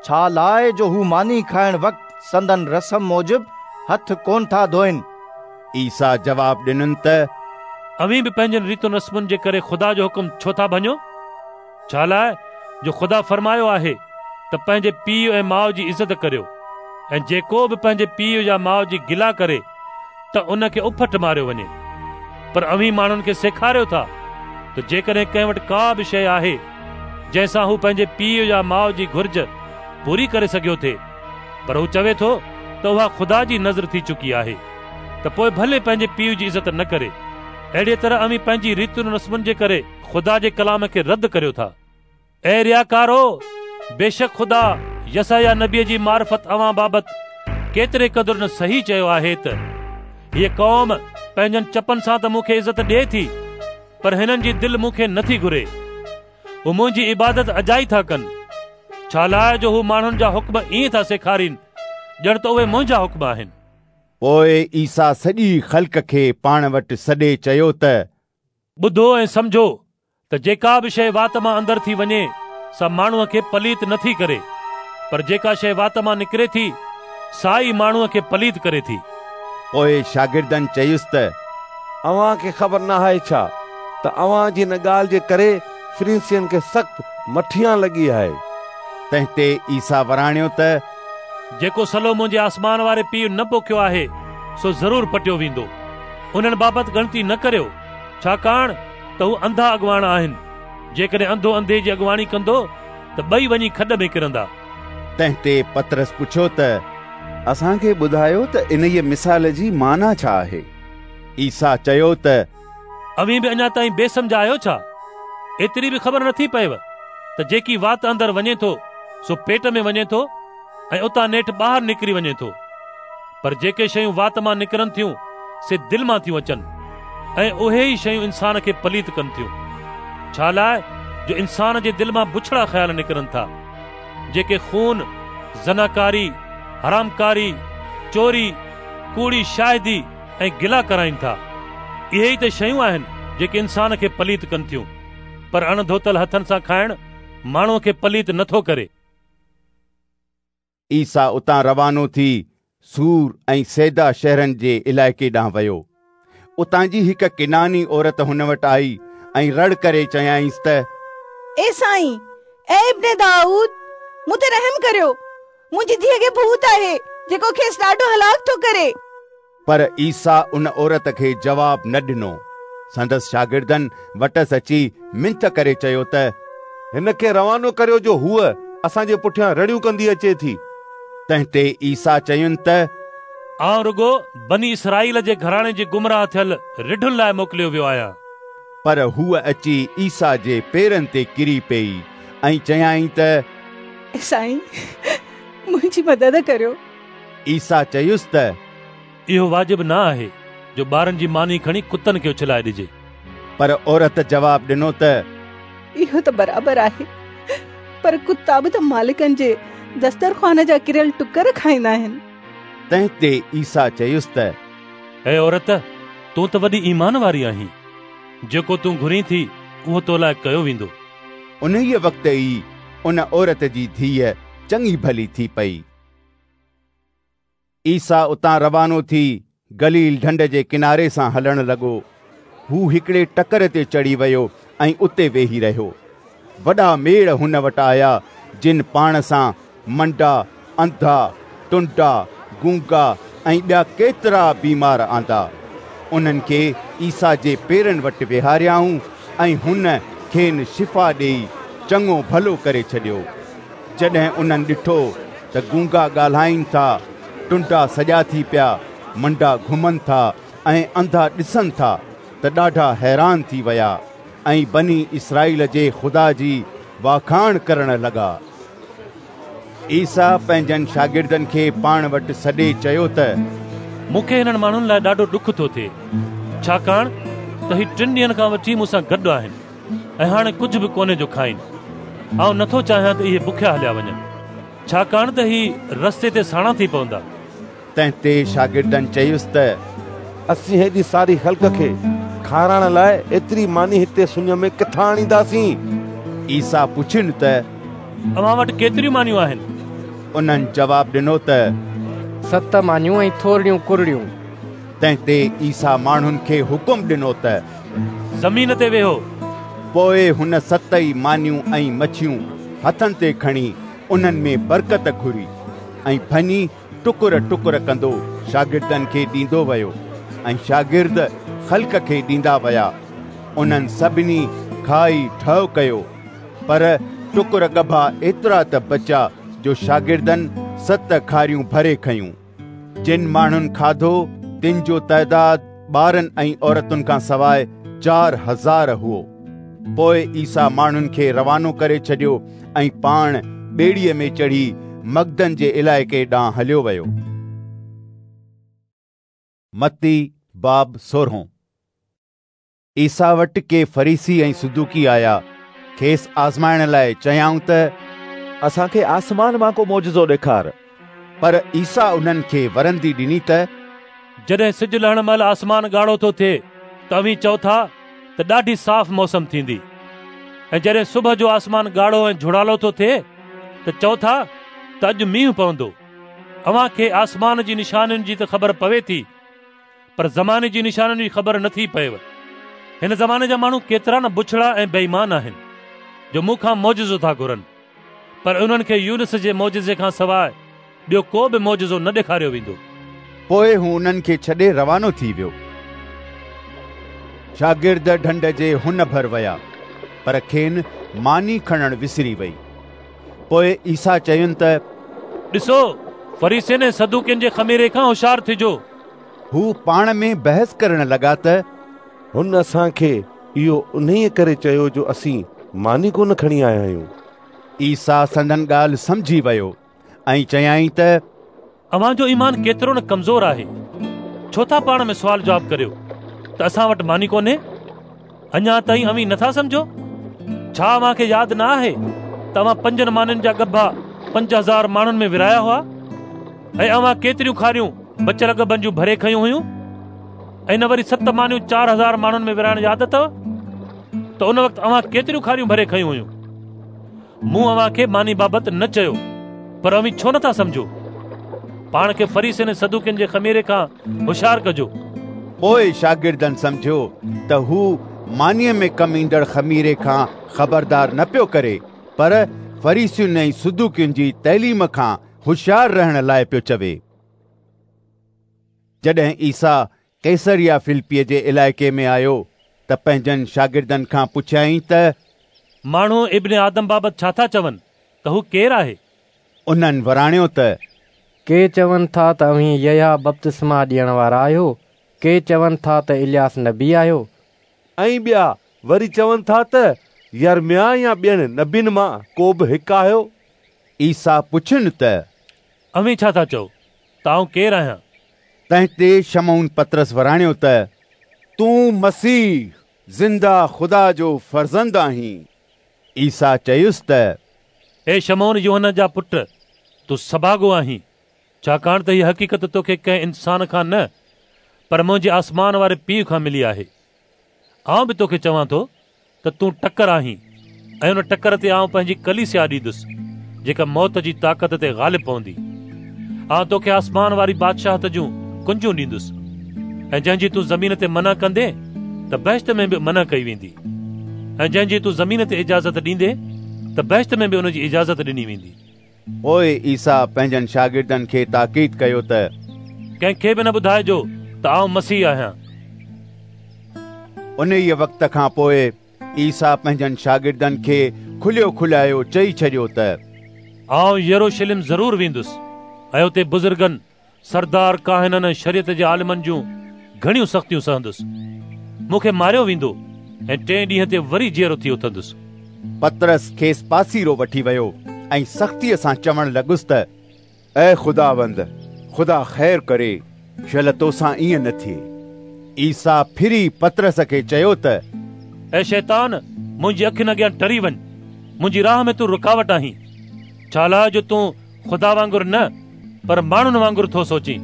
छा लाइ जो हू मानी खाइण वक़्तु संदन रस्म मूजिबि हथ कोन था धोइनि? ईसा जवाब ॾिननि त अव्हीं बि पंहिंजनि रीतुनि रस्मुनि जे करे ख़ुदा जो हुकुम छो था भञो? छा लाइ जो ख़ुदा फरमायो आहे त पंहिंजे पीउ ऐं माउ जी इज़त करियो, ऐं जेको बि पंहिंजे पीउ या माउ जी गिला करे त उन खे उफट मारियो वञे। पर अव्हीं माण्हुनि खे सेखारियो था त जेकॾहिं कंहिं वटि का बि शइ आहे जंहिंसां हू पंहिंजे पीउ या माउ जी घुर्ज पूरी करे सघियो थे, पर हू चवे थो त उहा ख़ुदा जी नज़र थी चुकी आहे, त पोइ भले पंहिंजे पीउ जी इज़त न करे। अहिड़ीअ तरह अव्हीं पंहिंजी रीतुनि रस्मुनि जे करे ख़ुदा जे कलाम खे रद्द करियो था। ऐं रियाकारो, बेशक ख़ुदा यसाया नबीअ जी मार्फ़त अव्हां बाबति केतिरे क़दुरु न सही चयो आहे त हीअ क़ौम पंहिंजनि चपनि सां त मूंखे इज़त ॾिए थी, पर हिननि जी दिलि मूंखे नथी घुरे। हू मुंहिंजी इबादत अजाई था कनि, छा लाइ जो हू माण्हुनि जा हुक्म ईअं था सेखारीनि ॼण त उहे मुंहिंजा हुक्म आहिनि। पोइ ईसा सॼी ख़ल्क खे पाण वटि सॾे चयो त ॿुधो ऐं सम्झो त जेका बि शइ वात मां अंदरि थी वञे सा माण्हूअ खे पलीत नथी करे, पर जेका शइ वात मां निकिरे थी सा ई माण्हूअ खे पलीत करे थी। पोइ शागिर्दनि चयुसि त अव्हां खे ख़बर न आहे छा त अव्हां जी हिन ॻाल्हि जे करे फरीसियनि खे सख़्तु मठियां लॻी आहे? तंहिं ते ईसा वराणियो त जेको सलो मुंहिंजे आसमान वारे पीउ न पोखियो आहे सो ज़रूर पटियो वेंदो। उन्हनि बाबति ॻणती न करियो, छाकाणि त हू अंधा अॻवान आहिनि। जेकॾहिं अंधो अंधे जी अॻवाणी कंदो त ॿई वञी खॾ में किरंदा। तंहिं ते पतरस पुछियो त असांखे ॿुधायो त इन्हीअ मिसाल जी माना छा आहे? ईसा चयो त अव्हीं बि अञा ताईं बेसमझ आहियो छा? एतिरी बि ख़बर नथी पएव त जेकी वात अंदरि वञे थो सो पेट में वञे थो ऐं उतां नेठि ॿाहिरि निकिरी वञे थो। पर जेके शयूं वात मां निकिरनि थियूं से दिलि मां थियूं अचनि, ऐं उहे ई शयूं इंसान खे पलीत कनि थियूं। छा लाइ जो इंसान जे दिलि मां बुछड़ा ख़्याल निकिरनि था, जेके खून, ज़नाकारी, हरामकारी, चोरी, कूड़ी शाहिदी ऐं गिला कराइनि था। इहे ई त शयूं आहिनि जेके इंसान खे पलीत कनि थियूं, पर अणधोतल हथनि सां खाइण माण्हूअ खे पलीत नथो करे। ईसा उतां रवानो थी सूर ऐं सैदा शहरनि जे इलाइक़े ॾांहुं वियो। उतां जी हिकु किनानी औरत हुन वटि आई ऐं रड़ करे चयाईंसि त ए साईं, ए इब्ने दाऊद, मूं ते रहम करियो, मुंहिंजी धीअ खे भूत आहे जेको खेसि ॾाढो हलाक थो करे। पर ईसा उन औरत खे जवाब न ॾिनो। संदसि शागिर्दनि वटसि अची मिंथ करे चयो त हिन खे रवानो करियो जो हूअ असांजे पुठियां रड़ियूं कंदी अचे थी। तंहिं ते ईसा चयुनि त आउं रुगो बनी इसराईल जे घराणे जे गुमराह थियल रिढुनि लाइ मोकिलियो वियो आहियां। पर हूअ अची ईसा जे पेरनि ते किरी पई ऐं चयाईं त साईं, मुंहिंजी मदद करियो। ईसा चयुसि त इहो वाजिब न आहे जो ॿारनि जी मानी खणी कुतनि खे उछलाए ॾिजे। पर औरत जवाब ॾिनो त इहो त बराबरि आहे, पर कुता बि त मालिकनि जे दस्तरख़्वान जा किरियल टुकर खाईंदा आहिनि। तंहिं ते ईसा चयुसि त ऐ औरत, तूं त वॾी ईमान वारी आहीं, जेको तूं घुरीं थी उहो तो लाइ कयो वेंदो। उन्हीअ वक़्त ई उन औरत जी धीअ चङी भली थी पई। ईसा उतां रवानो थी गलील ढंढ जे किनारे सां हलणु लॻो। हू हिकिड़े टकर ते चढ़ी वियो ऐं उते वेही रहियो। वॾा मेड़ हुन वटि आया, जिन पाण सां मंडा, अंधा, टुंडा, गूंगा ऐं ॿिया केतिरा बीमार आंदा। उन्हनि खे ईसा जे पेरनि वटि वेहारियाऊं ऐं हुन खेनि शिफ़ा ॾेई चङो भलो करे छॾियो। जॾहिं उन्हनि ॾिठो त गूंगा ॻाल्हाइनि था, टुंडा सॼा थी पिया, मंडा घुमनि था ऐं अंधा ॾिसनि था, त ॾाढा हैरान थी विया ऐं बनी इसराईल जे ख़ुदा जी वाखाण करण लॻा। ईसा पंहिंजनि शागिर्दनि खे पाण वटि सॾे चयो त मूंखे हिननि माण्हुनि लाइ ॾाढो ॾुख थो थिए, छाकाणि त ही 3 ॾींहनि खां वठी मूंसां गॾु आहिनि ऐं हाणे कुझु बि कोन्हे जो खाइनि। आउं नथो चाहियां त इहे बुखिया हलिया वञनि, छाकाणि त ही रस्ते ते साणा थी पवंदा। तंहिं ते शागिर्दनि चयुसि त असीं हेॾी सारी ख़ल्क खे खाराइण लाइ एतिरी मानी हिते सुञ में किथां आणींदासीं? عيسيٰ پڇين ته اوهان وٽ ڪيتريون مانيون آهن؟ انهن جواب ڏنو ته 7 مانيون ۽ ٿورڙيون ڪرڙيون. تنهن تي عيسيٰ ماڻهن کي حڪم ڏنو ته زمين تي ويهو. پوء هن 7 ئي مانيون ۽ مڇيون هٿن تي کڻي انهن ۾ برڪت گهري ۽ ڀڃي ٽڪر ٽڪر ڪندو شاگردن کي ڏيندو ويو ۽ شاگرد خلق کي ڏيندا ويا. انهن سڀني کائي ڍؤ ڪيو، پر ٽڪر ڳڀا ايترا ته بچيا جو شاگردن 7 کاريون ڀري کنيون. جن ماڻهن کاڌو تن جو تعداد ٻارن ۽ عورتن کان سواء 4000 هئو. پوء عيسيٰ ماڻهن کي روانو ڪري ڇڏيو ۽ پاڻ ٻيڙيء ۾ چڙهي مگدن جي علائقي ڏانهن هليو ويو. متي باب 16. عيسيٰ وٽ ڪي فريسي ۽ صدوقي آيا، کيس آزمائڻ لاء چيائون ته اسان کي آسمان مان ڪو معجزو ڏيکار. پر عيسيٰ انهن کي ورندي ڏني ته جڏهن سج لهڻ مهل آسمان ڳاڙهو ٿو ٿئي ته اوهين چئو ٿا ته ڏاڍي صاف موسم ٿيندي، ۽ جڏهن صبح جو آسمان ڳاڙهو ۽ جهڙالو ٿو ٿئي ته چئو ٿا ته اڄ مينهن پوندو. اوهان کي آسمان جي نشانين جي ته خبر پوي ٿي، پر زماني جي نشانين جي خبر نه ٿي پئيو. هن زماني جا ماڻهو ڪيترا نه بڇڙا ۽ بي ايمان آهن، جو مون کان معجزو ٿا گهرن، پر انهن کي يونس جي معجزي کان سواء ٻيو ڪو به معجزو نه ڏيکاريو ويندو. پوء هو انهن کي ڇڏي روانو ٿي ويو. شاگرد ڍنڍ جي هن ڀر ويا، پر کين ماني کڻڻ وسري وئي. پوء عيسيٰ چين ته ڏسو، فريسين ۽ صدوقين جي خميري کان هوشيار ٿجو. هو پاڻ ۾ بحث ڪرڻ لڳا ته هن اسان کي اهو انهيء ڪري چيو جو اسين ماني ڪونه کڻي آيا آهيون. عيسيٰ سندن ڳالهه سمجهي ويو ۽ چيائين ته اوهان جو ايمان ڪيترو نه ڪمزور آهي! ڇو ٿا پاڻ ۾ سوال جواب ڪريو ته اسان وٽ ماني ڪونهي؟ اڃا تائين اوهين نٿا سمجهو؟ ڇا اوهان کي ياد نه آهي ته اوهان 5 مانين جا ڳڀا 5000 ماڻهن ۾ ورهايا هئا ۽ اوهان ڪيتريون کاريون بچيل ڳڀن جون ڀري کنيون هيون؟ ۽ نه وري 7 مانيون 4000 ماڻهن ۾ ورهائڻ ياد اٿو ته ان وقت اوهان ڪيتريون کاريون ڀري کنيون هيون؟ مون اوهان کي ماني بابت نه چيو، پر اوهين ڇو نٿا سمجهو؟ پاڻ کي فريسين ۽ صدوقين جي خميري کان هوشيار ڪجو. پوء شاگردن سمجهيو ته هو مانيء ۾ ڪم ايندڙ خميري کان خبردار نه پيو ڪري، پر فريسين ۽ صدوقين جي تعليم کان هوشيار رهڻ لاء پيو چوي. جڏهن عيسيٰ قيصريه فلپيء جي علائقي ۾ آيو ته پنهنجن شاگردن کان پڇيائين ته ماڻهو ابن آدم بابت ڇا ٿا چون ته هو ڪير آهي؟ انهن وراڻيو ته ڪي چون ٿا ته اوهين يحيٰ بپتسما ڏيڻ وارا آهيو، ڪي چون ٿا ته الياس نبي آهيو. ۽ ٻيا وري چون ٿا ته يرمياه يا ٻين نبين مان ڪو به هڪ آهيو. عيسيٰ پڇين ته اوهين ڇا ٿا چئو ته آئون ڪير آهيان؟ تنهن تي شمعون پطرس وراڻيو ته تون مسيح، زنده خدا جو فرزند آهين. عيسيٰ چيس ته اي شمعون يوحنا جا پٽ، تون سڀاڳو آهين، ڇاڪاڻ ته هيء حقيقت توکي ڪنهن انسان کان نه، پر منهنجي آسمان واري پيء کان ملي آهي. آئون به توکي چوان ٿو ته تون ٽڪر آهين ۽ ان ٽڪر تي آئون پنهنجي ڪليسيا اڏيندس، جيڪا موت جي طاقت تي غالب پوندي. آئون توکي آسمان واري بادشاهت جون ڪنجون ڏيندس ۽ جنهن جي تون زمين تي منع ڪندين ته بهشت ۾ به منع ڪئي ويندي ۽ جنهن جي تون زمين تي اجازت ڏيندين ته بهشت ۾ به ان جي اجازت ڏني ويندي. پوء عيسيٰ پنهنجن شاگردن کي تاڪيد ڪيو ته ڪنهن کي به نه ٻڌائجو ته آئون مسيح آهيان. انهيء وقت کان پوء عيسيٰ پنهنجن شاگردن کي کليو کلايو چئي ڇڏيو ته آئون يروشلم ضرور ويندس ۽ اتي بزرگن، سردار ڪاهنن ۽ شريعت جي عالمن جون گهڻيون سختيون سهندس. مون کي ماريو ويندو ۽ ٽئين ڏينهن تي وري جيئرو ٿي اٿندس. پطرس کيس پاسيرو وٺي ويو ۽ سختيء سان چوڻ لڳس ته اي خداوند، خدا خير ڪري، شل توسان ائين نه ٿئي. عيسيٰ ڦري پطرس کي چيو ته اي شيطان، منهنجي اکين اڳيان ٽري وڃ، منهنجي راهه ۾ تون رڪاوٽ آهين، ڇالاء جو تون خدا وانگر نه، پر ماڻهن وانگر ٿو سوچين.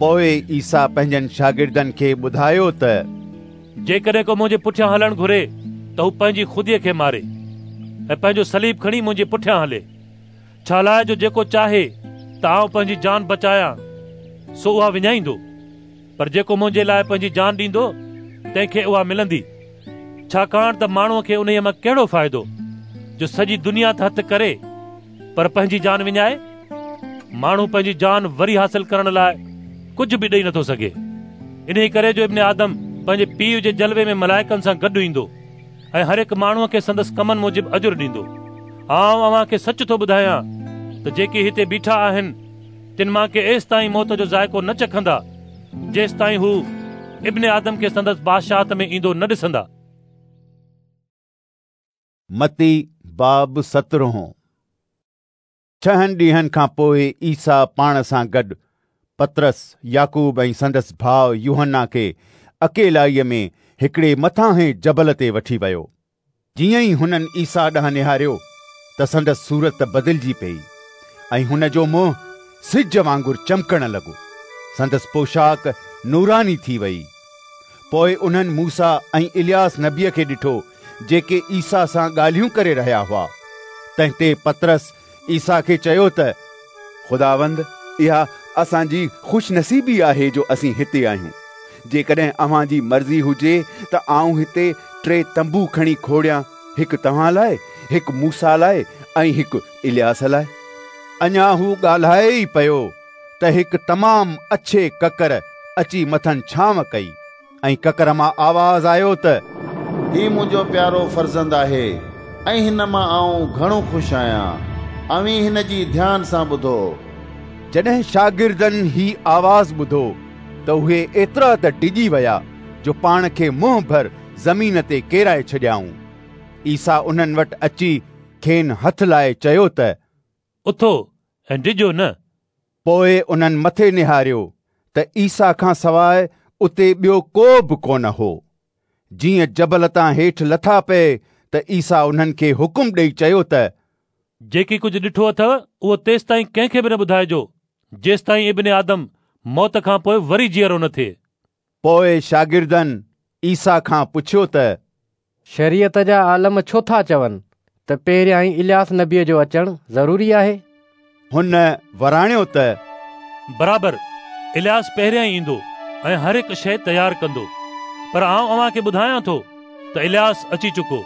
پوء عيسيٰ پنهنجن شاگردن کي ٻڌايو ته جيڪڏهن ڪو منهنجي پٺيان هلڻ گهري ته هو پنهنجي خوديء کي ماري، ۽ پنهنجو صليب کڻي منهنجي پٺيان هلي. ڇالاء جو جيڪو چاهي ته آئون پنهنجي جان بچايان، سو اها وڃائيندو، پر جيڪو منهنجي لاء پنهنجي جان ڏيندو، تنهن کي اها ملندي. ڇاڪاڻ ته ماڻهوء کي انهيء مان ڪهڙو فائدو، جو سڄي دنيا ته هٿ ڪري، پر پنهنجي جان وڃائي؟ ماڻهو پنهنجي جان وري حاصل ڪرڻ لاء ڪجهه به ڏئي نٿو سگهي. انهيء ڪري جو ابن آدم پنهنجي پيء جي جلوي ۾ ملائڪن سان گڏ ايندو ۽ هر هڪ ماڻهوء کي سندس ڪمن موجب اجر ڏيندو. آئون اوهان کي سچ ٿو ٻڌايان ته جيڪي هتي بيٺا آهن، تن مان ڪي ايستائين موت جو ذائقو نه چکندا، جيستائين هو ابن آدم کي سندس بادشاهت ۾ ايندو نه ڏسندا. متي باب سترهون. ڇهن ڏينهن کان پوء عيسيٰ پاڻ سان گڏ پطرس، يعقوب ۽ سندس ڀاء يوحنا کي اڪيلائيء ۾ هڪڙي مٿاهين جبل تي وٺي ويو. جيئن ئي هنن عيسيٰ ڏانهن نهاريو ته سندس صورت بدلجي پيئي ۽ هن جو منهن سج وانگر چمڪڻ لڳو. سندس پوشاڪ نوراني ٿي ويئي. پوء انهن موسيٰ ۽ الياس نبيء کي ڏٺو، جيڪي عيسيٰ سان ڳالهيون ڪري رهيا هئا. تنهن تي پطرس عيسيٰ کي چيو ته، خداوند، اها اسان جي خوشنصيبي آهي جو اسين هتي آهيون. جيڪڏهن اوهان جي مرضي هجي ته آئون هتي ٽي تنبو کڻي کوڙيان، هڪ توهان لاء، هڪ موسيٰ لاء ۽ هڪ الياس لاء. اڃا هو ڳالهائي ئي پيو ته هڪ تمام اڇي ڪڪر اچي مٿن ڇانو ڪئي ۽ ڪڪر مان آواز آيو ته، هي منهنجو پيارو فرزند آهي ۽ هن مان آئون گهڻو خوش آهيان. اوهين هن جي ڌيان سان ٻڌو. جڏهن شاگردن هي آواز ٻڌو ته اهي ايترا ته ڊڄي ويا جو پاڻ کي منهن ڀر زمين تي ڪيرائي ڇڏيائون. عيسيٰ انهن وٽ اچي کين هٿ لائي چيو ته، اٿو ۽ ڊڄو نه. پوء انهن مٿي نهاريو ته عيسيٰ کان سواء اتي ٻيو ڪو به ڪونه هو. جيئن جبل تان هيٺ لٿا پئي ته عيسيٰ انهن کي حڪم ڏيئي چيو ته، جيڪي ڪجهه ڏٺو اٿو اهو تيستائين ڪنهن کي به نه ٻڌائجو، جيستائين ابن آدم موت کان پوء وري جيئرو نه ٿئي. پوء شاگردن عيسيٰ کان پڇيو ته، شريعت جا عالم ڇو ٿا چون ته پهريائين الياس نبيء جو اچڻ ضروري آهي؟ هن وراڻيو ته، برابر، الياس پهريائين ايندو ۽ هر هڪ شيء تيار ڪندو. پر آئون اوهان کي ٻڌايان ٿو ته الياس اچي چڪو،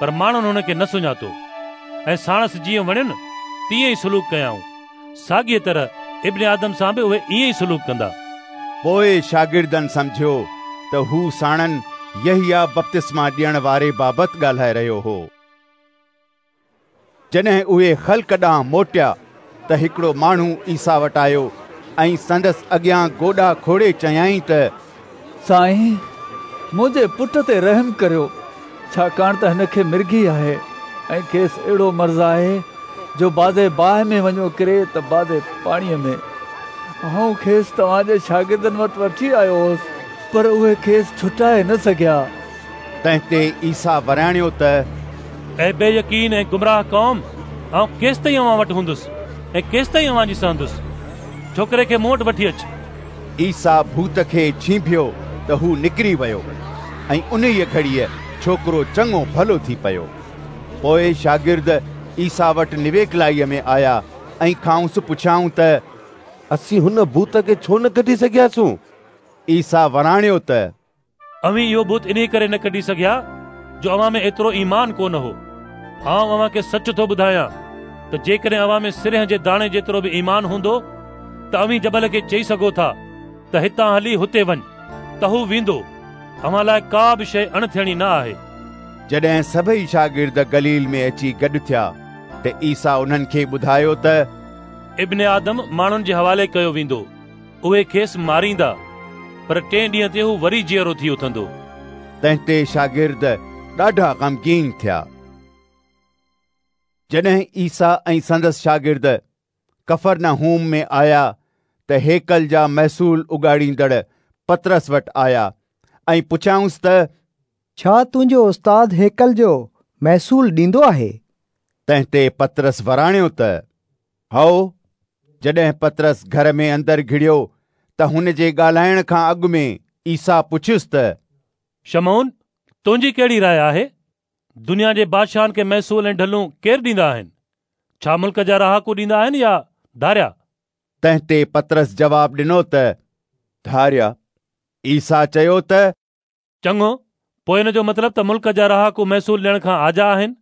پر ماڻهن هن کي نه سڃاتو ۽ ساڻس جيئن وڻين تيئن ئي سلوڪ ڪيائون. ساڳيء طرح ابن آدم سان به اهي ائين ئي سلوڪ ڪندا. پوء شاگردن سمجهيو ته هو ساڻن يحيٰ بپتسما ڏيڻ واري بابت ڳالهائي رهيو هو. جڏهن اهي خلق ڏانهن موٽيا ته هڪڙو ماڻهو عيسيٰ وٽ آيو ۽ سندس اڳيان گوڏا کوڙي چيائين ته، سائين، منهنجي پٽ تي رحم ڪريو، ڇاڪاڻ ته هن کي مرگهي آهي ۽ کيس اهڙو مرض آهي جو بعضي باهه ۾ وڃيو ڪري ته بعضي پاڻيء ۾. آئون کيس توهان جي شاگردن وٽ وٺي آيو هوس، پر اهي کيس ڇٽائي نه سگهيا. تنهن تي عيسيٰ وراڻيو ته، اي بي يقين ۽ گمراهه قوم، آئون ڪيستائين اوهان وٽ هوندس ۽ ڪيستائين اوهان جي سهندس؟ ڇوڪري کي مون وٽ وٺي اچ. عيسيٰ ڀوت کي ڇينڀيو ته هو نڪري ويو ۽ انهيء گهڙيء ڇوڪرو چڱو ڀلو ٿي پيو. پوء شاگرد عيسيٰ وٽ نويڪلائيء ۾ آيا ۽ کانئس پڇيائون ته، اسين هن ڀوت کي ڇو نه ڪڍي سگهياسون؟ عيسيٰ وراڻيو ته، اوهين اهو ڀوت انهيء ڪري نه ڪڍي سگهيا جو اوهان ۾ ايترو ايمان ڪونه هو. آئون اوهان کي سچ ٿو ٻڌايان ته جيڪڏهن اوهان ۾ سرنهن جي داڻي جيترو به ايمان هوندو ته اوهين جبل کي چئي سگهو ٿا ته هتان هلي هتي وڃ ته هو ويندو. اوهان لاء ڪا به شيء اڻ ٿيڻي نه آهي. جڏهن سڀئي شاگرد گليل ۾ اچي گڏ ٿيا ته عيسيٰ انهن کي ٻڌايو ته، ابن آدم ماڻهن جي حوالي ڪيو ويندو، اهي کيس ماريندا، پر ٽئين ڏينهن تي هو وري جيئرو ٿي اٿندو. تنهن تي شاگرد ڏاڍا غمگين ٿيا. جڏهن عيسيٰ ۽ سندس شاگرد ڪفرناحوم ۾ آيا ته هيڪل جا محصول اڳاڙيندڙ پطرس وٽ آيا ۽ پڇيائونس ته، ڇا تنهنجو استاد هيڪل جو محصول ڏيندو آهي؟ تنهن تي پطرس وراڻيو ته، هائو. جڏهن پطرس گهر ۾ اندر گهڙيو ته هن جي ڳالهائڻ کان اڳ ۾ عيسيٰ پڇيس ته، شمعون، تنهنجي ڪهڙي راء آهي؟ دنيا جي بادشاهن کي محصول ۽ ڍلون ڪير ڏيندا آهن؟ ڇا ملڪ جا رهاڪو ڏيندا آهن يا ڌاريا؟ تنهن تي پطرس جواب ڏنو ته ڌاريا. عيسيٰ چيو ته. چڱو، پوء ان جو مطلب ته ملڪ جا رهاڪو محصول ڏيڻ کان آجا آهن؟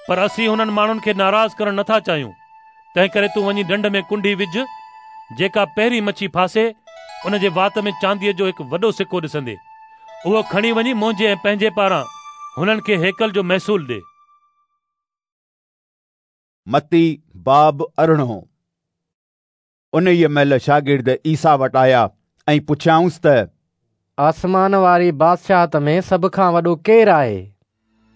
پر اسين هنن ماڻهن کي ناراض ڪرڻ نٿا چاهيون، تنهنڪري تون وڃي ڍنڍ ۾ ڪنڍي وجهه، جيڪا پهرين مڇي ڦاسي، ان جي وات ۾ چانديء جو هڪ وڏو سڪو ڏسندين. اهو کڻي وڃي منهنجي ۽ پنهنجي پاران هنن کي هيڪل جو محصول ڏي. متي باب ارڙهون. انهيء مهل شاگرد عيسيٰ وٽ آيا ۽ پڇيائونس ته. آسمان واري بادشاهت ۾ سڀ کان وڏو ڪير آهي؟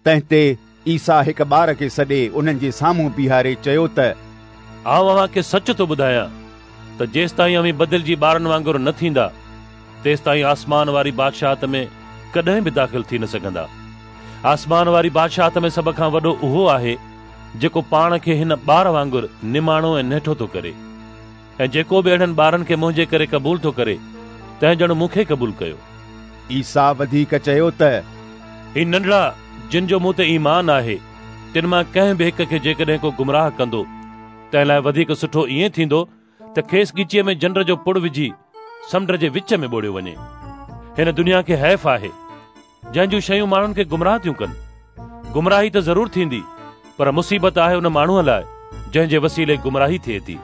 تنهن تي عيسيٰ هڪ ٻار کي سڏي انهن جي سامهون بيهاري چيو ته. آئون اوهان کي سچ ٿو ٻڌايان ته جيستائين اوهين بدلجي ٻارن وانگر نه ٿيندا، تيستائين آسمان واري بادشاهت ۾ ڪڏهن به داخل ٿي نه سگهندا. آسمان واري بادشاهت ۾ سڀ کان وڏو اهو آهي، جيڪو پاڻ کي هن ٻار وانگر نماڻو ۽ نهٺو ٿو ڪري، ۽ جيڪو به اهڙن ٻارن کي منهنجي ڪري قبول ٿو ڪري، تنهن ڄڻ مون کي قبول ڪيو. عيسيٰ وڌيڪ چيو ته. هي ننڍڙا جن جو مون تي ايمان آهي، تن مان ڪنهن به هڪ کي جيڪڏهن ڪو گمراهه ڪندو، تنهن لاء وڌيڪ سٺو ائين ٿيندو ته کيس ڳچيء ۾ جنڊ جو پڙ وجهي سمنڊ جي وچ ۾ ٻوڙيو وڃي. هن دنيا کي حيف آهي، جنهن جون شيون ماڻهن کي گمراهه ٿيون ڪن. گمراهي ته ضرور ٿيندي، پر مصيبت آهي ان ماڻهوء لاء جنهن جي وسيلي گمراهي ٿئي ٿي.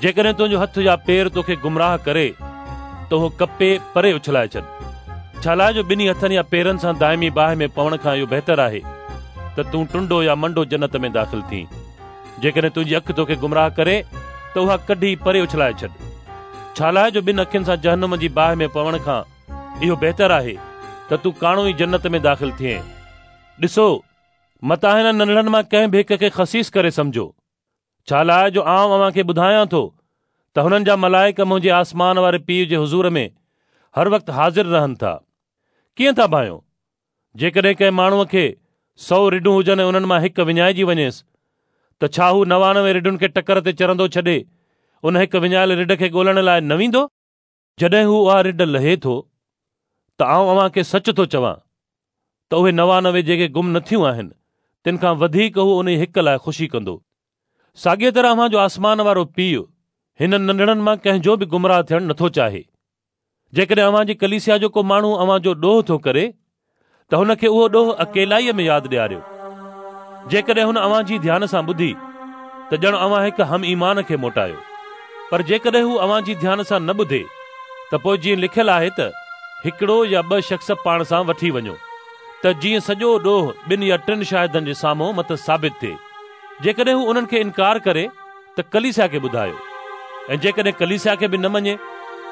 جيڪڏهن تنهنجو هٿ يا پير توکي گمراهه ڪري ته اهو ڪپي پري اڇلائي ڇڏ. ڇالاء جو ٻنهي هٿن يا پيرن سان دائمي باهه ۾ پوڻ کان اهو بهتر آهي ته تون ٽنڊو يا منڊو جنت ۾ داخل ٿين. جيڪڏهن تنهنجي اک توکي گمراهه ڪري ته اها ڪڍي پري اڇلائي ڇڏ. ڇالاء جو ٻن اکين سان جهنم جي باهه ۾ پوڻ کان اهو بهتر آهي ته تون ڪاڻو ئي جنت ۾ داخل ٿئين. ڏسو، متان هنن ننڍڙن مان ڪنهن به هڪ کي خسيس ڪري سمجهو. ڇالاء جو آئون اوهان کي ٻڌايان ٿو ته هنن جا ملائڪ منهنجي آسمان واري پيء جي حضور ۾ هر وقت حاضر رهن ٿا. ڪيئن ٿا ڀانئيو؟ جيڪڏهن ڪنهن ماڻهوء کي سو رڍون هجن ۽ انهن مان هڪ وڃائجي وڃيس ته ڇا هو 99 رڍن کي ٽڪر تي چرندو ڇڏي ان هڪ وڃايل رڍ کي ڳولڻ لاء نه ويندو؟ جڏهن هو اها رڍ لهي ٿو ته آئون اوهان کي سچ ٿو چوان ته اهي 99 جيڪي گم نه ٿيون آهن تن کان وڌيڪ هو انهي هڪ لاء خوشي ڪندو. ساڳيء طرح اوهان جو آسمان وارو پيء هنن ننڍڙن مان ڪنهن جو به گمراهه ٿيڻ نٿو چاهي. جيڪڏهن اوهان جي ڪليسيا جو ڪو ماڻهو اوهان جو ڏوهه ٿو ڪري ته هن کي اهو ڏوهه اڪيلائيء ۾ ياد ڏياريو. جيڪڏهن هن اوهان جي ڌيان سان ٻڌي ته ڄڻ اوهان هڪ هم ايمان کي موٽايو. پر جيڪڏهن هو اوهان جي ڌيان سان نه ٻڌي ته پوء جيئن لکيل آهي ته هڪڙو يا ٻه شخص پاڻ سان وٺي وڃو ته جيئن سڄو ڏوهه ٻن يا ٽن شاهدن جي سامهون مٿس ثابت ٿئي. جيڪڏهن هو انهن کي انڪار ڪري ته ڪليسيا کي ٻڌايو ۽ جيڪڏهن ڪليسيا کي به نه مڃي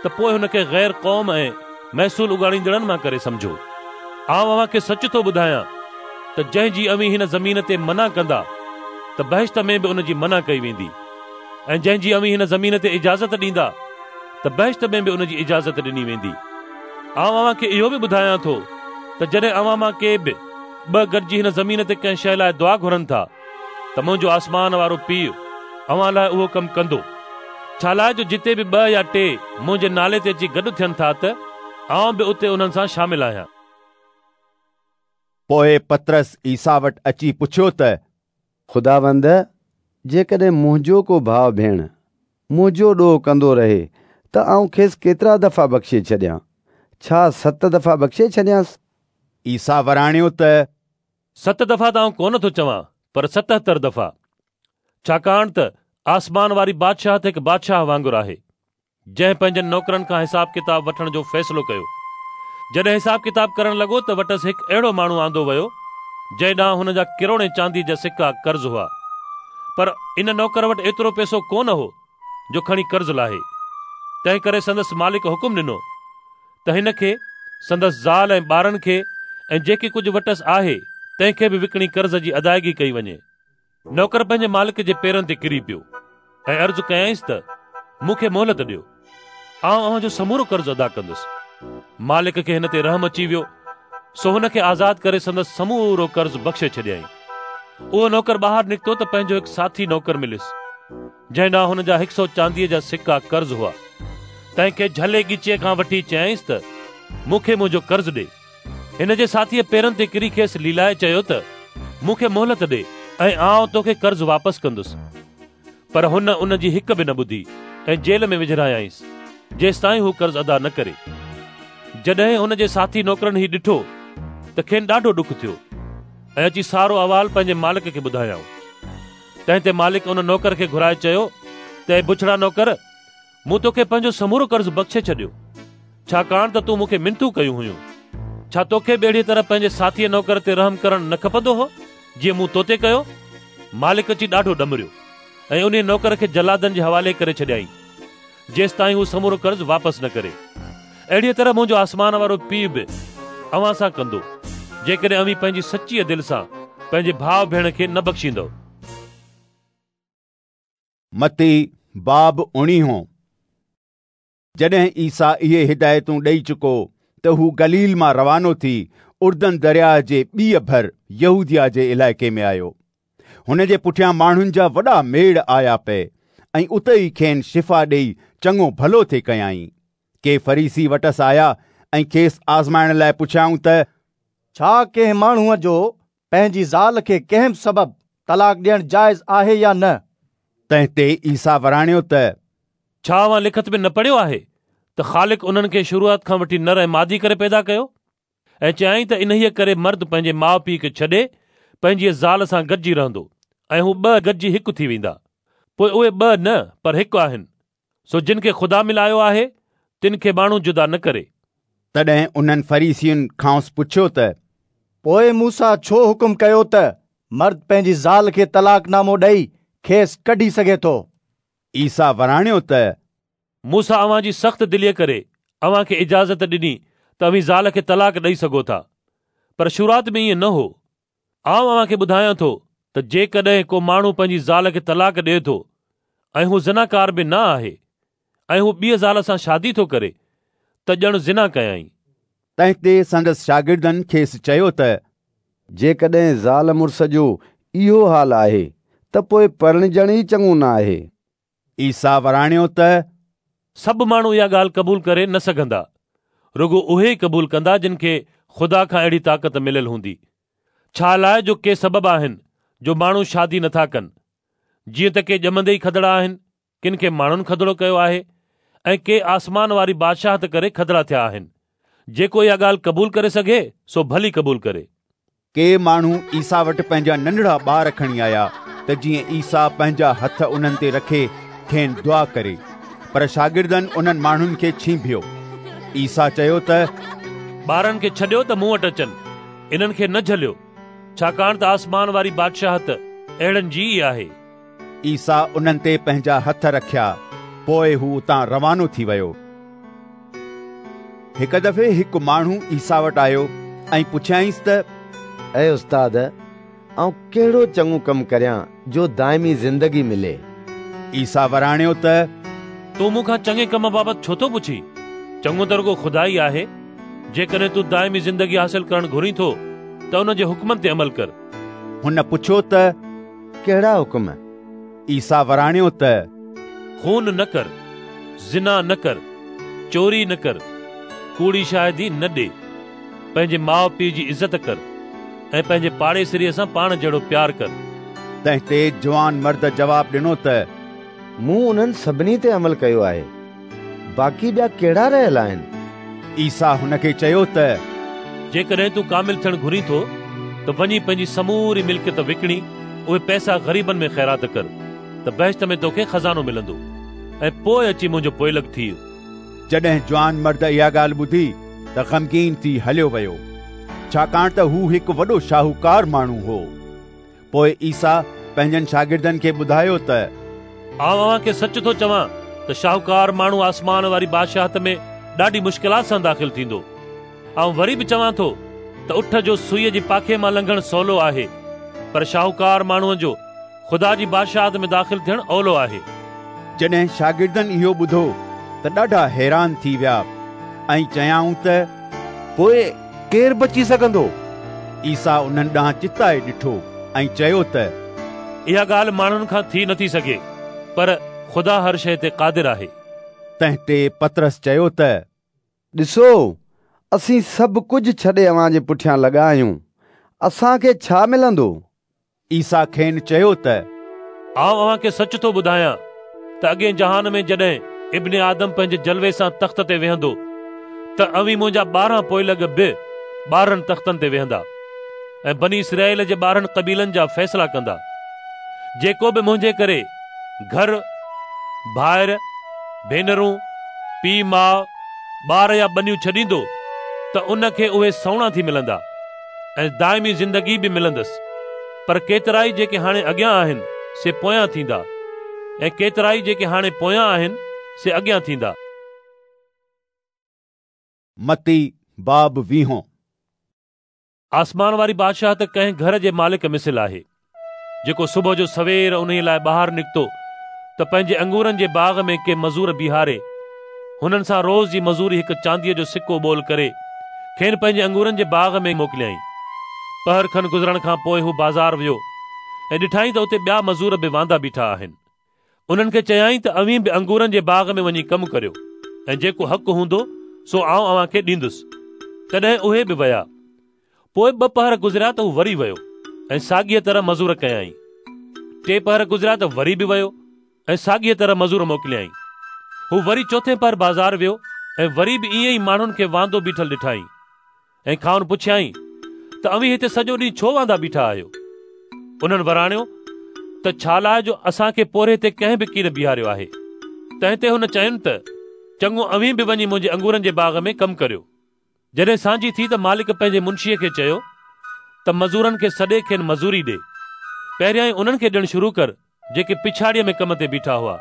ته پوء هن کي غير قوم ۽ محصول اڳاڙيندڙن مان ڪري سمجهو. آئون اوهان کي سچ ٿو ٻڌايان ته جنهن جي اوهين هن زمين تي منع ڪندا ته بهشت ۾ به ان جي منع ڪئي ويندي ۽ جنهن جي اوهين هن زمين تي اجازت ڏيندا ته بهشت ۾ به ان جي اجازت ڏني ويندي. آئون اوهان کي اهو به ٻڌايان ٿو ته جڏهن اوهان مان ڪي به ٻه گڏجي هن زمين تي ڪنهن شيء لاء دعا گهرن ٿا ته منهنجو آسمان وارو پيء اوهان لاء اهو ڪم ڪندو، ڇالاء جو جتي به ٻه يا ٽي منهنجي نالي تي اچي گڏ ٿين ٿا ته آئون به اتي انهن سان شامل آهيان. پوء پطرس عيسيٰ وٽ اچي پڇيو ته. خداوند، جيڪڏهن منهنجو ڪو ڀاء ڀيڻ منهنجو ڏوهه ڪندو رهي ته آئون کيس ڪيترا دفعا بخشي ڇڏيان؟ ڇا ست دفعا بخشي ڇڏيانس؟ عيسيٰ وراڻيو ته. ست دفعا ته آئون ڪونه ٿو چوان، پر 77 دفعا. ڇاڪاڻ ته آسمان واري بادشاهت هڪ بادشاهه وانگر آهي، جنهن پنهنجن نوڪرن کان حساب ڪتاب وٺڻ جو فيصلو ڪيو. جڏهن حساب ڪتاب ڪرڻ لڳو ته وٽس هڪ اهڙو ماڻهو آندو ويو، جنهن ڏانهن هن جا ڪروڙين چانديء جا سڪا قرض هئا. پر ان نوڪر وٽ ايترو پئسو ڪونه هو جو کڻي قرض لاهي. تنهنڪري سندس مالڪ حڪم ڏنو ته هن کي، سندس زال ۽ ٻارن کي ۽ جيڪي ڪجهه وٽس آهي، تنهن کي به وڪڻي قرض جي ادائگي ڪئي وڃي. نوڪر پنهنجي مالڪ جي پيرن تي ڪري پيو ۽ عرض ڪيائينس ته مون کي مهلت ڏيو، آئون اوهان جو سمورو قرض ادا ڪندس. مالڪ کي هن تي رحم اچي ويو، سو هن کي آزاد ڪري سندس سمورو قرض بخشي ڇڏيائين. اهو نوڪر ٻاهر نڪتو ته پنهنجو هڪ ساٿي نوڪر مليس. جنهن ڏانهن هن جا هڪ سؤ چانديء جا سڪا قرض هئا، تنهن کي جهلي ڳچيء کان وٺي چيائينس ته مون کي منهنجو قرض ڏي. هن جي ساٿيء پيرن تي ڪري کيس ليلائي چيو ته مون کي مهلت ڏي ۽ آئون توکي قرض واپس ڪندس. پر هن ان جي هڪ به نه ٻڌي ۽ جيل ۾ وجهرايائينس، جيستائين هو قرض ادا نه ڪري. جڏهن هن جي ساٿي نوڪرن هي ڏٺو ته کين ڏاڍو ڏک ٿيو ۽ اچي سارو احوال پنهنجي مالڪ کي ٻڌايائون. تنهن تي مالڪ ان نوڪر کي گهرائي چيو ته اي بڇڙا نوڪر! مون توکي پنهنجو سمورو قرض بخشي ڇڏيو، ڇاڪاڻ ته تون مون کي منٿون ڪيون هيون. ڇا توکي به اهڙيء طرح پنهنجي ساٿيء نوڪر تي رحم ڪرڻ نه کپندو هو، جيئن مون تو تي ڪيو؟ مالڪ اچي ڏاڍو ڏمريو ۽ انهيء نوڪر کي جلادن جي حوالي ڪري ڇڏيائين، جيستائين هو سمورو قرض واپس نه ڪري. اهڙيء طرح منهنجو آسمان وارو پيء به اوهان سان ڪندو، جيڪڏهن اوهين پنهنجي سچيء دل سان پنهنجي ڀاء ڀيڻ کي نه بخشيندؤ. متي باب اڻيهون. جڏهن عيسيٰ اهي هدايتون ڏيئي چڪو ته هو گليل مان روانو ٿي اردن درياهه جي ٻيء ڀر يهوديه جي علائقي ۾ آيو. هن جي پٺيان ماڻهن جا وڏا ميڙ آيا پئي ۽ اتي ئي کين شفا ڏيئي چڱو ڀلو ٿي ڪيائين. ڪي فريسي وٽس آيا ۽ کيس آزمائڻ لاء پڇيائون ته، ڇا ڪنهن ماڻهوء جو پنهنجي زال کي ڪنهن به سبب طلاق ڏيڻ جائز آهي يا نه؟ تنهن تي عيسيٰ وراڻيو ته، ڇا اوهان لکت ۾ نه پڙهيو آهي ته خالق انهن کي شروعات کان وٺي نر ۽ مادي ڪري پيدا ڪيو؟ ۽ چيائين ته انهيء ڪري مرد پنهنجي ماء پيء کي ڇڏي پنهنجيء زال سان گڏجي رهندو ۽ هو ٻه گڏجي هڪ ٿي ويندا. پوء اهي ٻه نه پر هڪ آهن. سو جن کي خدا ملايو آهي، تن کي ماڻهو جدا نه ڪري. تڏهن انهن فريسين کانئس پڇيو ته. پوء موسيٰ ڇو حڪم ڪيو ته مرد پنهنجي زال کي طلاق نامو ڏئي کيس ڪڍي سگهي ٿو؟ عيسيٰ وراڻيو ته. موسيٰ اوهان جي سخت دليء ڪري اوهان کي اجازت ڏني ته اوهين زال کي طلاق ڏئي سگهو ٿا، پر شروعات ۾ ائين نه هو. آئون اوهان کي ٻڌايان ٿو ته جيڪڏهن ڪو ماڻهو پنهنجي زال کي طلاق ڏئي ٿو ۽ هو زناڪار به نه آهي ۽ هو ٻيء زال سان شادي ٿو ڪري ته ڄڻ زنا ڪيائين. تنهن تي سندس شاگردن کيس چيو ته. جيڪڏهن زال مڙس جو اهو حال آهي ته پوء پرڻجڻ ئي چڱو نه آهي. عيسيٰ وراڻيو ته. سڀ ماڻهو اها ڳالهه قبول ڪري نه سگهندا، رڳو اهي ئي قبول ڪندا جن کي خدا کان اهڙي طاقت مليل هوندي. ڇا لاء جو ڪي سبب آهن جو ماڻهو شادي نٿا ڪن، جيئن ته ڪي ڄمندي ئي کدڙا آهن، ڪن کي ماڻهن کدڙو ڪيو آهي ۽ ڪي آسمان واري بادشاهت ڪري کدڙا ٿيا آهن. جيڪو اها ڳالهه قبول ڪري سگهي، سو ڀلي قبول ڪري. ڪي ماڻهو عيسيٰ وٽ پنهنجا ننڍڙا ٻار کڻي آيا ته جيئن عيسيٰ پنهنجا هٿ انهن تي رکي کين دعا ڪري، پر شاگردن انهن ماڻهن کي ڇينڀيو. عيسيٰ چيو ته، ٻارن کي ڇڏيو ته مون وٽ اچن، انهن کي نه جهليو، ڇاڪاڻ ته آسمان واري بادشاهت اهڙن جي ئي آهي. عيسيٰ انهن تي پنهنجا هٿ رکيا، پوء هو اتان روانو ٿي ويو. هڪ دفعي هڪ ماڻهو عيسيٰ وٽ آيو ۽ پڇيائينس ته، اي استاد، آئون ڪهڙو چڱو ڪم ڪريان جو دائمي زندگي ملي؟ عيسيٰ وراڻيو ته، تون مون کان چڱي ڪم بابت ڇو ٿو پڇين؟ چڱو ته رڳو خدا ئي آهي. جيڪڏهن تون دائمي زندگي حاصل ڪرڻ گهرين ٿو ته ان جي حڪمن تي عمل ڪر. هن پڇيو ته، ڪهڙا حڪم؟ عيسيٰ وراڻيو ته، خون نه ڪر، زنا نه ڪر، چوري نه ڪر، ڪوڙي شاهدي نه ڏي، پنهنجي ماء پيء جي عزت ڪر ۽ پنهنجي پاڙيسريء سان پاڻ جهڙو پيار ڪر. تنهن تي جوان مرد جواب ڏنو ته، مون انهن سڀني تي عمل ڪيو آهي، باقي ٻيا ڪهڙا رهيل آهن؟ عيسيٰ هن کي چيو ته، جيڪڏهن تون ڪامل ٿيڻ گهرين ٿو ته وڃي پنهنجي سموري ملڪيت وڪڻي اهي پئسا غريبن ۾ خيرات ڪر ته بهشت ۾ توکي خزانو ملندو ۽ پوء اچي منهنجو پوئلڳ ٿيء. جڏهن جوان مرد اها ڳالهه ٻڌي ته غمگين ٿي هليو ويو، ڇاڪاڻ ته هو هڪ وڏو شاهوڪار ماڻهو هو. پوء عيسيٰ پنهنجن شاگردن کي ٻڌايو ته. آئون اوهان کي سچ ٿو چوان ته شاهوڪار ماڻهو آسمان واري بادشاهت ۾ ڏاڍي مشڪلات سان داخل ٿيندو. آئون وري به چوان ٿو ته اٺ جو سوئيء جي پاکي مان لنگهڻ سولو آهي، پر شاهوڪار ماڻهوء جو خدا جي بادشاهت ۾ داخل ٿيڻ اولو آهي. جڏهن شاگردن اهو ٻڌو ته ڏاڍا حيران ٿي ويا ۽ چيائون ته، پوء ڪير بچي سگهندو؟ عيسيٰ انهن ڏانهن چتائي ڏٺو ۽ چيو ته، اها ڳالهه ماڻهن کان ٿي نٿي سگهي، پر خدا هر شيء تي قادر آهي. تنهن تي پطرس چيو ته، ڏسو، اسين سڀ ڪجهه ڇڏي اوهان جي پٺيان لڳا آهيون، اسان کي ڇا ملندو؟ عيسيٰ کين چيو ته آئون اوهان کي سچ ٿو ٻڌايان ته اڳئين جهان ۾ جڏهن ابن آدم پنهنجي جلوي سان تخت تي ويهندو ته اوهين منهنجا 12 پوئلڳ به 12 تختن تي ويهندا ۽ بني اسرائيل جي 12 قبيلن جا فيصلا ڪندا. جيڪو به منهنجي ڪري گهر، ڀائر، ڀينرون، پيء ماء، ٻار يا ٻنيون ڇڏيندو ته ان کي اهي سئوڻا ٿي ملندا ۽ دائمي زندگي به ملندس. پر ڪيترائي جيڪي هاڻي اڳيان آهن سي پويان ٿيندا ۽ ڪيترائي جيڪي هاڻي پويان آهن سي اڳيان ٿيندا. متي باب ويهون. آسمان واري بادشاهت ڪنهن گهر جي مالڪ مثل آهي، جيڪو صبح جو سوير انهيء لاء ٻاهر نڪتو ته پنهنجي انگورن جي باغ ۾ ڪي مزور بيهاري، هنن سان روز جي مزوري هڪ چانديء جو سڪو ٻول ڪري، کين پنهنجي انگورن جي باغ ۾ موڪليائين. پهر کن گذرڻ کان پوء هو بازار ويو ۽ ڏٺائين ته اتي ٻيا مزور به واندا بيٺا آهن. انهن کي چيائين ته اوهين به انگورن جي باغ ۾ وڃي ڪم ڪريو ۽ جيڪو حق هوندو سو آئون اوهان کي ڏيندس. تڏهن اهي به ويا. پوء ٻه پهر گذريا ته هو وري ويو ۽ ساڳيء طرح مزور ڪيائين. ٽي پهر گذريا ته وري به ويو ۽ ساڳيء طرح مزور موڪليائين. هو وري چوٿين پهر بازار ويو ۽ وري به ائين ئي ماڻهن کي واندو بيٺل ڏٺائين. ۽ کانئن پڇيائين ته اوهين هتي سڄو ڏينهن ڇو واندا بيٺا آهيو؟ انهن وراڻيو ته ڇا لاء جو اسان کي پورهيي تي ڪنهن به ڪين بيهاريو آهي. تنهن تي هن چين ته چڱو اوهين به وڃي منهنجي انگورن جي باغ ۾ ڪم ڪريو. جڏهن سانجهي ٿي ته مالڪ پنهنجي منشيء کي چيو ته مزورن کي سڏي کين مزوري ڏي. پهريائين انهن کي ڏيڻ شروع ڪر جيڪي پڇاڙيء ۾ ڪم تي بيٺا هئا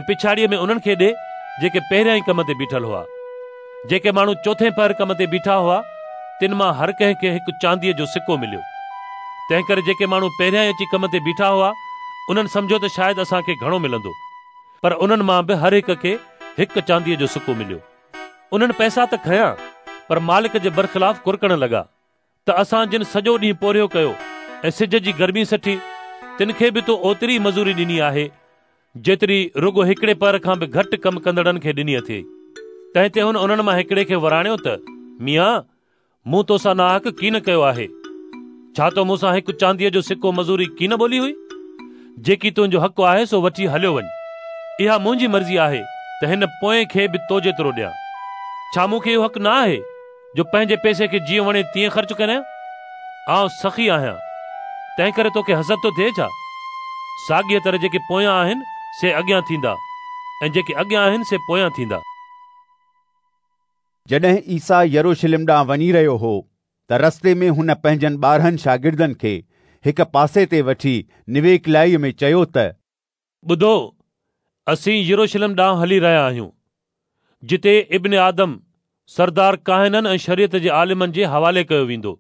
۽ پڇاڙيء ۾ انهن کي ڏي جيڪي پهريائين ڪم تي بيٺل هئا. جيڪي ماڻهو چوٿين پهر ڪم تي بيٺا هئا، تن مان هر ڪنهن کي هڪ چانديء جو سڪو مليو. تنهنڪري جيڪي ماڻهو پهريائين اچي ڪم تي بيٺا هئا، انهن سمجهيو ته شايد اسان کي گهڻو ملندو. پر انهن مان به هر هڪ کي هڪ چانديء جو سڪو مليو. انهن پئسا ته کنيا، پر مالڪ جي برخلاف ڪرڪڻ لڳا. ته اسان جن سڄو ڏينهن پورهيو ڪيو ۽ سج جي گرمي سٺي، تن کي به تو اوتري ئي مزوري ڏني آهي، جيتري رڳو هڪڙي پهر کان به گهٽ ڪم ڪندڙن کي ڏني اٿئي. تنهن تي هن انهن مان هڪڙي کي وراڻيو ته، ميان، مون توسان ناحق ڪين ڪيو آهي. ڇا تو مون سان هڪ چانديء جو سڪو مزوري ڪين ٻولي هئي؟ جيڪي تنهنجو حق آهي سو وٺي هليو وڃ. اها منهنجي مرضي آهي ته هن پوئين کي به تو جيترو ڏيان. ڇا مون کي اهو حق نه آهي جو پنهنجي پئسي کي جيئن وڻي تيئن خرچ ڪريان؟ آئون سخي آهيان، تنهنڪري توکي حسد ٿو ٿئي ڇا؟ ساڳيء طرح جيڪي پويان آهن سي اڳيان ٿيندا ۽ جيڪي اڳيان آهن سي پويان ٿيندا. جڏهن عيسيٰ يروشلم ڏانهن وڃي رهيو هو ته رستي ۾ هن پنهنجن 12 شاگردن کي هڪ پاسي تي وٺي نويڪلائيء ۾ چيو ته. ٻڌو، اسين يروشلم ڏانهن هلي رهيا آهيون، جتي ابن آدم سردار ڪاهنن ۽ شريعت جي عالمن جي حوالي ڪيو ويندو،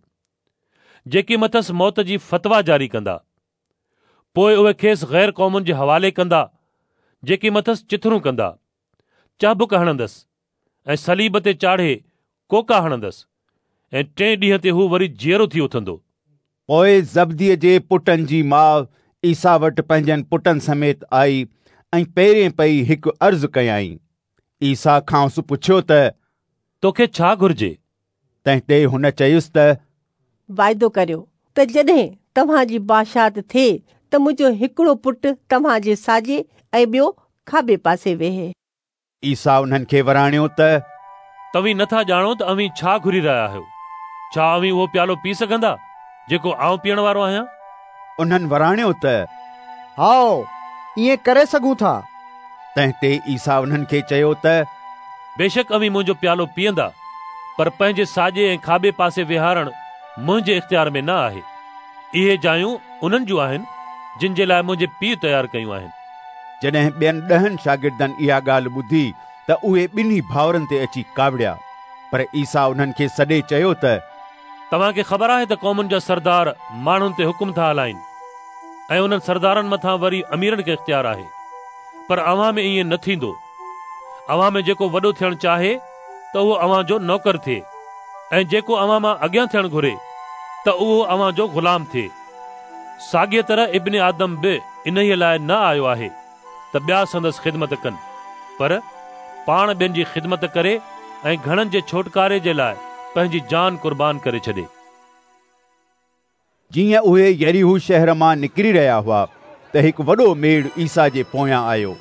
جيڪي مٿس موت جي فتويٰ جاري ڪندا. پوء اهي کيس غير قومن جي حوالي ڪندا، جيڪي مٿس چٿرون ڪندا، چهبڪ هڻندس ۽ صليب تي چاڙهي ڪوڪا هڻندس ۽ ٽئين ڏينهن تي هو وري جيئرو ٿي اٿندو. پوء زبديء جي پٽن جي ماء عيسيٰ وٽ پنهنجن پٽن سميت آئي ۽ پيرين پئي هڪ عرض ڪيائين. عيسيٰ کانئس پڇيو ته توکي ڇا گهرجي؟ تنهن تي هن چيس ته واعدو ڪريو ته جڏهن توهان جي بادشاهت ٿئي ته منهنجو هڪڙو پٽ توهان جي ساڄي ۽ ٻيو کاٻي پاسي ويهي. عيسيٰ انهن کي وراڻيو ته توهين نٿا ڄاڻو ته اوهين ڇا گهري رهيا آهيو. ڇا اوهين اهو پيالو پي سگهندا جيڪو آئون پيئڻ وارو آهيان؟ انهن وراڻيو ته هائو، ائين ڪري سگهون ٿا. تنهن تي عيسيٰ انهن کي چيو ته بيشڪ اوهين منهنجو پيالو پيئندا، پر پنهنجي ساڄي ۽ کاٻي پاسي ويهارڻ منهنجي اختيار ۾ نه آهي. اهي جايون انهن جون آهن، جن جي لاء منهنجي پيء تيار ڪيون آهن. جڏهن ٻين 10 شاگردن اها ڳالهه ٻڌي ته اهي ٻنهي ڀائرن تي اچي ڪاوڙيا. پر عيسيٰ انهن کي سڏي چيو ته توهان کي خبر آهي ته قومن جا سردار ماڻهن تي حڪم ٿا هلائين ۽ انهن سردارن مٿان وري اميرن کي اختيار آهي. پر اوهان ۾ ائين نه ٿيندو. اوهان ۾ جيڪو وڏو ٿيڻ چاهي ته اهو اوهان جو نوڪر ٿئي ۽ جيڪو اوهان مان اڳيان ٿيڻ گهري ته اهو اوهان جو غلام ٿئي. ساڳيء طرح ابن آدم به انهيء لاء نه آيو آهي ته ٻيا سندس خدمت ڪن، پر پاڻ ٻين جي خدمت ڪري ۽ گهڻن جي ڇوٽڪاري جي لاء پنهنجي جان قربان ڪري ڇڏي. جيئن اهي يريحو شهر مان نڪري رهيا هئا ته هڪ وڏو ميڙ عيسيٰ جي پويان آيو.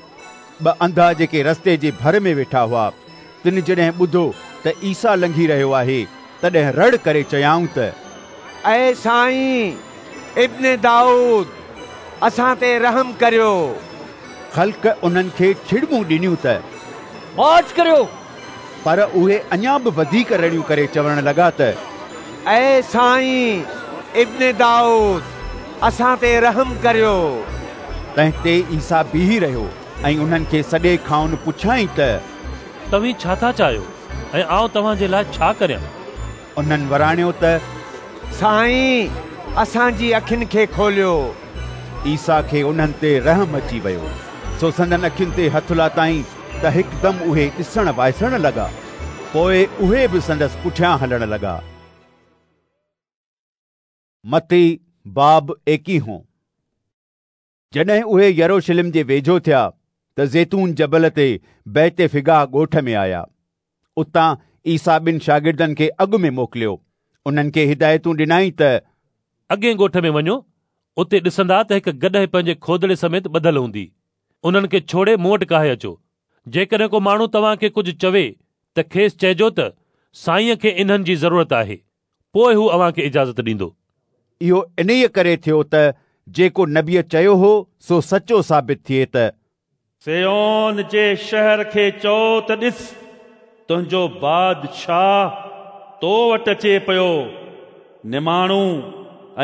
ٻه انڌا جيڪي رستي جي ڀر ۾ ويٺا هئا، تن جڏهن ٻڌو ته عيسيٰ لنگهي رهيو آهي، تڏهن رڙ ڪري چيائون ته اي سائين، ابن دائود، اسان تي رحم ڪريو. خلق انهن کي ڇڙٻون ڏنيون ته ماٺ ڪريو! پر اهي اڃا به وڌيڪ رڙيون ڪري چوڻ لڳا ته اي سائين، ابن دائود، اسان تي رحم ڪريو. تنهن تي عيسيٰ بيهي رهيو ۽ انهن کي سڏي کانئن پڇيائين ته توهين ڇا ٿا چاهيو ۽ آئون توهان جي لاء ڇا ڪريان؟ انهن وراڻيو ته سائين، اسان جي اکين کي کوليو. عيسيٰ کي انهن تي رحم اچي ويو، سو سندن اکين تي هٿ لاتائين ته هڪدم اهي ڏسڻ وائسڻ لڳا. پوء اهي به سندس پٺيان هلڻ لڳا. متي باب ايڪيهون. جڏهن اهي يروشلم جي ويجهو ٿيا ته زيتون جبل تي بيت فگاه ڳوٺ ۾ آيا. اتان عيسيٰ ٻن شاگردن کي اڳ ۾ موڪليو. انهن کي هدايتون ڏنائين ته. اڳئين ڳوٺ ۾ وڃو، اتي ڏسندا ته هڪ گڏهه پنهنجي کودڙي سميت ٻڌل هوندي. انهن کي ڇوڙي مون وٽ ڪاهي اچو. جيڪڏهن ڪو ماڻهو توهان کي ڪجهه چوي ته کيس چئجو ته سائينء کي انهن جي ضرورت آهي. پوء هو اوهان کي اجازت ڏيندو. اهو انهيء ڪري ٿيو ته جيڪو نبيء چيو هو سو سچو ثابت ٿئي ته. صيون جي شهر کي چئو ته ڏس، تنهنجو بادشاهه تو وٽ اچي پيو، نماڻو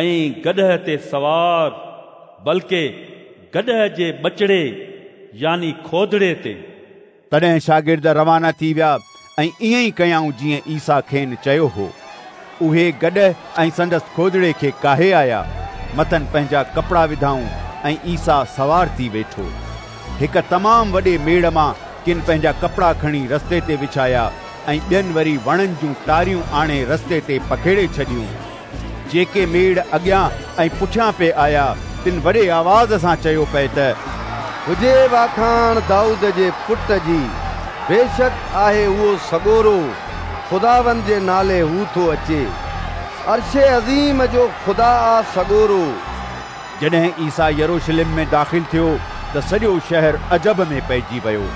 ۽ گڏهه تي سوار، بلڪه گڏهه جي ٻچڙي يعني کودڙي تي. تڏهن شاگرد روانا ٿي ويا ۽ ائين ئي ڪيائون جيئن عيسيٰ کين چيو هو. اهي گڏهه ۽ سندس کودڙي کي ڪاهي آيا، مٿن پنهنجا ڪپڙا وڌائون ۽ عيسيٰ سوار ٿي ويٺو. هڪ تمام وڏي ميڙ مان ڪن پنهنجا ڪپڙا کڻي رستي تي وڇايا ۽ ٻين وري وڻن جون ٽاريون آڻي رستي تي پکيڙي ڇڏيون. جيڪي ميڙ اڳيان ۽ پٺيان پئي آيا، تن وڏي آواز سان چيو پئي ته. هجي واکاڻ دائود جي پٽ جي! بيشڪ آهي اهو سڳورو، خداوند جي نالي هو ٿو اچي. عرش عظيم جو خدا آ سڳورو. جڏهن عيسيٰ يروشلم ۾ داخل ٿيو ته سڄو شهر عجب ۾ پئجي ويو.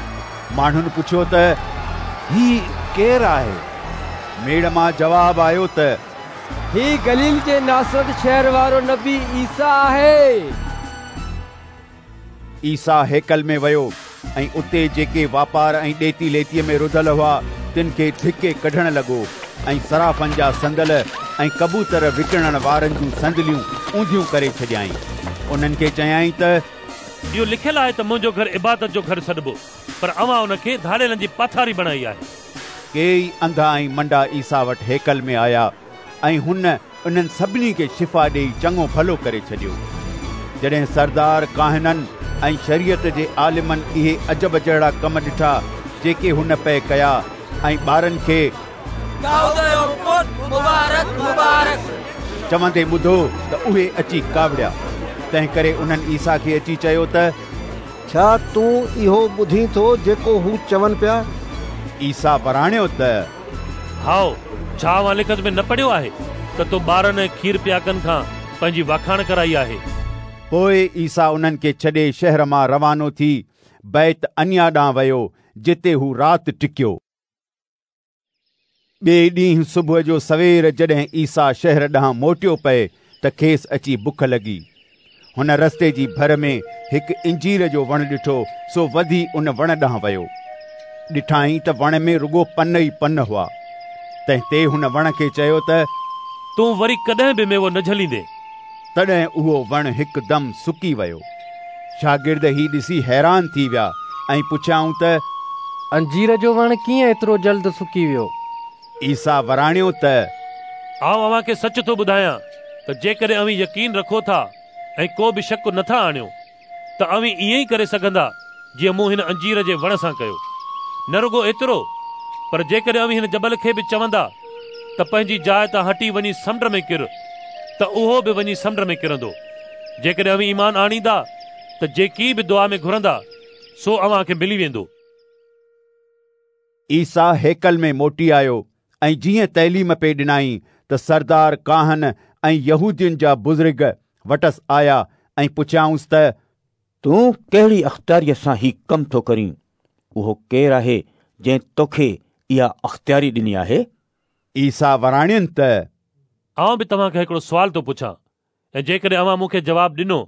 ماڻهن پڇيو ته هي ڪير آهي؟ ميڙ مان جواب آيو ته هي گليل جي ناصرت شهر وارو نبي عيسيٰ آهي. عيسيٰ هيڪل ۾ ويو ۽ اتي جيڪي واپار ۽ ڏيتي ليتيء ۾ رڌل هئا، تن کي ڌڪي ڪڍڻ لڳو ۽ صرافن جا صندل ۽ ڪبوتر وڪڻڻ وارن جون صندليون اونڌيون ڪري ڇڏيائين. انهن کي چيائين ته. اهو لکيل آهي ته منهنجو گهر عبادت جو گهر سڏبو، پر اوهان ان کي ڌاڙيلن جي پاٿاري بڻائي آهي. ڪيئي انڌا ۽ منڊا عيسيٰ وٽ هيڪل ۾ آيا ۽ هن انهن سڀني کي شفا ڏيئي چڱو ڀلو ڪري ڇڏيو. جڏهن سردار ڪاهنن ۽ شريعت جي عالمن اهي عجب جهڙا ڪم ڏٺا جيڪي هن پئي ڪيا ۽ ٻارن کي دائود جو پٽ مبارڪ مبارڪ چوندي ٻڌو ته اهي اچي ڪاوڙيا. تنهنڪري انهن عيسيٰ کي اچي چيو ته ڇا تون اهو ٻڌين ٿو جيڪو هو چون پيا؟ عيسيٰ وراڻيو ته. هائو، ڇا اوهان لکت ۾ نه پڙهيو آهي ته تو ٻارن ۽ کير پياڪن کان پنهنجي واکاڻ ڪرائي آهي؟ پوء عيسيٰ انهن کي ڇڏي شهر مان روانو ٿي بيت عنيا ڏانهن ويو، جتي هو رات ٽڪيو. ٻئي ڏينهن صبح جو سوير جڏهن عيسيٰ شهر ڏانهن موٽيو پئي ته کيس اچي بک لڳي. هن رستي جي ڀر ۾ هڪ انجير جو وڻ ڏٺو، سو وڌي ان وڻ ڏانهن ويو. ڏٺائين ته وڻ ۾ رڳو پن ئي پن هئا. تنهن تي هن وڻ کي چيو ته. تون وري ڪڏهن به ميوو نه جهليندين. تڏهن اهو وڻ هڪدم سڪي ويو. شاگرد هي ڏسي حيران ٿي ويا ۽ پڇيائون ته. انجير جو وڻ ڪيئن ايترو جلد سڪي ويو؟ عيسيٰ وراڻيو ته. آئون اوهان کي سچ ٿو ٻڌايان ته جيڪڏهن اوهين يقين رکو ٿا ۽ ڪو به شڪ نه ٿا آڻيو ته اوهين ائين ئي ڪري سگهندا جيئن مون هن انجير جي وڻ سان ڪيو. نه رڳو ايترو، پر جيڪڏهن اوهين هن جبل کي به چوندا ته پنهنجي جاء تان هٽي وڃي سمنڊ ۾ ڪر، ته اهو به وڃي سمنڊ ۾ ڪرندو. جيڪڏهن اوهين ايمان آڻيندا ته جيڪي به دعا ۾ گهرندا، سو اوهان کي ملي ويندو. عيسيٰ هيڪل ۾ موٽي آيو ۽ جيئن تعليم پئي ڏنائين ته سردار ڪاهن ۽ يهودين جا بزرگ وٽس آيا ۽ پڇيائونس ته تون ڪهڙي اختياريء سان هي ڪم ٿو ڪرين؟ اهو ڪير آهي جنهن توکي اها اختياري ڏني آهي؟ عيسيٰ وراڻين ته آئون به توهان کان هڪڙو سوال ٿو پڇان ۽ جيڪڏهن اوهان مون کي جواب ڏنو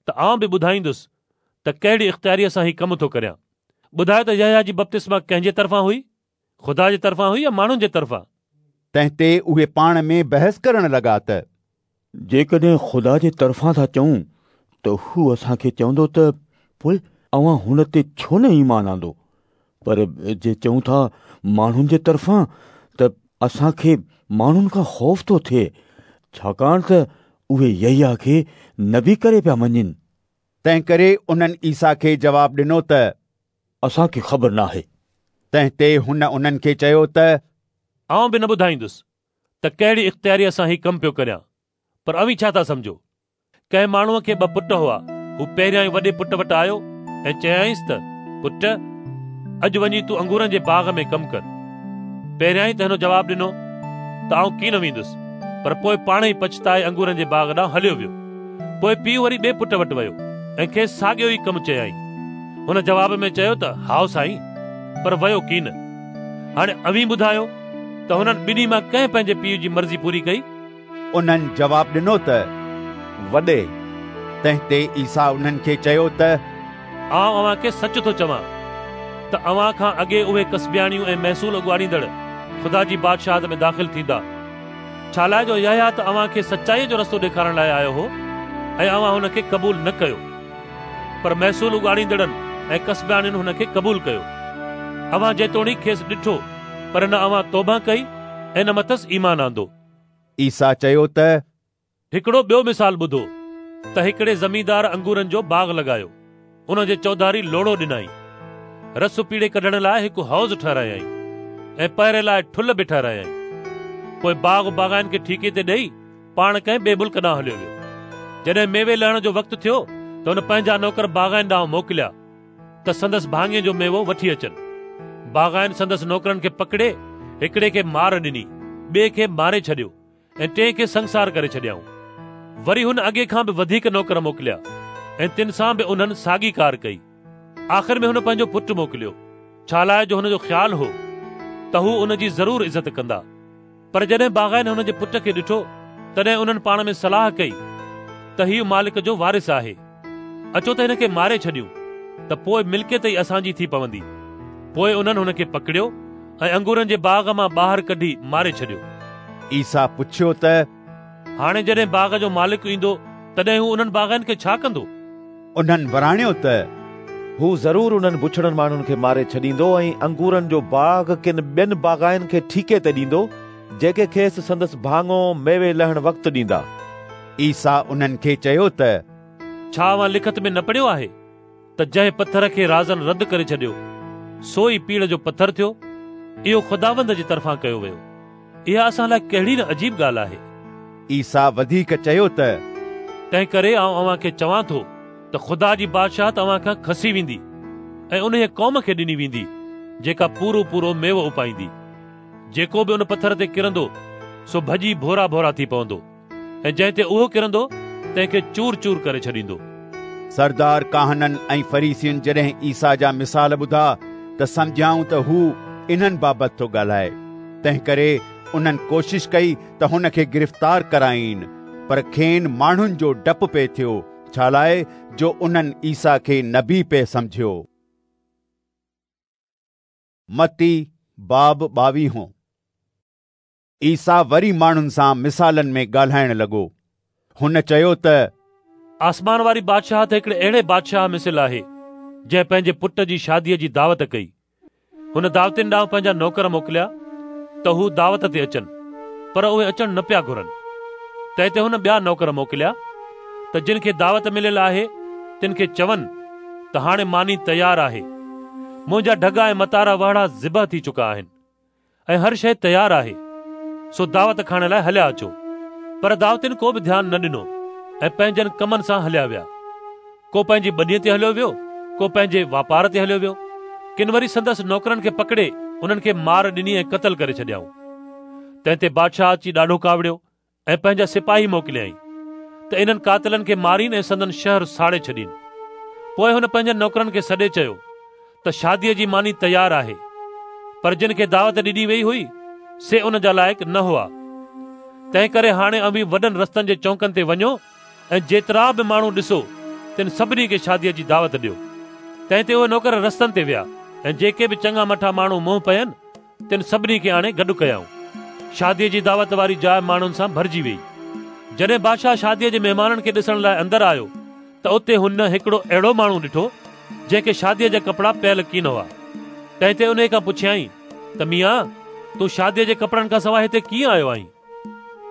ته آئون به ٻڌائيندس ته ڪهڙي اختياريء سان هي ڪم ٿو ڪريان. ٻڌايو ته يحيٰ جي بپتسما ڪنهن جي طرفان هئي؟ خدا جي طرفان هئي يا ماڻهن جي طرفان؟ تنهن تي اهي پاڻ ۾ بحث ڪرڻ لڳا ته. جيڪڏهن خدا جي طرفان ٿا چئون ته هو اسان کي چوندو ته پوء اوهان هن تي ڇو نه ايمان آندو؟ پر جي چئون ٿا ماڻهن جي طرفان ته اسان کي ماڻهن کان خوف ٿو ٿئي، ڇاڪاڻ ته اهي يحيٰ کي نبي ڪري پيا مڃين. تنهنڪري انهن عيسيٰ کي جواب ڏنو ته. اسان کي خبر ناهي. تنهن تي هن انهن کي چيو ته. آئون به نه ٻڌائيندس ته ڪهڙي اختياريء سان هي ڪم پيو ڪريان. پر اوهين ڇا ٿا سمجهو؟ ڪنهن ماڻهوء کي ٻه پٽ هئا. هو پهريائين وڏي پٽ وٽ آيو ۽ چيائينس ته، پٽ، اڄ وڃي تون انگورن جي باغ ۾ ڪم ڪر. پهريائين ته هن جواب ڏنو ته آئون ڪين ويندس، پر پوء پاڻ ئي پڇتائي انگورن جي باغ ڏانهن هليو ويو. پوء پيء وري ٻئي پٽ وٽ ويو ۽ کيس ساڳيو ئي ڪم چيائين. هن جواب ۾ چيو ته هائو سائين، پر ويو ڪين. هاڻي اوهين ٻڌايو ته هنن ٻنهي مان ڪنهن پنهنجي پيء جي مرضي پوري ڪئي؟ انهن جواب ڏنو ته وڏي. تنهن تي عيسيٰ انهن کي چيو ته آئون اوهان کي سچ ٿو چوان ته اوهان کان اڳي اهي ڪسبياڻيون ۽ محصول اڳاڙيندڙ خدا جي بادشاهت ۾ داخل ٿيندا. ڇالاء جو يحيٰ ته اوهان کي سچائيء جو رستو ڏيکارڻ لاء آيو هو ۽ اوهان هن کي قبول نه ڪيو، پر محصول اڳاڙيندڙن ۽ ڪسبياڻين هن کي قبول ڪيو. اوهان جيتوڻيڪ کيس ڏٺو، پر نه اوهان توبهه ڪئي ۽ نه مٿس ايمان آندو. عيسيٰ چيو ته. هڪڙو ٻيو مثال ٻڌو ته هڪڙي زميندار انگورن جو باغ لڳايو، ان جي چوڌاري لوڙهو ڏنائين، رس پيڙي ڪڍڻ لاء هڪ حوض ٺهرايائين ۽ پهري لاء ٺلهه به ٺهرايائين. پوء باغ باغائين کي ٺيڪي تي ڏيئي پاڻ ڪنهن ٻئي ملڪ ڏانهن هليو ويو. جڏهن ميوي لهڻ جو وقت ٿيو ته هن پنهنجا نوڪر باغائين ڏانهن موڪليا ته سندس ڀاڱي جو ميوو وٺي اچن. باغائين سندس نوڪرن کي پڪڙي هڪڙي کي مار ڏني، ٻئي کي ماري ڇڏيو ۽ ٽئين کي سنگسار ڪري ڇڏيائون. وري هن اڳي کان به وڌيڪ نوڪر موڪليا ۽ تن سان به انهن ساڳي ڪار ڪئي. آخر ۾ هن پنهنجو پٽ موڪليو، ڇالاء جو هن جو خيال هو ته هو ان جي ضرور عزت ڪندا. پر جڏهن باغائين هن جي پٽ کي ڏٺو، تڏهن انهن پاڻ ۾ صلاح ڪئي ته هيء مالڪ جو وارث آهي. اچو ته هن کي ماري ڇڏيون ته پوء ملڪيت ئي اسان جي ٿي پوندي. پوء انهن هن کي پڪڙيو ۽ انگورن جي باغ مان ٻاهر ڪڍي ماري ڇڏيو. عيسيٰ پڇيو ته. هاڻي جڏهن باغ جو مالڪ ايندو، تڏهن هو انهن باغائين کي ڇا ڪندو؟ انهن وراڻيو ته. هو ضرور انهن بڇڙن ماڻهن کي ماري ڇڏيندو ۽ انگورن جو باغ ڪن ٻين باغائين کي ٺيڪي تي ڏيندو، جيڪي کيس سندس ڀاڱو ميوي لهڻ وقت ڏيندا. عيسيٰ انهن کي چيو ته. ڇا اوهان لکت ۾ نه پڙهيو آهي ته جنهن پٿر کي رازن رد ڪري ڇڏيو، سو ئي پيڙهه جو پٿر ٿيو؟ اهو خداوند جي طرفان ڪيو ويو. اها اسان لاء ڪهڙي نه عجيب ڳالهه آهي. عيسيٰ وڌيڪ چيو ته. تنهنڪري آئون اوهان کي چوان ٿو ته خدا جي بادشاهت اوهان کان کسي ويندي ۽ انهيء قوم کي ڏني ويندي جيڪا پورو پورو ميوو اپائيندي. جيڪو به ان پٿر تي ڪرندو سو ڀڄي ڀورا ڀورا ٿي پوندو ۽ جنهن تي اهو ڪرندو تنهن کي چور چور ڪري ڇڏيندو. سردار ڪاهنن ۽ فريسين جڏهن عيسيٰ جا مثال ٻڌا ته سمجهيائون ته هو انهن بابت ٿو ڳالهائي. تنهنڪري انهن ڪوشش ڪئي ته هن کي گرفتار ڪرائين، پر کين ماڻهن جو ڊپ پئي ٿيو، ڇالاء جو انهن عيسيٰ کي نبي پئي سمجهيو. متي باب ٻاويهون. عيسيٰ وري ماڻهن سان مثالن ۾ ڳالهائڻ لڳو. هن چيو ته. آسمان واري بادشاهت هڪڙي اهڙي بادشاهه مثل آهي، جنهن پنهنجي پٽ جي شاديء جي دعوت ڪئي. هن دعوتين ڏانهن پنهنجا نوڪر موڪليا ته هو دعوت تي اچن، پر اهي اچڻ نه پيا گهرن. تنهن تي هن ٻيا نوڪر موڪليا ته جن کي دعوت مليل آهي، تن کي چون ته هاڻي ماني تيار آهي. منهنجا ڍڳا ۽ متارا وهڙا ذبح ٿي چڪا آهن. ۽ هر شيء تيار آهي، سو دعوت کائڻ لاء هليا اچو. پر دعوتين ڪو به ڌيان نه ڏنو ۽ پنهنجن ڪمن سان هليا ويا. ڪو پنهنجي ٻنيء تي هليو ويو، ڪو پنهنجي واپار تي هليو ويو. ڪن وري سندس نوڪرن کي پڪڙي انهن کي مار ڏني ۽ قتل ڪري ڇڏيائون. تنهن تي بادشاهه اچي ڏاڍو ڪاوڙيو ۽ پنهنجا سپاهي موڪليائين ته انهن قاتلن کي مارين ۽ سندن شهر ساڙي ڇڏين. پوء هن پنهنجن نوڪرن کي سڏي چيو ته شاديء جي ماني تيار آهي، پر جن کي دعوت ڏني ويئي هئي، سي ان جا لائق نه هئا. تنهنڪري هاڻي اوهين وڏن رستن جي چونڪن تي وڃو ۽ جيترا به ماڻهو ڏسو، تن سڀني کي شاديء جي دعوت ڏيو. تنهن تي اهي نوڪر رستن تي ويا ۽ جيڪي به چڱا مٺا ماڻهو منهن پين، تن سڀني کي آڻي گڏ ڪيائون. شاديء جي دعوت واري جاء ماڻهن سان ڀرجي ويئي. جڏهن بادشاهه شاديء جي مهمانن کي ڏسڻ لاء اندر آيو ته اتي هن هڪڙو اهڙو ماڻهو ڏٺو، جنهن کي شاديء جا ڪپڙا پيل ڪين هئا. تنهن تي انهيء کان پڇيائين ته ميان، تون شاديء جي ڪپڙن کان سواء هتي ڪيئن آيو آهين؟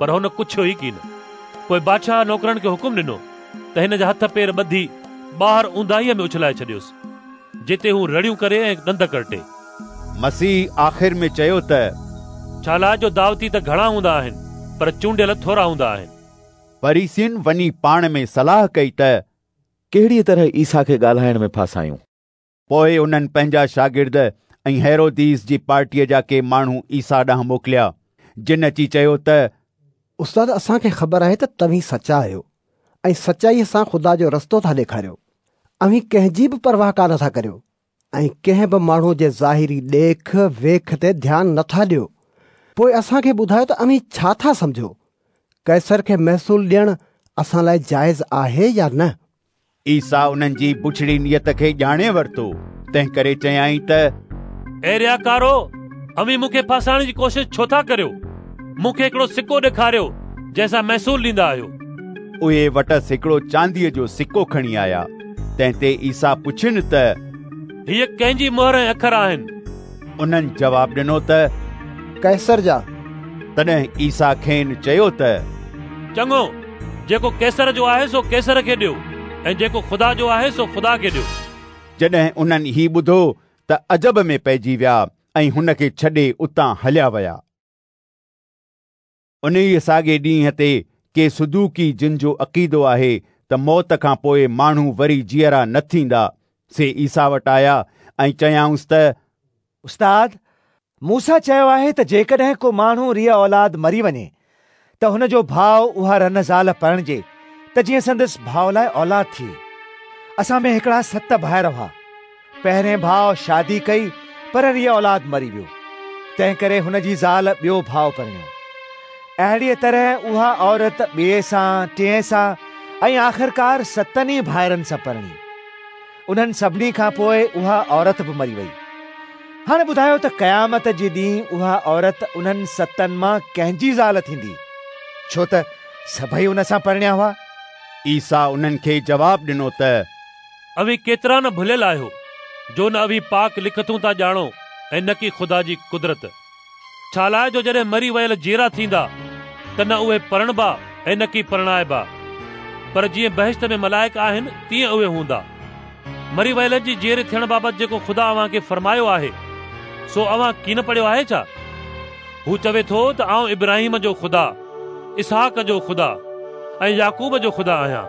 پر هن ڪڇيو ئي ڪين. پوء بادشاهه نوڪرن کي حڪم ڏنو ته هن جا هٿ پير ٻڌي ٻاهر اونداهيء ۾ اڇلائي ڇڏيوس، جتي هو رڙيون ڪري ۽ ڏند ڪرٽي. مسيح آخر ۾ چيو ته. ڇالاء جو دعوتي ته گهڻا هوندا آهن، پر چونڊيل ٿورا هوندا آهن. فريسين وڃي پاڻ ۾ صلاح ڪئي ته. ڪهڙيء طرح عيسيٰ کي ڳالهائڻ ۾ ڦاسايون. پوء انهن پنهنجا شاگرد ۽ هيروديس جي پارٽيء جا ڪي ماڻهو عيسيٰ ڏانهن موڪليا، جن اچي چيو ته. استاد، اسان کي خبر آهي ته توهين سچا آهيو ۽ سچائيء سان خدا جو رستو ٿا ڏيکاريو. اوهين ڪنهن جي به پرواهه ڪانه ٿا ڪريو ۽ ڪنهن به ماڻهوء جي ظاهري ڏيک ويک تي ڌيان نه ٿا ڏيو. پوء اسان کي ٻڌايو ته اوهين ڇا ٿا سمجهو؟ قيصر کي محصول ڏيڻ اسان لاء جائز آهي يا نه؟ عيسيٰ انهن جي بڇڙي نيت کي ڄاڻي ورتو، تنهنڪري چيائين ته. اي رياڪارو، اوهين مون کي ڦاسائڻ جي ڪوشش ڇو ٿا ڪريو؟ مون کي هڪڙو سڪو ڏيکاريو، جنهن سان محصول ڏيندا آهيو. اهي وٽس هڪڙو چانديء جو سڪو کڻي آيا، تنهن تي عيسيٰ پڇين ته. هيء ڪنهن جي مهر ۽ اکر آهن؟ انهن جواب ڏنو ته. قيصر جا. تڏهن عيسيٰ کين چيو ته. چڱو، جيڪو قيصر جو آهي سو قيصر کي ڏيو ۽ جيڪو خدا جو آهي سو خدا کي ڏيو. جڏهن انهن هي ٻڌو ته عجب ۾ پئجي ويا ۽ هن کي ڇڏي اتان هليا ويا. انهيء ساڳئي ڏينهن تي ڪي صدوقي جن جو عقيدو آهي ته موت کان پوء ماڻهو وري جيئرا نه ٿيندا، سي عيسيٰ وٽ آيا ۽ چيائونس ته. استاد، موسيٰ چيو آهي ته جيڪڏهن ڪو ماڻهو ريء اولاد مري وڃي ته هن جو ڀاء اها رن زال پرڻجي ته جيئن سندس ڀاء لاء اولاد ٿئي. اسان ۾ هڪڙا ست ڀائر هئا. پهرين ڀاء شادي ڪئي پر ريء اولاد مري ويو، تنهنڪري هن جي زال ٻيو ڀاء پرڻيو. اهڙيء طرح اها عورت ٻئي سان، ٽئين سان ۽ آخرڪار ستن ئي ڀائرن سان پرڻي. انهن سڀني کان پوء اها عورت به مري وئي. هاڻي ٻڌايو ته قيامت جي ڏينهن اها عورت انهن ستن مان ڪنهن جي زال ٿيندي؟ ڇو ته سڀئي ان سان پرڻيا هئا. عيسيٰ انهن کي جواب ڏنو ته. اوهين ڪيترا نه ڀليل آهيو، جو نه اوهين پاڪ لکتون ٿا ڄاڻو ۽ نڪي خدا جي قدرت. ڇالاء جو جڏهن مري ويل جيئرا ٿيندا، ته نه اهي پرڻبا ۽ نڪي پرڻائبا، پر جيئن بهشت ۾ ملائڪ آهن، تيئن اهي هوندا. مري ويلن جي جيئري ٿيڻ بابت جيڪو خدا اوهان کي فرمايو آهي، سو اوهان ڪين پڙهيو آهي ڇا؟ هو چوي ٿو ته آئون ابراهيم جو خدا، اسحاق جو خدا ۽ يعقوب جو خدا آهيان.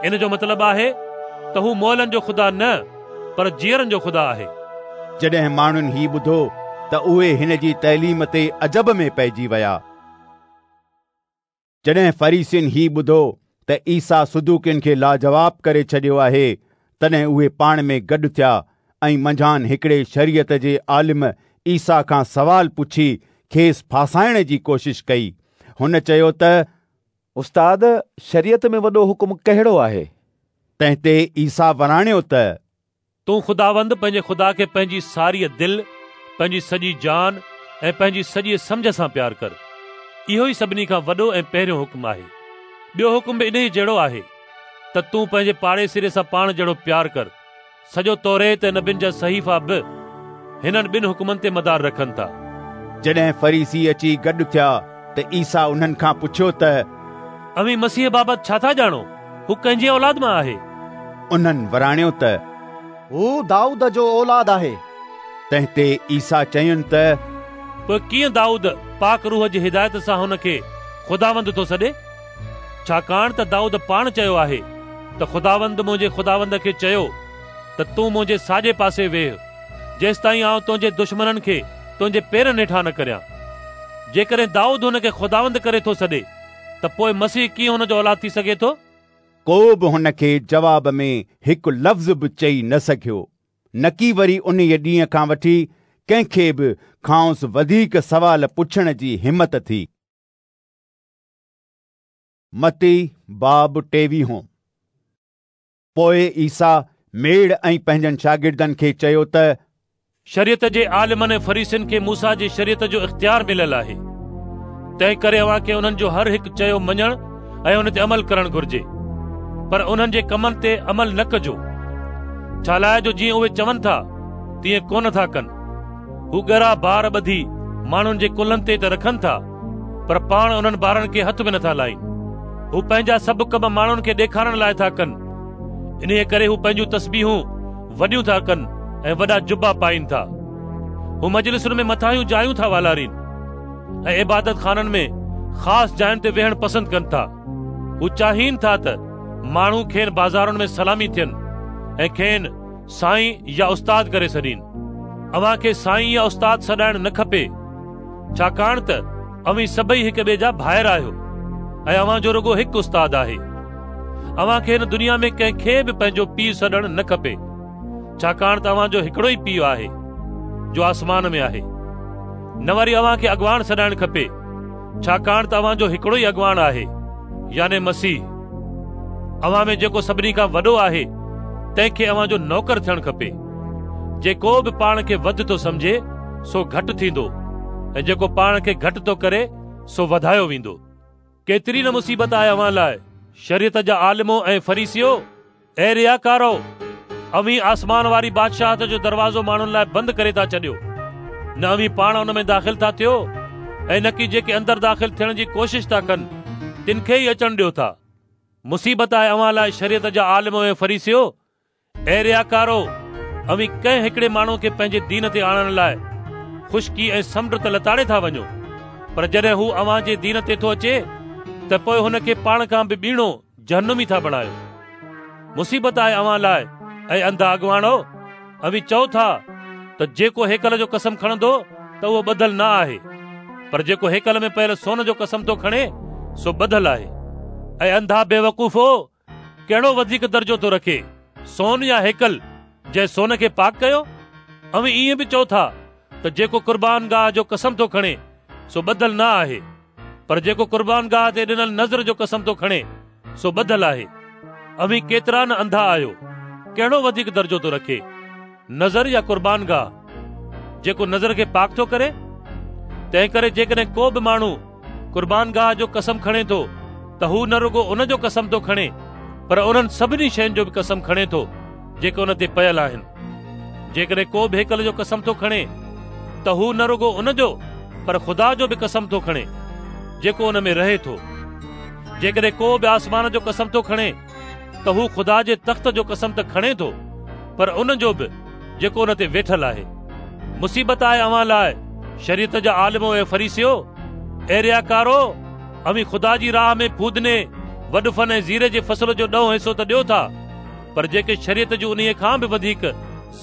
ان جو مطلب آهي ته هو مئلن جو خدا نه پر جيئرن جو خدا آهي. جڏهن ماڻهن هي ٻڌو ته اهي هن جي تعليم تي عجب ۾ پئجي ويا. جڏهن فريسين هي ٻڌو ته عيسيٰ صدوقين کي لاجواب ڪري ڇڏيو آهي، تڏهن اهي پاڻ ۾ گڏ ٿيا ۽ منجهان هڪڙي شريعت جي عالم عيسيٰ کان سوال پڇي کيس ڦاسائڻ جي ڪوشش ڪئي. هن چيو ته. استاد، شريعت ۾ وڏو حڪم ڪهڙو آهي؟ تنهن تي عيسيٰ وراڻيو ته. تون خداوند پنهنجي خدا کي پنهنجي ساريء دل، پنهنجي سڄي جان ۽ پنهنجي سڄيء سمجهه سان پيار ڪر. اهو ئي سڀني کان وڏو ۽ پهريون حڪم آهي. ٻيو حڪم به انهيء جهڙو آهي ته تون پنهنجي پاڙيسري سان پاڻ جهڙو پيار ڪر. سڄو توريت ۽ نبين جا صحيفا به هنن ٻن حڪمن تي مدار رکن ٿا. جڏهن فريسي اچي گڏ ٿيا ته عيسيٰ انهن کان پڇيو ته. اوهين مسيح بابت ڇا ٿا ڄاڻو؟ هو ڪنهن جي اولاد مان آهي؟ انهن وراڻيو ته. هو دائود جو اولاد آهي. تنهن تي عيسيٰ چين ته. پوء ڪيئن دائود پاڪ روح جي هدايت سان هن کي خداوند ٿو سڏي؟ ڇاڪاڻ ته دائود پاڻ چيو آهي ته خداوند منهنجي خداوند کي چيو ته تون منهنجي ساڄي پاسي ويهه، جيستائين آئون تنهنجي دشمنن کي تنهنجي پيرن هيٺان نه ڪريان. جيڪڏهن دائود هن کي خداوند ڪري ٿو سڏي، ته پوء مسيح ڪيئن هن جو اولاد ٿي سگهي ٿو؟ ڪو به هن کي جواب ۾ هڪ لفظ به چئي نه سگهيو، نڪي وري انهيء ڏينهن کان وٺي ڪنهن کي به کانئس وڌيڪ سوال پڇڻ جي همت ٿي. متي باب ٽيويهون. پوء عيسيٰ ميڙ ۽ پنهنجن شاگردن کي چيو ته. شريعت جي عالمن ۽ فريسين کي موسيٰ جي شريعت جو اختيار مليل آهي، تنهنڪري اوهان کي انهن جو هر هڪ چيو مڃڻ ۽ ان تي عمل ڪرڻ گهرجي، پر انهن جي ڪمن تي عمل نه ڪجو، ڇالاء جو جيئن اهي چون ٿا، تيئن ڪونه ٿا ڪن. هو ڳرا بار ٻڌي ماڻهن جي ڪلهن تي ته رکن ٿا، پر پاڻ انهن بارن کي هٿ به نٿا لائين. هو پنهنجا سڀ ڪم ماڻهن کي ڏيکارڻ لاء ٿا ڪن. انهيء ڪري هو پنهنجون تسبيحون وڏيون ٿا ڪن ۽ وڏا جبا پائين ٿا. هو مجلسن ۾ مٿاهيون جايون ٿا والارين ۽ عبادت خانن ۾ خاص جاين تي ويهڻ پسند ڪن ٿا. هو چاهين ٿا ته ماڻهو کين بازارن ۾ سلامي ٿين ۽ کين سائين يا استاد ڪري سڏين. اوهان کي سائين يا استاد سڏائڻ نه کپي. ڇاڪاڻ ته اوهين سڀئي هڪ ٻئي جا ڀائر آهيو ۽ اوهان جو رڳو هڪ استاد آهي. اوهان کي هن دنيا ۾ ڪنهن کي به پنهنجو پيء سڏڻ نه کپي، ڇاڪاڻ ته اوهان جو هڪڙو ئي پيء آهي، جو آسمان ۾ آهي. نه وري اوهان کي اڳواڻ سڏائڻ کپي، ڇاڪاڻ ته اوهان جو هڪڙو ئي اڳواڻ آهي، يعني مسيح. اوهان ۾ جيڪو سڀني کان وڏو آهي، تنهن کي اوهان جو نوڪر ٿيڻ کپي. جيڪو به پاڻ کي وڌ ٿو سمجهي، سو گهٽ ٿيندو ۽ جيڪو پاڻ کي گهٽ ٿو ڪري، سو وڌايو ويندو. ڪيتري نه مصيبت آهي اوهان لاء، شريعت جا عالمو ۽ فريسيو! اي رياڪارؤ! اوهين آسمان واري بادشاهت جو دروازو ماڻهن لاء بند ڪري ٿا ڇڏيو. نه اوهين پاڻ ان ۾ داخل ٿا ٿيو ۽ نڪي جيڪي اندر داخل ٿيڻ جي ڪوشش ٿا ڪن، تن کي ئي اچڻ ڏيو ٿا. مصيبت آهي اوهان لاء شريعت جا عالمو ۽ فريسيو! اي رياڪارو! اوهين ڪنهن هڪڙي ماڻهوء کي پنهنجي دين تي آڻڻ لاء خشڪي ۽ سمنڊ ته لتاڙي ٿا وڃو، پر جڏهن هو اوهان جي دين تي ٿو اچي ته پوء هن کي پاڻ کان به ٻيڻو جهنمي ٿا بڻايو. مصيبت آهي اوهان لاء، اي انڌا اڳواڻو! اوهين چئو ٿا ته جيڪو هيڪل جو قسم کڻندو ته اهو ٻڌل نه آهي، پر جيڪو هيڪل ۾ پيل سون جو قسم ٿو کڻي سو ٻڌل آهي. اي انڌا بيوقوفو! ڪهڙو وڌيڪ درجو ٿو رکي، سون يا هيڪل، جنهن سون کي پاڪ ڪيو؟ اوهين ائين به چئو ٿا ته جيڪو قربانگاهه جو قسم ٿو کڻي، سو ٻڌل نه آهي، پر جيڪو قربانگاهه تي ڏنل نذر جو قسم ٿو کڻي، سو ٻڌل آهي. اوهين ڪيترا نه انڌا آهيو! ڪهڙو وڌيڪ درجو ٿو رکي، نذر يا قربانگاهه، جيڪو نذر کي پاڪ ٿو ڪري؟ تنهنڪري جيڪڏهن ڪو به ماڻهو قربانگاهه جو قسم کڻي ٿو ته هو نه رڳو ان جو قسم ٿو کڻي پر انهن سڀني شين جو به قسم کڻي ٿو جيڪي ان تي پيل آهن. جيڪڏهن ڪو به هيڪل جو قسم ٿو کڻي ته هو نه رڳو ان جو پر خدا جو به قسم ٿو کڻي جيڪو ان ۾ رهي ٿو. جيڪڏهن ڪو به آسمان جو قسم ٿو کڻي ته هو خدا جي تخت جو قسم ته کڻي ٿو پر ان جو به جيڪو ان تي ويٺل آهي. مصيبت آهي اوهان لاء شريعت جا عالمو ۽ فريسيو! اي رياڪارو! اوهين خدا جي راهه ۾ ڦودني، وڏفن ۽ زيري جي فصل جو ڏهون حصو ته ڏيو ٿا، پر جيڪي شريعت جون انهيء کان به وڌيڪ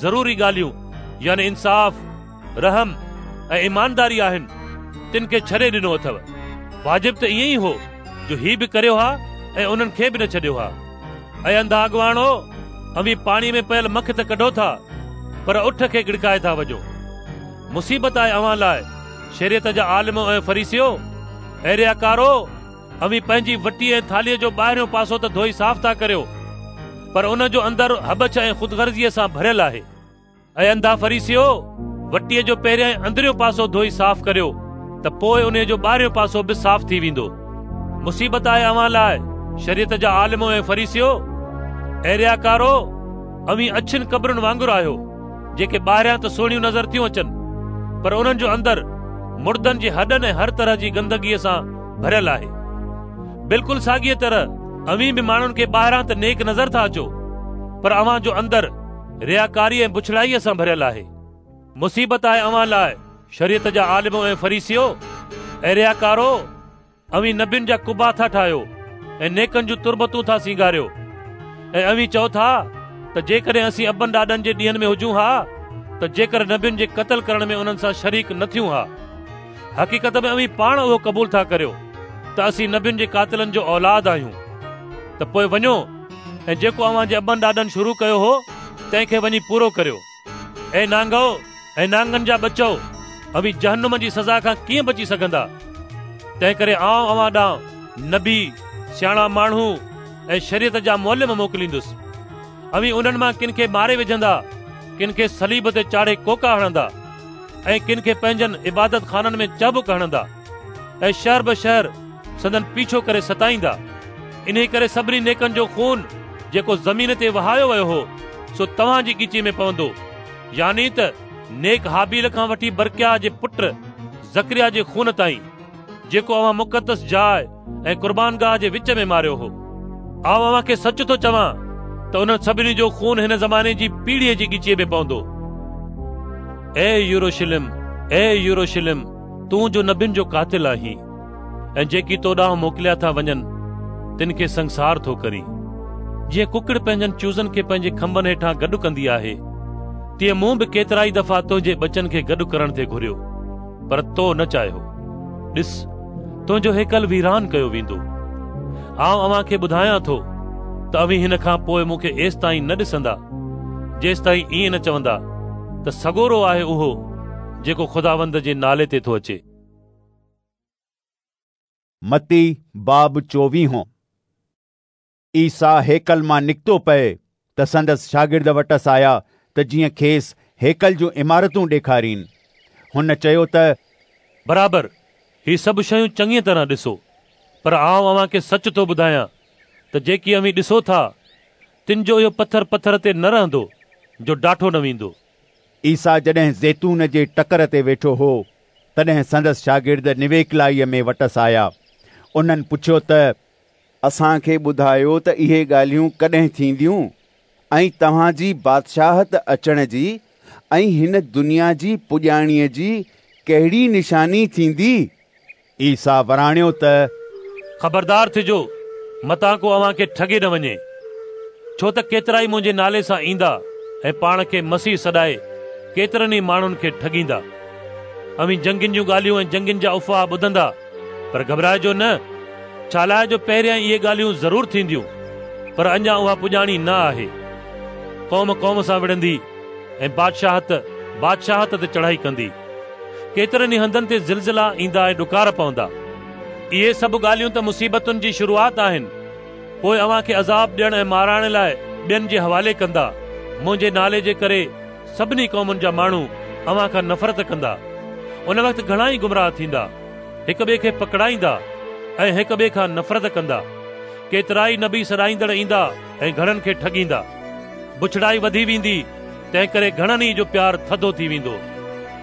ضروري ڳالهيون يعني انصاف، رحم ۽ ايمانداري آهن، تن کي ڇڏي ڏنو اٿو. واجب ته ائين ئي هو جو هي به ڪريو ها ۽ انهن کي به نه ڇڏيو ها. اي انڌا اڳواڻو! اوهين پاڻيء ۾ پيل مک ته ڪڍو ٿا، پر اٺ کي ڳڙڪائي ٿا وجهو. مصيبت آهي اوهان لاء، شريعت جا عالمو ۽ فريسيو! اي رياڪارو! اوهين پنهنجي وٽي ۽ ٿالهيء جو ٻاهريون پاسو ته ڌوئي صاف ٿا ڪريو، پر ان جو اندر هٻڇ ۽ خودغرضيء سان ڀريل آهي. اي انڌا فريسيو! وٽيء جو پهريائين اندريون پاسو ڌوئي صاف ڪريو ته پوء انهيء جو ٻاهريون پاسو به صاف ٿي ويندو. مصيبت آهي اوهان لاء، شريعت جا عالمو ۽ فريسيو! اي رياڪارو! اوهين اڇين قبرن وانگر آهيو، جيڪي ٻاهريان ته سهڻيون نظر ٿيون اچن، پر انهن جو اندر مڙدن جي هڏن ۽ هر طرح جي گندگيء سان ڀريل آهي. بلڪل ساڳيء طرح اوهين به ماڻهن کي ٻاهران ته نيڪ نظر ٿا اچو، پر اوهان جو اندر رياڪاري ۽ بڇڙائيء سان ڀريل آهي. مصيبت آهي اوهان لاء، شريعت جا عالمو ۽ فريسيو! اي رياڪارو! اوهين نبين جا قبا ٿا ٺاهيو ۽ نيڪن جون تربتون ٿا سينگاريو ۽ اوهين چئو ٿا ته جيڪڏهن اسين ابن ڏاڏن جي ڏينهن ۾ هجون ها ته جيڪر نبين جي قتل ڪرڻ ۾ انهن سان شريڪ نه ٿيون ها. حقيقت ۾ اوهين پاڻ اهو قبول ٿا ڪريو ته اسين نبين جي قاتلن جو اولاد آهيون. ته پوء وڃو ۽ جيڪو اوهان جي ابن ڏاڏن شروع ڪيو هو، تنهن کي وڃي پورو ڪريو. اي نانگؤ ۽ نانگن جا ٻچؤ، اوهين جهنم جي سزا کان ڪيئن بچي سگهندا؟ تنهنڪري آئون اوهان ڏانهن نبي، سياڻا ماڻهو ۽ شريعت جا معلم موڪليندس. اوهين انهن مان ڪن کي ماري وجهندا، ڪن کي صليب تي چاڙهي ڪوڪا هڻندا ۽ ڪن کي پنهنجن عبادت خانن ۾ چهبڪ هڻندا ۽ شهر به شهر سندن پيڇو ڪري ستائيندا. انهي ڪري سڀني نيڪن جو خون جيڪو زمين تي وهايو ويو هو، سو توهان جي ڳچيء ۾ پوندو، يعني ته نيڪ هابيل کان وٺي برڪياه جي پٽ زڪريا جي خون تائين، جيڪو اوهان مقدس جاء ۽ قربانگاهه جي وچ ۾ ماريو هو. آئون اوهان کي سچ ٿو چوان ته انهن سڀني جو خون هن زماني جي پيڙهيء جي ڳچيء ۾ پوندو. اي يروشلم، اي يروشلم، تون جو نبين جو قاتل آهين ۽ جيڪي تو ڏانهن موڪليا ٿا وڃن، تن کي سنگسار ٿو ڪرين. جيئن ڪڪڙ پنهنجن چوزن کي پنهنجي کنڀن هيٺان گڏ ڪندي آهي، تيئن مون به ڪيترائي دفعا تنهنجي ٻچن کي گڏ ڪرڻ ٿي گهريو، پر تو نه چاهيو. ڏس، تنهنجو هيڪل ويران ڪيو ويندو. آئون اوهان کي ٻڌايان ٿو ته اوهين هن کان پوء مون کي ايستائين نه ڏسندا، جيستائين ائين نه چوندا ته سڳورو آهي اهو جيڪو خداوند جي نالي تي ٿو اچي. متي باب چوويهون. عيسيٰ هيڪل مان نڪتو پئي ته سندس شاگرد وٽس آيا ته جيئن کيس هيڪل جون عمارتون ڏيکارين. هن چيو ته. برابر، هي سڀ شيون چڱيء طرح ڏسو، پر آئون اوهان کي سچ ٿو ٻڌايان ته جيڪي اوهين ڏسو ٿا، تن جو اهو پٿر پٿر تي نه رهندو، جو ڊاٺو نه ويندو. عيسيٰ جڏهن زيتون جي ٽڪر تي ويٺو هو، تڏهن سندس شاگرد نويڪلائيء ۾ وٽس آيا. انهن پڇيو ته. اسان کي ٻڌايو ته اهي ڳالهيون ڪڏهن ٿينديون ۽ توهان جي بادشاهت اچڻ جي ۽ هن دنيا جي پڄاڻيء جي ڪهڙي نشاني ٿيندي؟ عيسيٰ وراڻيو ته. خبردار ٿجو، متان ڪو اوهان کي ٺڳي نه وڃي، ڇو ته ڪيترائي منهنجي نالي سان ايندا ۽ پاڻ کي مسيح سڏائي ڪيترن ئي ماڻهن کي ٺڳيندا. اوهين جنگين جون ڳالهيون ۽ جنگين جا افواهه ٻڌندا، پر گهٻرائجو نه، ڇالاء جو پهريائين اهي ڳالهيون ضرور ٿينديون، پر اڃا اها پڄاڻي نه آهي. قوم قوم سان وڙهندي ۽ بادشاهت بادشاهت تي چڙهائي ڪندي. ڪيترن ئي هنڌن تي زلزلا ايندا ۽ ڏڪار پوندا. اهي سڀ ڳالهيون ته مصيبتن جي شروعات آهن. پوء اوهان کي عذاب ڏيڻ ۽ مارائڻ لاء ٻين جي حوالي ڪندا. منهنجي نالي جي ڪري سڀني قومن جا ماڻهو اوهان کان نفرت ڪندا. ان وقت گهڻا ئي گمراهه ٿيندا. هڪ ٻئي کي پڪڙائيندا ۽ هڪ ٻئي کان نفرت ڪندا. ڪيترائي نبي سڏائيندڙ ايندا ۽ گهڻن کي ٺڳيندا. بڇڙائي وڌي ويندي، تنهنڪري گهڻن ئي جو پيار ٿڌو ٿي ويندو.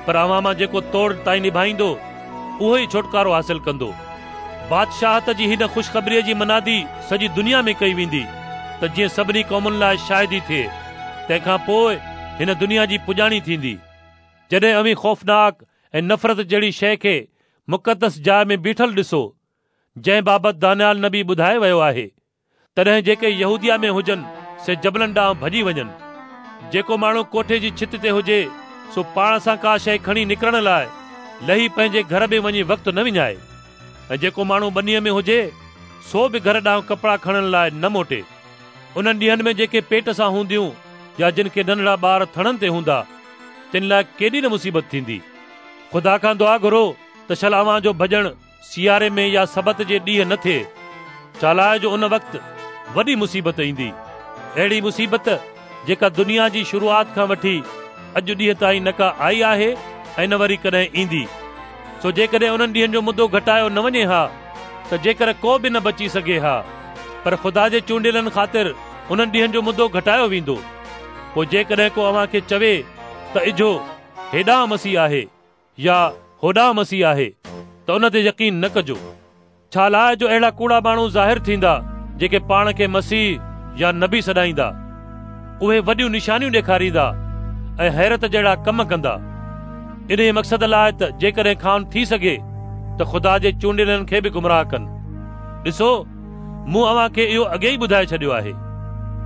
پر اوهان مان جيڪو توڙ تائين نڀائيندو، اهو ئي ڇوٽڪارو حاصل ڪندو. بادشاهت جي هن خوشخبريء جي منادي سڄي دنيا ۾ ڪئي ويندي، ته جيئن سڀني قومن لاء شاهدي ٿئي. تنهن کان پوء هن دنيا جي پڄاڻي ٿيندي. جڏهن اوهين خوفناڪ ۽ نفرت جهڙي شيء کي مقدس جاء ۾ بيٺل ڏسو، جنهن بابت دانيال نبي ٻڌائي ويو آهي، تڏهن جيڪي يهوديه ۾ هجن سي جبلن ڏانهن ڀڄي وڃن. جيڪو ماڻهو ڪوٺي جي ڇت تي هجي، سو پاڻ سان ڪا شيء کڻي نڪرڻ لاء لهي پنهنجي گهر ۾ وڃي وقت نه وڃائي، ۽ جيڪو ماڻهو ٻنيء ۾ هجي، سو به گهر ڏانهن ڪپڙا کڻڻ لاء نه موٽي. انهن ڏينهن ۾ جيڪي پيٽ سان هونديون يا جن کي ننڍڙا ٻار ٿڻن تي هوندا، تن لاء ڪيڏي نه مصيبت ٿيندي. خدا کان دعا گهرو ته شل اوهان جو ڀڄڻ سياري ۾ يا سبت جي ڏينهن نه ٿئي، ڇالاء جو ان وقت وڏي مصيبت ايندي، اهڙي مصيبت جيڪا دنيا جي شروعات کان وٺي اڄ ڏينهن تائين نه ڪا آئي آهي ۽ نه وري ڪڏهن ايندي. سو جيڪڏهن انهن ڏينهن جو مدو گهٽايو نه وڃي ها ته جيڪر ڪو به نه بچي سگهي ها، پر خدا جي چونڊيلن خاطر انهن ڏينهن جو مدو گهٽايو ويندو. پوء جيڪڏهن ڪو اوهان کي چوي ته اجهو هيڏانهن مسيح آهي يا هوڏانهن مسيح آهي ته ان تي يقين نه ڪجو. ڇالاء جو اهڙا ڪوڙا ماڻهو ظاهر ٿيندا جيڪي پاڻ کي مسيح يا نبي سڏائيندا. اهي وڏيون نشانيون ڏيکاريندا ۽ حيرت جهڙا ڪم ڪندا. انهيء مقصد لاء ته جيڪڏهن کانئن ٿي سگهي ته خدا جي چونڊيلن کي به گمراهه ڪن. ڏسو، مون اوهان کي اهو اڳي ئي ٻڌائي ڇڏيو آهي.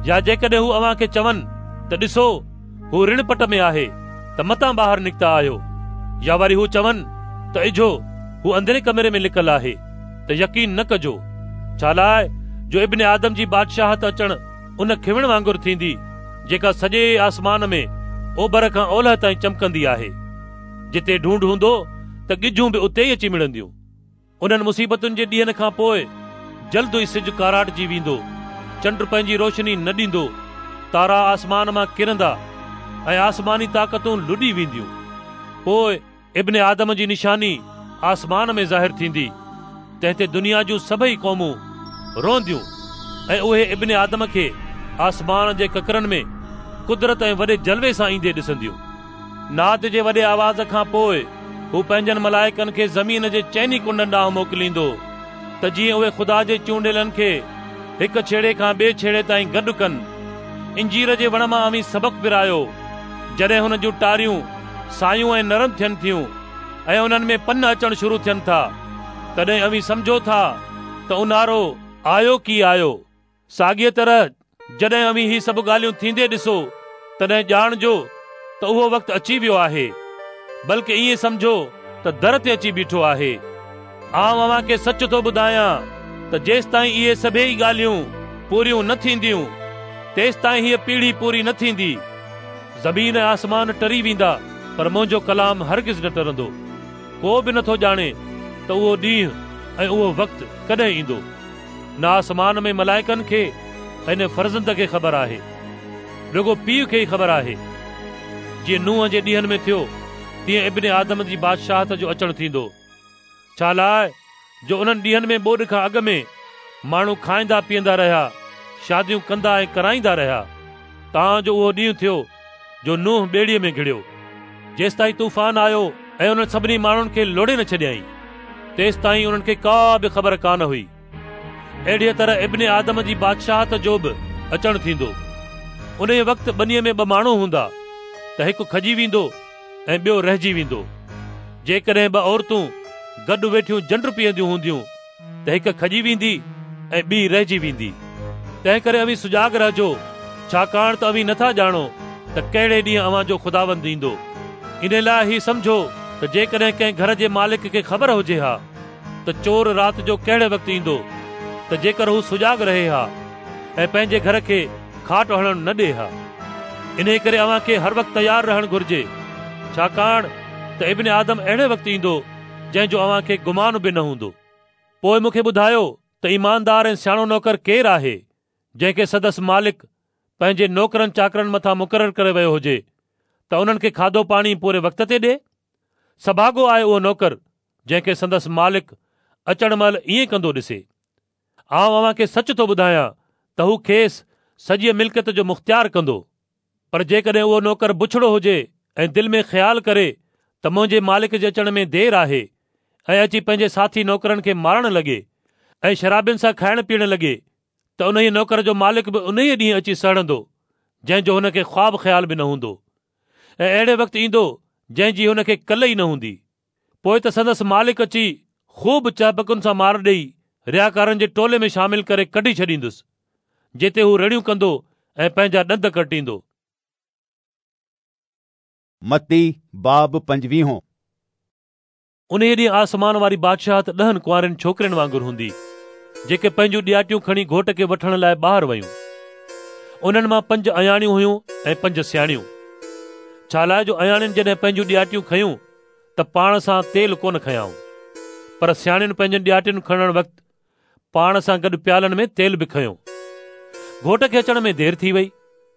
يا جيڪڏهن هو اوهان کي چون ته ڏسو، هو رڻ پٽ ۾ آهي ته متان ٻاهر نڪتا آهيو، يا وري هو چون ته اجهو، هو اندرين ڪمري ۾ لڪل آهي، ته يقين نه ڪجو، ڇالاء جو ابن آدم جي بادشاهت اچڻ ان کنوڻ وانگر ٿيندي، جيڪا سڄي آسمان ۾ اوڀر کان اولهه تائين چمڪندي آهي. جتي ڍونڍ هوندو ته ڳجهون به اتي ئي اچي مڙنديون. انهن مصيبتن جي ڏينهن کان پوء جلد ئي سج ڪاراٽجي ويندو، چنڊ پنهنجي روشني نه ڏيندو، تارا آسمان مان ڪرندا ۽ آسماني طاقتون لڏي وينديون. پوء ابن آدم جي نشاني آسمان ۾ ظاهر ٿيندي، تنهن تي دنيا جون سڀئي قومون روئنديون ۽ اهي ابن آدم کي آسمان جي ڪڪرن ۾ قدرت ۽ وڏي جلوي سان ايندي ڏسنديون. ناد جي وڏي آواز کان پوء هو پنهنجن ملائڪن کي زمين جي چئني ڪنڊن ڏانهن موڪليندو ته جيئن اهي خدا جي چونڊيلن کي هڪ ڇيڙي کان ٻئي ڇيڙي تائين گڏ ڪن. انجير جي وڻ مان اوهين سبق پرايو، جڏهن هن جون ٽاريون سايون ۽ نرم ٿين ٿيون ۽ انهن ۾ پن اچڻ شروع ٿين ٿا، تڏهن اوهين سمجهو ٿا ته اونهارو آيو ڪي آيو. ساڳيء طرح جڏهن اوهين هي سڀ ڳالهيون ٿيندي ڏسو، تڏهن ڄاڻجو ته اهو وقت اچي ويو آهي، بلڪ ائين سمجهو ته در تي اچي بيٺو آهي. آئون اوهان کي سچ ٿو ٻڌايان ته جيستائين اهي سڀيئي ڳالهيون پوريون نه ٿينديون، تيستائين هيء پيڙهي پوري نه ٿيندي. زمين ۽ آسمان ٽري ويندا، پر منهنجو ڪلام هرگز نه ٽرندو. ڪو به نٿو ڄاڻي ته اهو ڏينهن ۽ اهو وقت ڪڏهن ايندو. نه آسمان ۾ ملائڪن کي ۽ نه فرزند کي خبر آهي، رڳو پيء کي ئي خبر آهي. جيئن نوح جي ڏينهن ۾ ٿيو، تيئن ابن آدم جي بادشاهت جو اچڻ ٿيندو. ڇالاء جو انهن ڏينهن ۾ ٻوڏ کان اڳ ۾ ماڻهو کائيندا پيئندا رهيا، شاديون ڪندا ۽ ڪرائيندا رهيا، تان جو اهو ڏينهن ٿيو جو نوح ٻيڙيء ۾ گهڙيو. جيستائين طوفان آيو ۽ انهن سڀني ماڻهن کي لوڙهي نه ڇڏيائين، تيستائين انهن کي ڪا به خبر ڪانه هئي. اهڙيء طرح ابن آدم جي بادشاهت جو به اچڻ ٿيندو. انهيء وقت ٻنيء ۾ ٻه ماڻهو هوندا ته هڪ کڄي ويندو ۽ ٻيو رهجي ويندو. جيڪڏهن ٻه عورتون گڏ ويٺيون جنڊ پيهنديون هونديون ته هڪ کڄي ويندي ۽ ٻي رهجي ويندي. تنهنڪري اوهين سجاڳ رهجو، ڇاڪاڻ ته اوهين نٿا ڄاڻو ته ڪهڙي ڏينهن اوهان جو خداوند ايندو. انهي لاء هي سمجهو ته جيڪڏهن ڪنهن گهر جي مالڪ کي خبر هجي ها ته چور رات جو ڪهڙي وقت ايندو ته جيڪر هو سجاڳ رهي ها ۽ پنهنجي گهر کي کاٽ هڻڻ نه ڏئي ها. انهيء ڪري اوهان کي هر وقت تيار رهڻ گهرجي، ڇاڪاڻ ته ابن آدم اهڙي وقت ايندو، جنهن جو اوهان کي گمان به نه هوندو. پوء مون کي ٻڌايو ته ايماندار ۽ سياڻو نوڪر ڪير آهي، جنهن کي سندس مالڪ پنهنجي نوڪرن چاڪرن مٿان مقرر ڪري ويو هجي ته انهن کي کاڌو پاڻي پوري وقت تي ڏئي؟ سڀاڳو آهي اهو نوڪر، جنهن کي سندس مالڪ اچڻ مهل ائين ڪندو ڏسي. آئون اوهان کي سچ ٿو ٻڌايان ته هو کيس سڄيء ملڪيت جو مختيار ڪندو. پر جيڪڏهن اهو نوڪر بڇڙو هجي ۽ دل ۾ خيال ڪري ته منهنجي مالڪ جي اچڻ ۾ دير آهي ۽ اچي پنهنجي ساٿي نوڪرن کي مارڻ لڳي ۽ شرابين سان کائڻ پيئڻ لڳي ته انهيء نوڪر جو مالڪ به انهيء ڏينهن اچي سهڙندو جنهن جو هن کي خواب خيال به نه هوندو ۽ اهڙي وقت ايندو جنهن جي هن کي ڪل ئي نه هوندي. پوء ته سندس مالڪ اچي خوب چهبڪن سان مار ڏيئي رياڪارن جي ٽولي ۾ شامل ڪري ڪڍي ڇڏيندس، جتي هو رڙيون ڪندو ۽ پنهنجا ڏند ڪرٽيندو. متي باب پنجويهون. انهيء ڏينهن آسمان واري بادشاهت ڏهن ڪنوارين ڇوڪرين وانگر هوندي، جيڪي پنهنجون ڏياٽيون کڻي گهوٽ کي وٺڻ لاء ٻاهر ويون. انهن مان پنج اياڻيون هيون ۽ پنج سياڻيون. ڇالاء جو اياڻين جڏهن پنهنجون ڏياٽيون کنيون ته پاڻ سان تيل ڪونه کنيائون، پر سياڻين پنهنجين ڏياٽين کڻڻ وقت پاڻ سان گڏ پيالن ۾ تيل به کنيو. گهوٽ کي اچڻ ۾ دير ٿي وئي،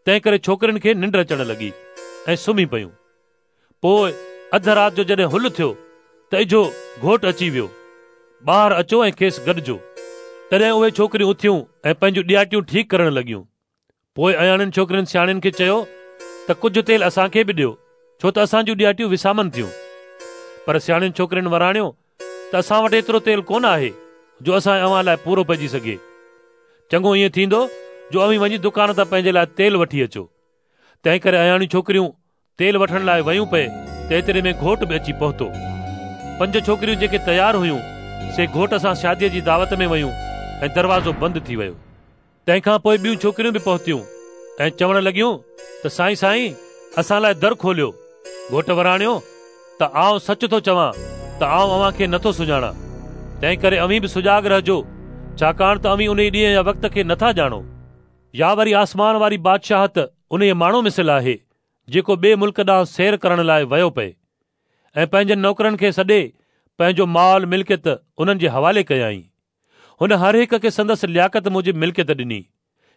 تنهنڪري ڇوڪرين کي ننڊ اچڻ لڳي ۽ سمهي پيون. پوء اڌ رات جو جڏهن هل ٿيو ته اجهو گهوٽ اچي ويو، ٻاهر اچو ۽ کيس گڏجو. تڏهن اهي ڇوڪريون اٿيون ۽ پنهنجون ڏياٽيون ٺيڪ ڪرڻ لڳيون. پوء اياڻين ڇوڪرين سياڻين کي چيو ته ڪجهه تيل اسان کي به ڏيو، ڇو ته اسان جون ڏياٽيون وسامن ٿيون. پر سياڻين ڇوڪرين وراڻيو ته اسان وٽ ايترو تيل ڪونه آهي جو اسان ۽ اوهان لاء پورو پئجي سگهي. چڱو ائين ٿيندو جو اوهين وڃي دڪان تان پنهنجي لاء تيل وٺي اچو. تنهنڪري اياڻيون ڇوڪريون تيل وٺڻ لاء ويون پئي ته ايتري ۾ گهوٽ به اچي پهتو. پنج ڇوڪريون جيڪي تيار هيون، سي گهوٽ سان شاديء جي دعوت ۾ ويون ۽ دروازو بند ٿي ويو. تنهن کان پوء ٻيون ڇوڪريون به پهتيون ۽ چوڻ لڳيون ته سائين سائين، اسان لاء در کوليو. گهوٽ وراڻيو ته آئون سچ ٿو چوان ته آئون اوهان کي نٿو سڃاڻان. تنهنڪري اوهين به سجاڳ رهجو، ڇاڪاڻ ته اوهين انهي ڏينهن يا وقت کي نٿا ڄاڻو. يا وري آسمان واري بادشاهت انهيء ماڻهو مثل آهي، جيڪو ٻئي ملڪ ڏانهن سير ڪرڻ لاء ويو پئي ۽ پنهنجن نوڪرن کي سڏي پنهنجو مال ملڪيت انهن جي حوالي ڪيائين. هن هر هڪ کي سندس لياقت موجب ملڪيت ڏني.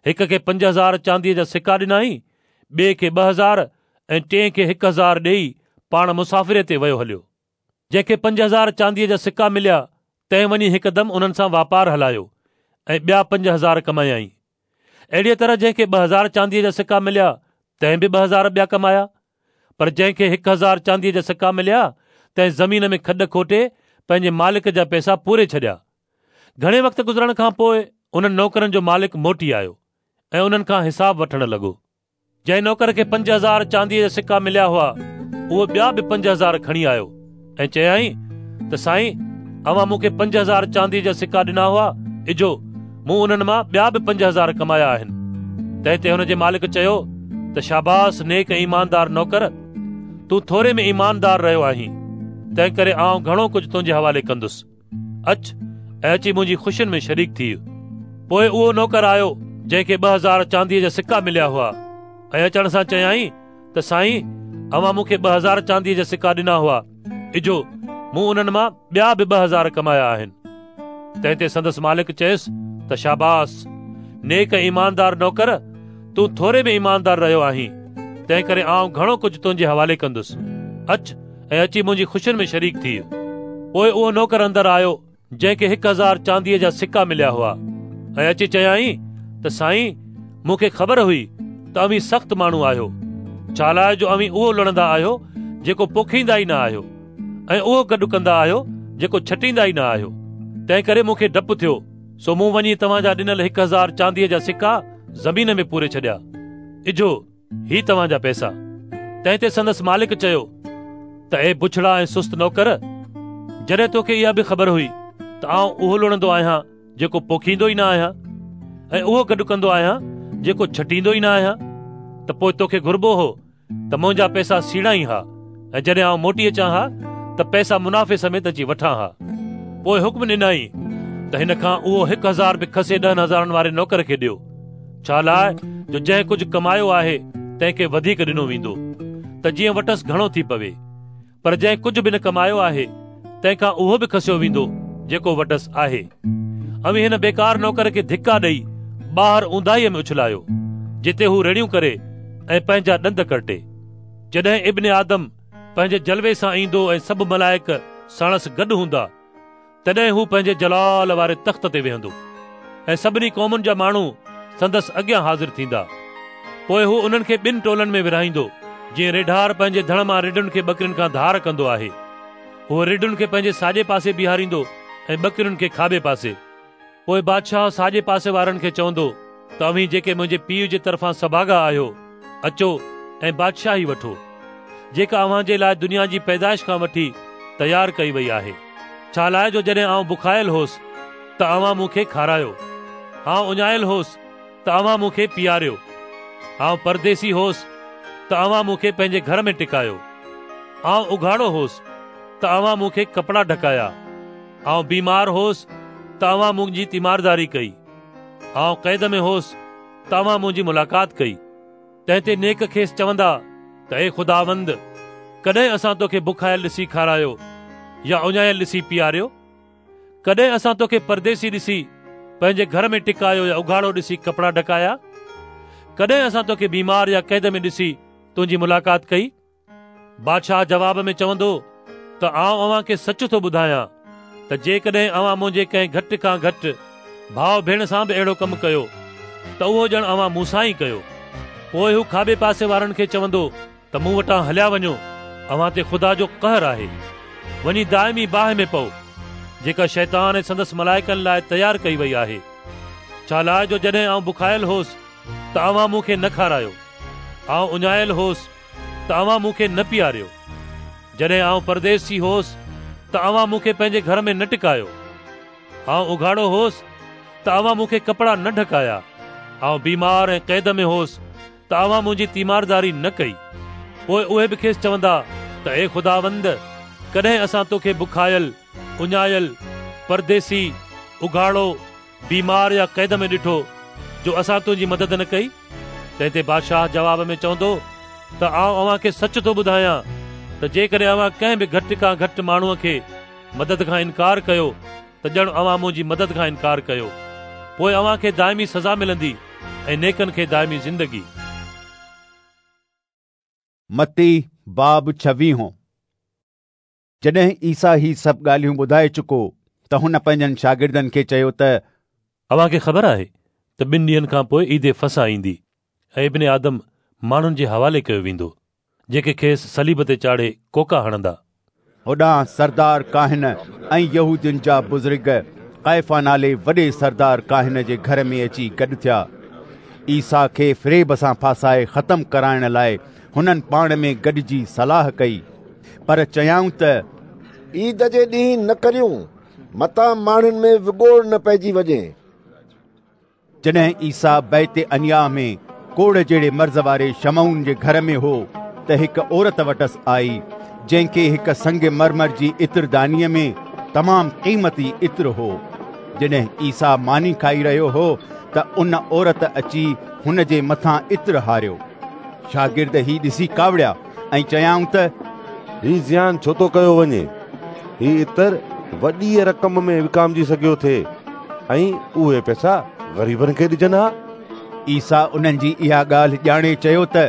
هڪ کي 5000 چانديء جا سڪا ڏنائين، ٻئي کي 2000 ۽ ٽئين کي 1000 ڏيئي پاڻ مسافريء تي ويو هليو. جنهن کي 5000 چانديء جا سڪا مليا، تنهن وڃي هڪدم انهن سان واپار هلايو ۽ ٻيا 5000 ڪمايائين. اهڙيء طرح جنهن کي 2000 چانديء جا سڪا مليا، تنهن به 2000 ٻيا ڪمايا. پر جنهن کي 1000 چانديء جا سڪا مليا، تنهن زمين ۾ کڏ کوٽي پنهنجي مالڪ جا پئسا پوري ڇڏيا. گهڻي وقت گذرڻ کان پوء انهن نوڪرن جو مالڪ موٽي آيو ۽ انهن کان حساب وٺڻ لڳو. جنهن نوڪر کي 5000 چانديء جا سڪا مليا هئا، اهو ٻيا به 5000 کڻي آيو ۽ چيائين ته سائين، اوهان مون کي 5000 چانديء جا سڪا ڏنا هئا، اجهو، مون انهن مان ٻيا به 5000 ڪمايا آهن. تنهن تي هن جي مالڪ چيو ته شاباس نيڪ ۽ ايماندار نوڪر، تون ٿوري ۾ ايماندار رهيو آهين، تنهنڪري آئون گهڻو ڪجهه تنهنجي حوالي ڪندس. اچ ۽ اچي منهنجي خوشين ۾ شريڪ ٿيء. پوء اهو نوڪر آيو جنهن کي 2000 چانديء جا سڪا مليا هئا ۽ اچڻ سان چيائين ته سائين، اوهان مون کي 2000 چانديء جا سڪا ڏنا هئا، اجهو، مون انهن مان ٻيا به 2000 ڪمايا آهن. تنهن تي سندس مالڪ چيس ته شاباس، نيڪ ۽ ايماندار نوڪر، تون ٿوري ۾ ايماندار رهيو آهين، تنهنڪري آئون گهڻو ڪجهه تنهنجي حوالي ڪندس. اچ ۽ اچي منهنجي خوشين ۾ شريڪ ٿيء. پوء اهو نوڪر اندر آيو، جنهن کي 1000 چانديء جا سڪا مليا هئا ۽ اچي چيائين ته سائين، مون کي خبر هئي ته اوهين سخت ماڻهو آهيو، ڇالاء جو اوهين اهو لڻندا آهيو جيڪو پوکيندا ئي نه آهيو ۽ اهو گڏ ڪندا آهيو جيڪو ڇٽيندا ئي نه آهيو. تنهنڪري مون کي ڊپ ٿيو، سو مون وڃي توهان جا ڏنل 1000 چانديء جا سڪا زمين ۾ پوري ڇڏيا. اجهو، هي توهان جا پئسا. تنهن تي سندس مالڪ چيو ته اي بڇڙا ۽ سست نوڪر، جڏهن توکي اها به خبر هئي ته آئون اهو لڻندو آهيان جيڪو پوکيندو ئي نه آهيان ۽ اهو گڏ ڪندو آهيان جيڪو ڇٽيندو ئي نه آهيان، ته پوء توکي گهربو هو ته منهنجا پئسا سيڙائين ها ۽ جڏهن آئون موٽي اچان ها ته پئسا منافعي سميت اچي وٺان ها. پوء حڪم ڏنائين ته هن کان اهو 1000 به کسي ڏهن هزارن واري نوڪر کي ڏيو، ڇا لاء جو جنهن ڪجهه ڪمايو آهي تنهن کي وڌيڪ ڏنو ويندو ته جيئن وٽس گهڻو ٿي پوي، پر جنهن ڪجهه به نه ڪمايو آهي تنهن کان اهو به کسيو ويندو جيڪو وٽس آهي. اوهين هن بيڪار نوڪر کي ڌڪا ڏئي ٻاهر اونداهيء ۾ اڇلايو، جتي هو رڙيون ڪري ۽ پنهنجا ڏند ڪرٽي. جڏهن ابن آدم پنهنجي جلوي سان ايندو ۽ سڀ ملائڪ ساڻس گڏ هوندا، تڏهن هو پنهنجي جلال واري تخت تي ويهندو ۽ سڀني قومن جا ماڻهو سندس اڳيان حاضر ٿيندا. پوء هو انهن کي ٻن ٽولن ۾ ورهائيندو، جيئن ريڍار پنهنجي ڌڻ مان رڍن کي ٻڪرين کان ڌار ڪندو آهي. هو رڍن کي پنهنجي ساڄي پاسي بيهاريندو ۽ ٻڪرين کي کاٻي پاسي. پوء بادشاهه ساڄي پاسي وارن کي چوندو ته اوهين جيڪي منهنجي پيء جي طرفان سڀاڳا آهيو، اچو ۽ بادشاهي وٺو، جيڪا اوهان جي لاء دنيا جي پيدائش کان وٺي تيار ڪئي وئي آهي. ڇالاء جو جڏهن آئون بکايل هوس ته اوهان مون کي کارايو، آئون اڃايل هوس ته اوهان مون کي پياريو، آئون پرديسي هوس ته اوهان مون کي پنهنجي گهر ۾ ٽڪايو، آئون اگهاڙو هوس ته اوهان مون کي ڪپڙا ڍڪايا. آئون بيمار هوس ته اوهان منهنجي تيمارداري ڪئي. آئون قيد ۾ هوس ته اوهان منهنجي ملاقات ڪئي. تنهن تي نيڪ کيس چوندا ته اي خداوند، ڪڏهن اسان توکي بکايل ڏسي کارايو يا اڃايل ڏسي پياريو؟ ڪڏهن اسان توکي پرديسي ڏسي پنهنجي گهر ۾ ٽڪايو يا اگهاڙو ڏسي ڪپڙا ڍڪايا؟ ڪڏهن اسان توکي بيمار يا قيد ۾ ڏسي تنهنجي ملاقات ڪئي؟ بادشاهه جواب ۾ چوندو ته آئون اوهان کي سچ ٿو ٻڌايان ته جيڪڏهن اوهان منهنجي ڪنهن گهٽ کان گهٽ ڀاء ڀيڻ سان به اهڙو ڪم ڪيو ته اهو ڄڻ اوهان مون سان ئي ڪيو. پوء هو کاٻي پاسي وارن کي چوندو ته مون وٽان هليا وڃو، اوهان تي خدا جو قهر آهي. وڃي دائمي باهه ۾ پئو، جيڪا شيطان ۽ سندس ملائڪن لاء تيار ڪئي وئي آهي. ڇالاء جو جڏهن آئون بکايل هوس ته اوهان مون کي نه کارايو، آئون اڃايل هوس ته اوهان مون کي نه پياريو. جڏهن آئون پرديسي هوس ته اوهان مون کي پنهنجي گهر ۾ نه ٽڪايو. آئون اگهاڙو هوس ته اوهان مون کي ڪپڙا نه ڍڪايا. آئون بيمار ۽ قيد ۾ هوس ته اوهان منهنجي تيمارداري نه ڪئي. پوء اهي به کيس چوندا ته اي خداوند، ڪڏهن اسان توکي بکايل، اڃايل، پرديسي، اگهاڙو، بيمار يا قيد ۾ ڏٺو جو اسان تنهنجي مدد نه ڪئي؟ تنهن تي بادشاهه جواب ۾ چوندو ته آئون اوهان کي سچ ٿو ٻڌايان ته جيڪڏهن اوهان ڪنهن به گهٽ کان گهٽ ماڻهوء کي مدد کان انڪار ڪيو ته ڄڻ اوهان منهنجي مدد کان انڪار ڪيو. پوء اوهان کي دائمي سزا ملندي ۽ نيڪن کي دائمي زندگي. متي باب ڇويهون. جڏهن عيسيٰ هي سڀ ڳالهيون ٻڌائي چڪو ته هن پنهنجن شاگردن کي چيو ته. اوهان کي خبر آهي ته ٻن ڏينهن کان پوء عيد فصح ايندي ۽ ابن آدم ماڻهن جي حوالي ڪيو ويندو، جيڪي کيس صليب تي چاڙهي ڪوڪا هڻندا. هوڏانهن سردار ڪاهن ۽ يهودين جا بزرگ قيفا نالي وڏي سردار ڪاهن جي گهر ۾ اچي گڏ ٿيا. عيسيٰ کي فريب سان ڦاسائي ختم ڪرائڻ لاء هنن پاڻ ۾ گڏجي صلاح ڪئي. پر چيائون ته، عيد جي ڏينهن نه ڪريون، متان ماڻهن ۾ وڳوڙ نه پئجي وڃي. جڏهن عيسيٰ بيت عنياه ۾ ڪوڙهه جهڙي مرض واري شمعون جي گهر ۾ هو ته هڪ عورت وٽس آئي، جنهن کي هڪ سنگ مرمر جي عطردانيء ۾ تمام قيمتي عطر هو. جڏهن عيسيٰ ماني کائي رهيو هو ته ان عورت اچي هن جي مٿان عطر هاريو. شاگرد هي ڏسي ڪاوڙيا ۽ چيائون ته، هي زيان ڇو ٿو ڪيو وڃي؟ هي عطر وڏيء رقم ۾ وڪامجي سگهيو ٿي ۽ اهي پئسا غريبن کي ڏجن ها. عيسيٰ انهن جي اها ڳالهه ڄاڻي چيو ته،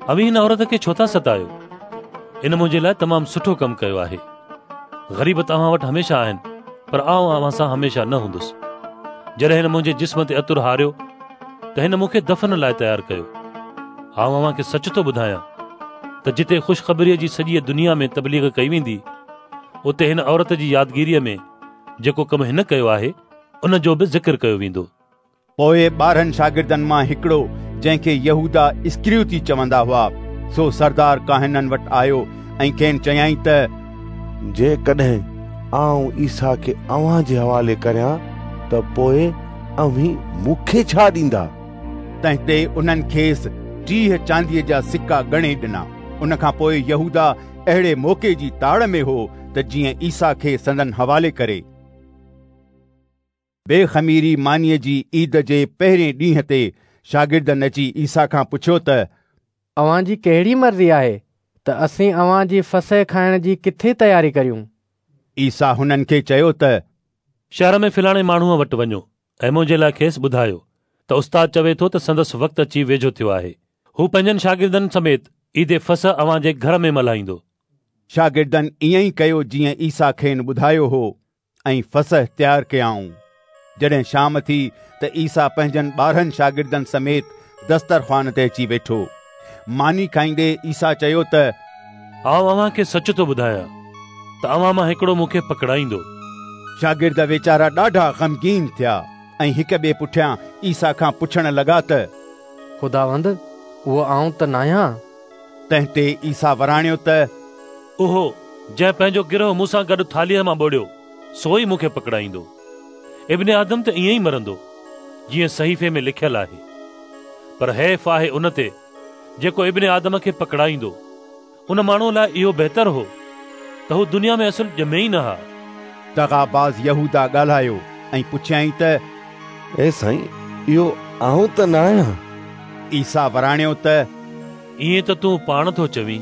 اوهين هن عورت کي ڇو ٿا ستايو؟ ان منهنجي لاء تمام سٺو ڪم ڪيو آهي. غريب ته اوهان وٽ هميشه آهن، پر آئون اوهان سان هميشه نه هوندس. جڏهن هن منهنجي جسم تي عطر هاريو ته هن مون کي دفن لاء تيار ڪيو. آئون اوهان کي سچ ٿو ٻڌايان ته جتي خوشخبريء جي سڄيء دنيا ۾ تبليغ ڪئي ويندي، اتي هن عورت جي يادگيريء ۾ جيڪو ڪم هن ڪيو آهي، ان جو به ذڪر ڪيو ويندو. پوء 12 شاگردن مان هڪڙو، جنهن کي يهوداه اسڪريوتي چوندا هئا، سو سردار ڪاهنن وٽ آيو ۽ کين چيائين ته، جيڪڏهن آئون عيسيٰ کي اوهان جي حوالي ڪريان ته پوء اوهين مون کي ڇا ڏيندا؟ تنهن تي انهن کيس 30 چانديء جا سڪا ڳڻي ڏنا. ان کان پوء يهوداه اهڙي موقعي جي تاڙ ۾ هو ته جيئن عيسيٰ کي سندن حوالي ڪري. بي خميري مانيء جي عيد جي پهرين ڏينهن تي شاگردن اچي عيسيٰ کان پڇيو ته، اوهان جي ڪهڙي مرضي آهي ته اسين اوهان جي فصح کائڻ جي ڪٿي تياري ڪريون؟ عيسيٰ هنن کي چيو ته، شهر ۾ فلاڻي ماڻهوء وٽ وڃو ۽ منهنجي لاء کيس ٻڌايو ته استاد چوي ٿو ته سندس وقت اچي ويجهو ٿيو آهي. هو پنهنجن شاگردن سميت عيد فصح اوهان جي گهر ۾ ملهائيندو. شاگردن ائين ئي ڪيو جيئن عيسيٰ کين ٻڌايو هو. ۽ فصح تيار ڪيائون. جڏهن شام ٿي ته عيسيٰ پنهنجن 12 شاگردن سميت دسترخوان تي اچي ويٺو. ماني کائيندي عيسيٰ چيو ته، آئون اوهان کي سچ ٿو ٻڌايان ته اوهان مان هڪڙو مون کي پڪڙائيندو. شاگرد ويچارا ڏاڍا غمگين ٿيا ۽ هڪ ٻئي پٺيان عيسيٰ کان پڇڻ لڳا ته، خداوند، اهو آئون ته ناهيان؟ تنهن تي عيسيٰ وراڻيو ته، اهو، جنهن پنهنجو گرهه مون سان گڏ ٿالهيء مان ٻوڙيو، سو ئي مون کي پڪڙائيندو. ابن آدم ته ائين ئي مرندو، جيئن صحيفي ۾ لکيل آهي. پر حيف آهي ان تي، جيڪو ابن آدم کي پڪڙائيندو. ان ماڻهوء لاء اهو بهتر هو ته هو دنيا ۾ اصل ڄمي ئي نه ها. دغاباز يهوداه ڳالهايو ۽ پڇيائين ته، اي سائين، اهو آئون ته نه آهيان؟ عيسيٰ وراڻيو ته، ائين ته تون پاڻ ٿو چوين.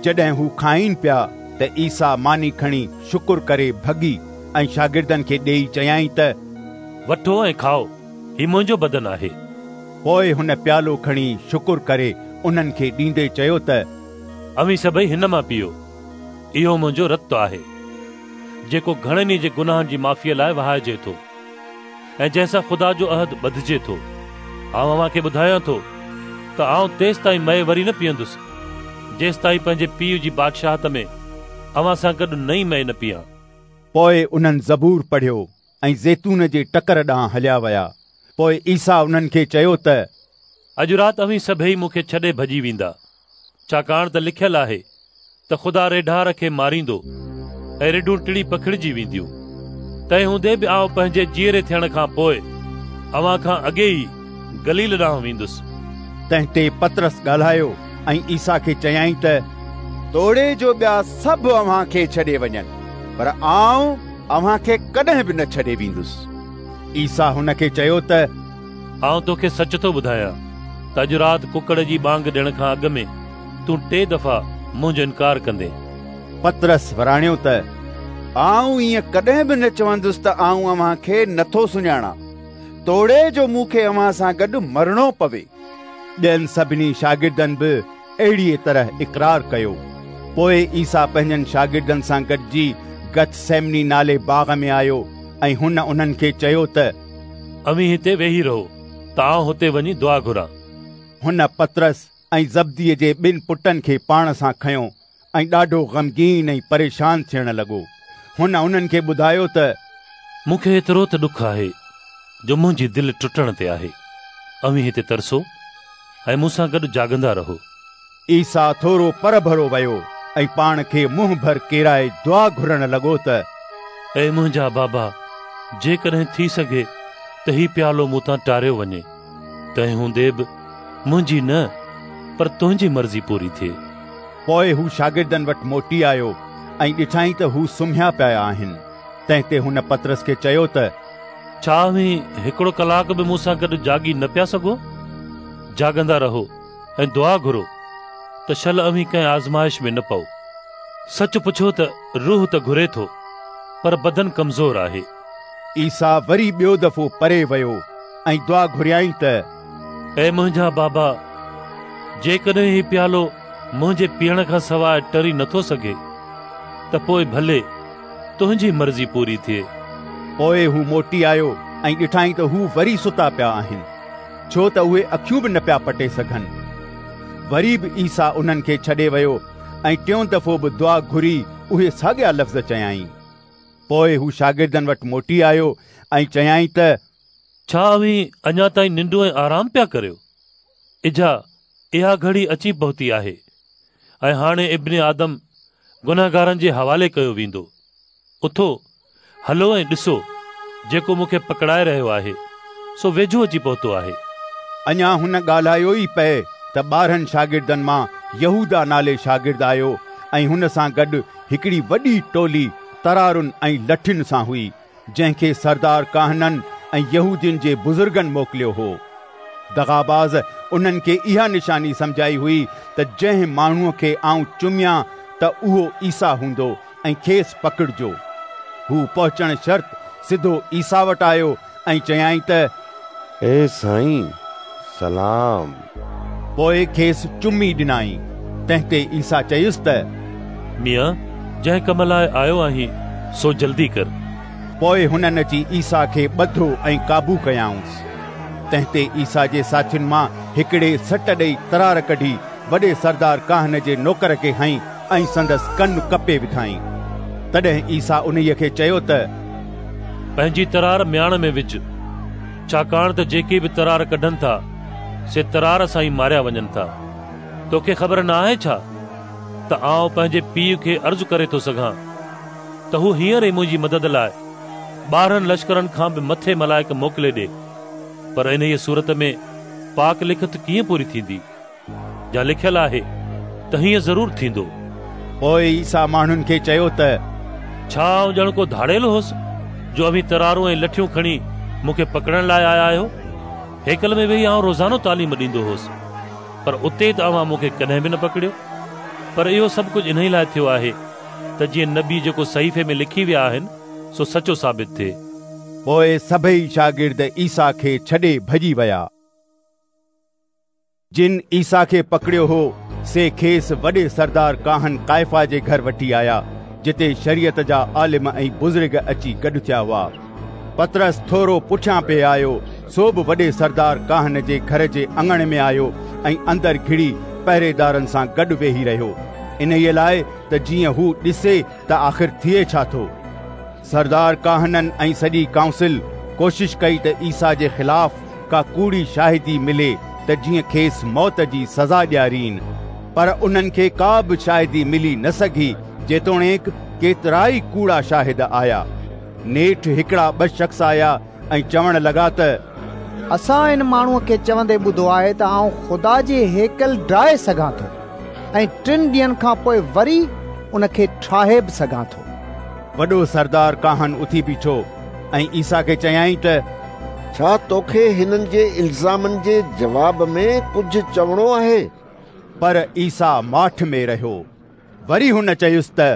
جڏهن هو کائين پيا ته عيسيٰ ماني کڻي شڪر ڪري ڀڳي ۽ شاگردن کي ڏيئي چيائين ته، وٺو ۽ کائو، هي منهنجو بدن آهي. پوء هن پيالو کڻي شڪر ڪري انهن کي ڏيندي چيو ته، اوهين سڀئي هن مان پيئو، اهو منهنجو رت آهي، جيڪو گهڻن ئي جي گناهن جي معافيء لاء وهائجي ٿو. ۽ جنهن سان خدا جو عهد ٻڌجي ٿو. آئون اوهان کي ٻڌايان ٿو ته آئون تيستائين مئي وري نه پيئندس، جيستائين پنهنجي پيء جي بادشاهت ۾ اوهان سان گڏ نئين مئي نه پيئان. پوء انهن زبور پڙهيو ۽ زيتون جي ٽڪر ڏانهن هليا ويا. پوء عيسيٰ انهن کي چيو ته، اڄ رات اوهين سڀيئي مون کي ڇڏي ڀڄي ويندا، ڇاڪاڻ ته لکيل آهي ته خدا ريڍار کي ماريندو ۽ رڍون ٽڙي پکڙجي وينديون. تنهن هوندي به آئون پنهنجي جيئري ٿيڻ کان پوء اوهان کان اڳي ئي گليل ڏانهن ويندس. تنهن تي پطرس ڳالهايو ۽ عيسيٰ کي چيائين ته، توڙي جو ٻيا سڀ اوهان کي ڇڏي وڃن، پر آئون اوهان کي ڪڏهن به نه ڇڏي ويندس. عيسيٰ هن کي چيو ته آئون توکي سچ ٿو ٻڌايان ته اڄ رات ڪڪڙ جي ٻانگ ڏيڻ کان اڳ ۾ تون ٽي دفعا منهنجو انڪار ڪندين. پطرس وراڻيو ته آئون ائين ڪڏهن به نه چوندس ته آئون اوهان کي نٿو سڃاڻان، توڙي جو مون کي اوهان سان گڏ مرڻو پوي. ٻين سڀني شاگردن به اهڙيء طرح اقرار ڪيو. پوء عيسيٰ پنهنجن شاگردن سان گڏجي گتسيمني نالي باغ ۾ آيو ۽ هن انهن کي چيو ته اوهين هتي ويهي رهو ته آئون هتي وڃي دعا گهران. هن پطرس ۽ زبديء جي ٻن پٽن کي پاڻ سان کنيو ۽ ڏاڍو غمگين ۽ پريشان ٿيڻ لڳو. هن انهن کي ٻڌايو ته. مون کي ايترو ته ڏک آهي جو منهنجي دل ٽٽڻ تي آهي. اوهين هتي ترسو ۽ مون سان گڏ جاڳندا رهو. عيسيٰ ٿورو پرڀرو ويو ۽ پاڻ کي منهن ڀر ڪيرائي دعا گهرڻ لڳو ته. اي منهنجا بابا، جيڪڏهن ٿي سگهي ته هي پيالو مون تان ٽاريو وڃي. تنهن هوندي به منهنجي نه پر تنهنجي مرضي پوري ٿئي. پوء هو شاگردن وٽ موٽي آيو ۽ ڏٺائين ته هو سمهيا پيا آهن. تنهن تي هن پطرس کي چيو ته. ڇا اوهين هڪڙو ڪلاڪ به مون سان گڏ جاڳي نه پيا سگهو؟ جاڳندا رهو ۽ دعا گهرو ته شل اوهين ڪنهن آزمائش ۾ نه پئو. سچ پڇو ته روح ته گهري ٿو پر بدن ڪمزور آهي. عيسيٰ وري ٻيو دفعو پري ويو ۽ دعا گهريائين ته. اي منهنجا بابا! جيڪڏهن هي پيالو منهنجي پيئڻ کان سواء ٽري نٿو سگهي ته پوء ڀلي تنهنجي مرضي پوري ٿئي. پوء هو موٽي آيو ۽ ڏٺائين ته هو وري ستا پيا آهن، ڇو ته اهي اکيون به نه پيا پٽي سگهن. وري به عيسيٰ انهن کي ڇڏي ويو ۽ ٽيون دفعو به دعا گهري اهي ساڳيا لفظ چيائين. پوء هو شاگردن وٽ موٽي آيو ۽ چيائين ته. ڇا اوهين اڃا تائين ننڊون ۽ آرام پيا ڪريو؟ اجها، اها گهڙي اچي پهتي آهي ۽ هاڻي ابن آدم گنهگارن جي حوالي ڪيو ويندو. اٿو، هلو ۽ ڏسو، جيڪو مون کي پڪڙائي رهيو آهي، سو ويجهو اچي پهتو آهي. اڃا هن ڳالهايو ئي پئي ته 12 شاگردن مان يهوداه نالي شاگرد آيو ۽ هن سان گڏ هڪڙي وڏي ٽولي ترارن ۽ لٺين سان هئي، جنهن کي سردار ڪاهنن ۽ يهودين جي بزرگن موڪليو هو. دغاباز انهن کي اها نشاني سمجهائي هئي ته جنهن ماڻهوء کي آئون چميان ته اهو عيسيٰ هوندو ۽ کيس پڪڙجو. هو پهچڻ شرط سڌو عيسيٰ وٽ آيو ۽ چيائين ته. اي سائين، سلام! پوء کيس چمي ڏنائين. تنهن تي عيسيٰ چيس ته. ميان، جنهن ڪم لاء آيو آهين، سو جلدي ڪر. پوء هنن اچي عيسيٰ کي ٻڌو ۽ قابو ڪيائونس. تنهن تي عيسيٰ جي ساٿين مان هڪڙي سٽ ڏيئي ترار ڪڍي وڏي سردار ڪاهن جي نوڪر کي هنئي ۽ سندس ڪن ڪپي وڌائين. تڏهن عيسيٰ انهيء کي چيو ته. پنهنجي ترار مياڻ ۾ وجهه، ڇاڪاڻ ته جيڪي به ترار ڪڍن ٿا، سي ترار سان ئي ماريا وڃن ٿا. توکي خبر نه آهي ڇا ته آئون پنهنجي پيء کي عرض ڪري ٿو سگهان ته هو هينئر ئي منهنجي مدد لاء 12 لشڪرن کان به مٿي ملائڪ موڪلي ڏئي، پر انهيء صورت ۾ پاڪ لکت ڪيئن پوري ٿيندي؟ جا لکيل آهي ته هيئن ضرور ٿيندو. پوء عيسيٰ ماڻهن کي چيو ته. ڇا آئون ڄڻ ڪو ڌاڙيل هوس، جو اوهين ترارون ۽ لٺيون کڻي مون کي پڪڙڻ لاء آيا آهيو؟ هيڪل ۾ ويهي آئون روزانو تعليم ڏيندو هوس، پر اتي ته اوهان مون کي ڪڏهن به نه پڪڙيو. پر اهو سڀ ڪجهه انهي لاء ٿيو آهي ته جيئن نبي جيڪو صحيفي ۾ لکي ويا آهن، سو سچو ثابت ٿئي. پوء سڀيئي شاگرد عيسيٰ کي ڇڏي ڀڄي ويا. جن عيسيٰ کي پڪڙيو هو، سي کيس وڏي سردار ڪاهن ڪائفا جي گهر وٺي آيا، جتي شريعت جا عالم ۽ بزرگ اچي گڏ ٿيا هئا. پطرس ٿورو پٺيان پئي آيو، سو به وڏي سردار ڪاهن جي گهر جي اڱڻ ۾ آيو ۽ اندر گهڙي پهريدارن سان گڏ ويهي رهيو، انهيء لاء ته جيئن هو ڏسي ته آخر ٿئي ڇا ٿو. سردار ڪاهنن ۽ سڄي ڪائونسل ڪوشش ڪئي ته عيسيٰ جي خلاف ڪا ڪوڙي شاهدي ملي ته جيئن کيس موت جي سزا ڏيارين، پر انهن کي ڪا به شاهدي ملي نه سگهي، جيتوڻيڪ ڪيترائي ڪوڙا شاهد آيا. نيٺ هڪڙا ٻه شخص آيا ۽ چوڻ لڳا ته. اسان ان ماڻهوء کي چوندي ٻڌو آهي ته آئون خدا جي هيڪل ڊاهي سگهان ٿو ۽ ٽن ڏينهن کان پوء وري ان کي ٺاهي به سگهان ٿو. وڏو سردار ڪاهن اٿي بيٺو ۽ عيسيٰ کي چيائين ته ڇا توکي هنن جي الزامن جي جواب ۾ ڪجهه چوڻو آهي؟ پر عيسيٰ ماٺ ۾ رهيو. وري هن چيس ته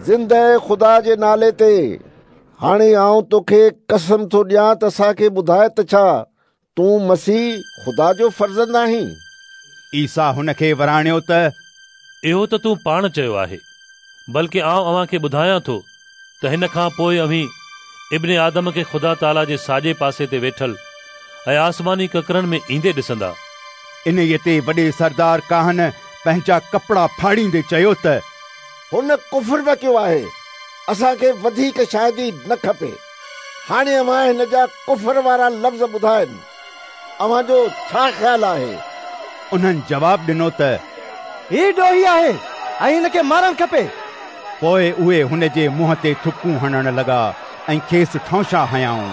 زندهه خدا جي نالي تي هاڻي آئون توکي قسم ٿو ڏيان ته اسان کي ٻڌاء ته ڇا تون مسيح خدا جو فرزند آهين؟ عيسيٰ هن کي وراڻيو ته اهو ته تون پاڻ چيو آهي، بلڪ آئون اوهان کي ٻڌايان ٿو ته هن کان پوء اوهين ابن آدم کي خدا تعاليٰ جي ساڄي پاسي تي ويٺل ۽ آسماني ڪڪرن ۾ ايندي ڏسندا. انهيء تي وڏي سردار ڪاهن پنهنجا ڪپڙا ڦاڙيندي چيو ته. هن ڪفر بڪيو آهي، اسان کي وڌيڪ شاهدي نه کپي. هاڻي اوهان هن جا ڪفر وارا لفظ ٻڌا آهن. اوهان جو ڇا خيال آهي؟ انهن جواب ڏنو ته هي ڏوهي آهي ۽ هن کي مارڻ کپي. پوء اهي هن جي منهن تي ٿڪون هڻڻ لڳا ۽ کيس ٺونشا هنيائون.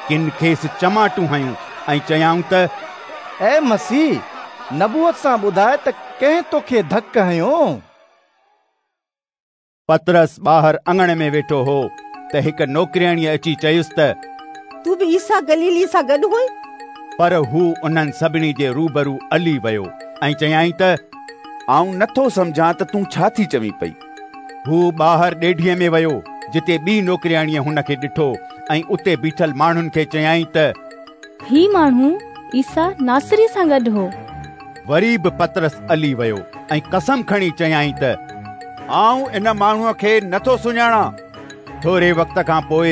ڪن کيس چماٽون هنيون ۽ چيائون ته اي مسيح، نبوت سان ٻڌاء ته ڪنهن توکي ڌڪ هنيو؟ پطرس ٻاهر اڱڻ ۾ ويٺو هو ته هڪ نوڪرياڻيء اچي چيس ته تون به عيسيٰ گليليء سان گڏ هئين. پر هو انهن سڀني جي روبرو الي ويو ۽ چيائين ته آئون نٿو سمجهان ته تون ڇا ٿي چوين پئي. هو ٻاهر ڏيڍيء ۾ ويو، جتي ٻي نوڪرياڻيء هن کي ڏٺو ۽ اتي بيٺل ماڻهن کي چيائين ته هي ماڻهو عيسيٰ ناصري سان گڏ هو. وري به پطرس الي ويو ۽ قسم کڻي چيائين ته آئون ان ماڻهوء کي نٿو سڃاڻان. ٿوري وقت کان پوء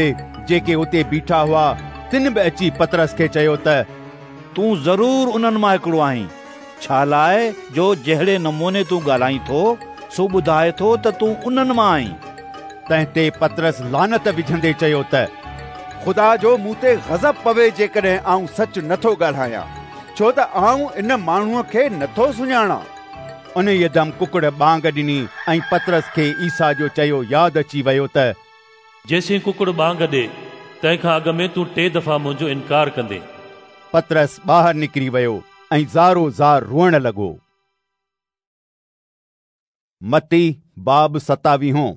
جيڪي اتي بيٺا هئا، تن به اچي پطرس کي چيو ته تون ضرور انهن مان هڪڙو آهين، ڇالاء جو جهڙي نموني تون ڳالهائين ٿو، سو ٻڌائي ٿو ته تون انهن مان آهين. تنهن تي پطرس لعنت وجهندي چيو ته خدا جو مون تي غضب پوي جيڪڏهن آئون سچ نٿو ڳالهايان، ڇو ته آئون ان ماڻهوء کي نٿو سڃاڻان. انهيء دم ڪڪڙ ٻانگ ڏني ۽ پطرس کي عيسيٰ جو چيو ياد اچي ويو ته جيسين ڪڪڙ ٻانگ ڏي، تنهن کان اڳ ۾ تون ٽي دفعا منهنجو انڪار ڪندين. پطرس ٻاهر نڪري ويو ۽ زارو زار روئڻ لڳو. متي باب ستاويهون.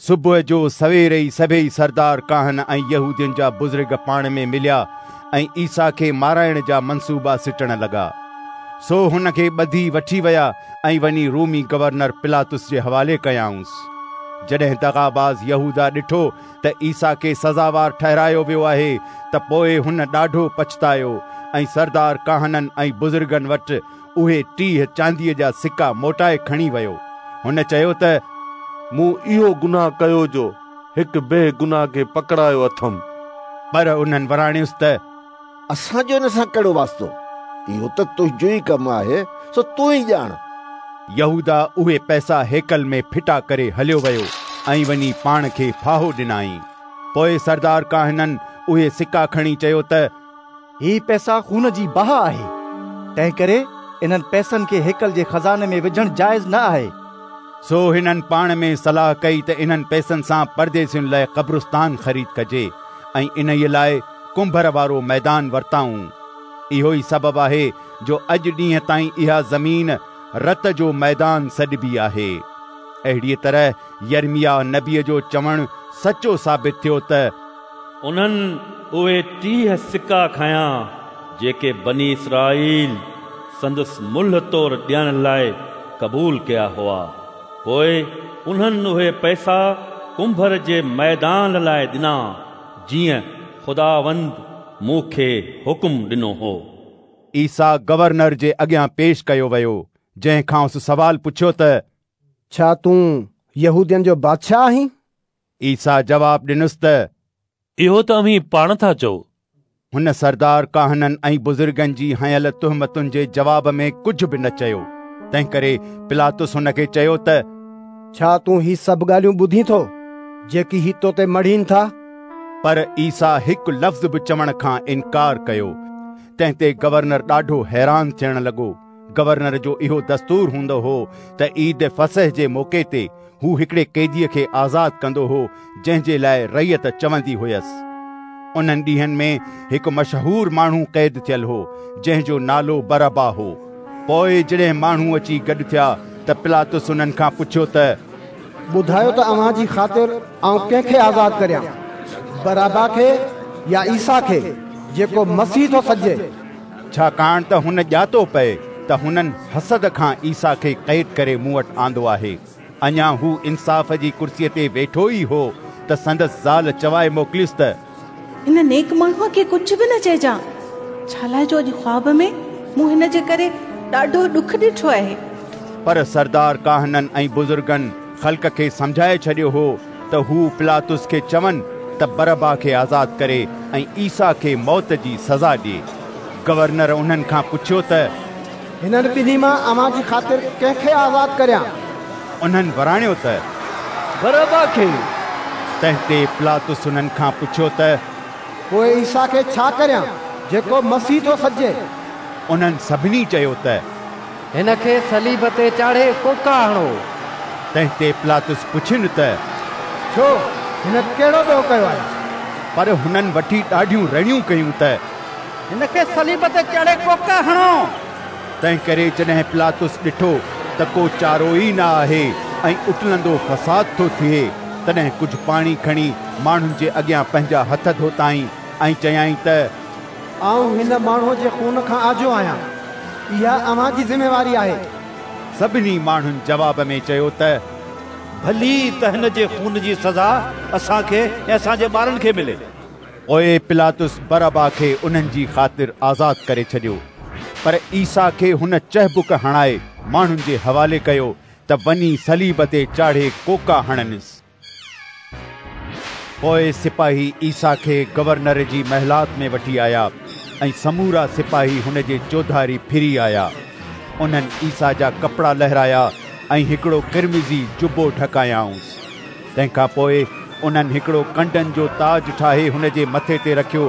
صبح جو سوير ئي سڀيئي سردار ڪاهن ۽ يهودين جا بزرگ پاڻ ۾ مليا ۽ عيسيٰ کي مارائڻ جا منصوبا سٽڻ لڳا. سو هن کي ٻڌي وٺي ويا ۽ وڃي رومي گورنر پلاطس جي حوالي ڪيائونس. جڏهن دغاباز يهوداه ڏٺو ته عيسيٰ کي سزاوار ٺهرايو ويو آهي ته پوء هن ڏاڍو پڇتايو ۽ سردار ڪاهنن ۽ بزرگن وٽ اهي 30 چانديء جا سڪا موٽائي کڻي ويو. هن چيو ته مون اهو گناهه ڪيو جو هڪ بيگناهه کي پڪڙايو اٿم. پر انهن وراڻيس ته اسان جو ان سان ڪهڙو واسطو؟ اهو ته تنهنجو ئي ڪم آهي، سو تون ئي ڄاڻ. يهوداه اهي پئسا هيڪل ۾ ڦٽا ڪري هليو ويو ۽ وڃي پاڻ کي ڦاهو ڏنائين. پوء سردار ڪاهنن اهي سڪا کڻي چيو ته هي پئسا خون جي بها آهي، تنهنڪري انهن پئسن کي هيڪل جي خزاني ۾ وجهڻ جائز نه آهي. سو هنن پاڻ ۾ صلاح ڪئي ته انهن پئسن سان پرديسين لاء قبرستان خريد ڪجي ۽ انهيء لاء ڪنڀر وارو ميدان ورتائون. اهو ئي سبب آهي جو اڄ ڏينهن تائين اها زمين رت جو ميدان سڏبي آهي. اهڙيء طرح يرمياه نبيء جو چوڻ سچو ثابت ٿيو ته. انهن اهي 30 سڪا کنيا، جيڪي بني اسرائيل سندس ملهه طور ڏيڻ لاء قبول ڪيا هئا. پوء انهن اهي پئسا ڪنڀر جي ميدان لاء ڏنا، جيئن خداوند مون کي حڪم ڏنو هو. عيسيٰ گورنر جي اڳيان پيش ڪيو ويو، جنهن کانئس سوال پڇيو ته ڇا تون يهودين جو بادشاهه آهين؟ عيسيٰ جواب ڏنس ته اهو ته اوهين پاڻ ٿا چئو. هن سردار ڪاهنن ۽ بزرگن جي هنيل تهمتن جي جواب ۾ ڪجهه به نه چيو. تنهنڪري پلاطس هن کي چيو ته ڇا تون هي سڀ ڳالهيون ٻڌين ٿو، جيڪي هي تو تي مڙهين ٿا؟ پر عيسيٰ هڪ لفظ به چوڻ کان انڪار ڪيو، تنهن تي گورنر ڏاڍو حيران ٿيڻ لڳو. گورنر جو اهو دستور هوندو هو ته عيد فصح جي موقعي تي هو هڪڙي قيديء کي آزاد ڪندو هو، جنهن جي لاء رعيت چوندي هيس. انهن ڏينهن ۾ هڪ مشهور ماڻهو قيد ٿيل هو، جنهن جو نالو برابا هو. پوء جڏهن ماڻهو اچي گڏ ٿيا ته پلاطس انهن کان پڇيو ته ٻڌايو ته اوهان جي خاطر آئون ڪنهن کي آزاد ڪريان، برابا کي يا عيسيٰ کي، جيڪو مسيح ٿو سڏجي؟ ڇاڪاڻ ته هن ڄاتو پئي ته هنن حسد کان عيسيٰ کي قيد ڪري مون وٽ آندو آهي. اڃا هو انصاف جي ڪرسيء تي ويٺو ئي هو ته سندس زال چوائي موڪليس ته، هن نيڪ ماڻهوء کي ڪجهه به نه چئجان، ڇالاء جو اڄ خواب ۾ مون هن جي ڪري ڏاڍو ڏک ڏٺو آهي. پر سردار ڪاهنن ۽ بزرگن خلق کي سمجهائي ڇڏيو هو ته هو پلاطس کي چون ته برابا کي آزاد ڪري ۽ عيسيٰ کي موت جي سزا ڏئي. گورنر انهن کان پڇيو ته، هنن ٻنهي مان اوهان جي خاطر ڪنهن کي آزاد ڪريان؟ انهن وراڻيو ته، برابا کي. تنهن تي پلاطس انهن کان پڇيو ته، پوء عيسيٰ کي ڇا ڪريان، جيڪو مسيح ٿو سڏجي؟ انهن سڀني چيو ته، هن کي صليب تي چاڙهي ڪوڪا هڻو. تنهن تي پلاطس پڇين ته، ڇو، هن ڪهڙو ڏوهه ڪيو آهي؟ پر هنن وٺي ڏاڍيون رڙيون ڪيون ته، هن کي صليب تي چاڙهي ڪوڪا هڻو. تنهنڪري جڏهن پلاطس ڏٺو ته ڪو چارو ئي نه آهي ۽ اٽلندو فساد ٿو ٿئي، تڏهن ڪجهه پاڻي کڻي ماڻهن جي اڳيان پنهنجا هٿ ڌوتائين ۽ چيائين ته، آئون هن ماڻهوء جي خون کان آجو آهيان. اها اوهان جي ذميواري آهي. سڀني ماڻهن جواب ۾ چيو ته، ڀلي ته هن جي خون جي سزا اسان کي ۽ اسان جي ٻارن کي ملي. پوء پلاطس برابا کي انهن جي خاطر آزاد ڪري ڇڏيو، پر عيسيٰ کي هن چهبڪ هڻائي ماڻهن جي حوالي ڪيو ته وڃي صليب تي چاڙهي ڪوڪا هڻنس. پوء سپاهي عيسيٰ کي گورنر جي محلات ۾ وٺي آيا ۽ سمورا سپاهي هن جي چوڌاري ڦري آيا. انهن عيسيٰ جا ڪپڙا لهرايا ۽ هڪڙو قرمزي جبو ڍڪايائونس. تنهن کان پوء انهن هڪڙو ڪنڊن جو تاج ٺاهي هن جي مٿي تي رکيو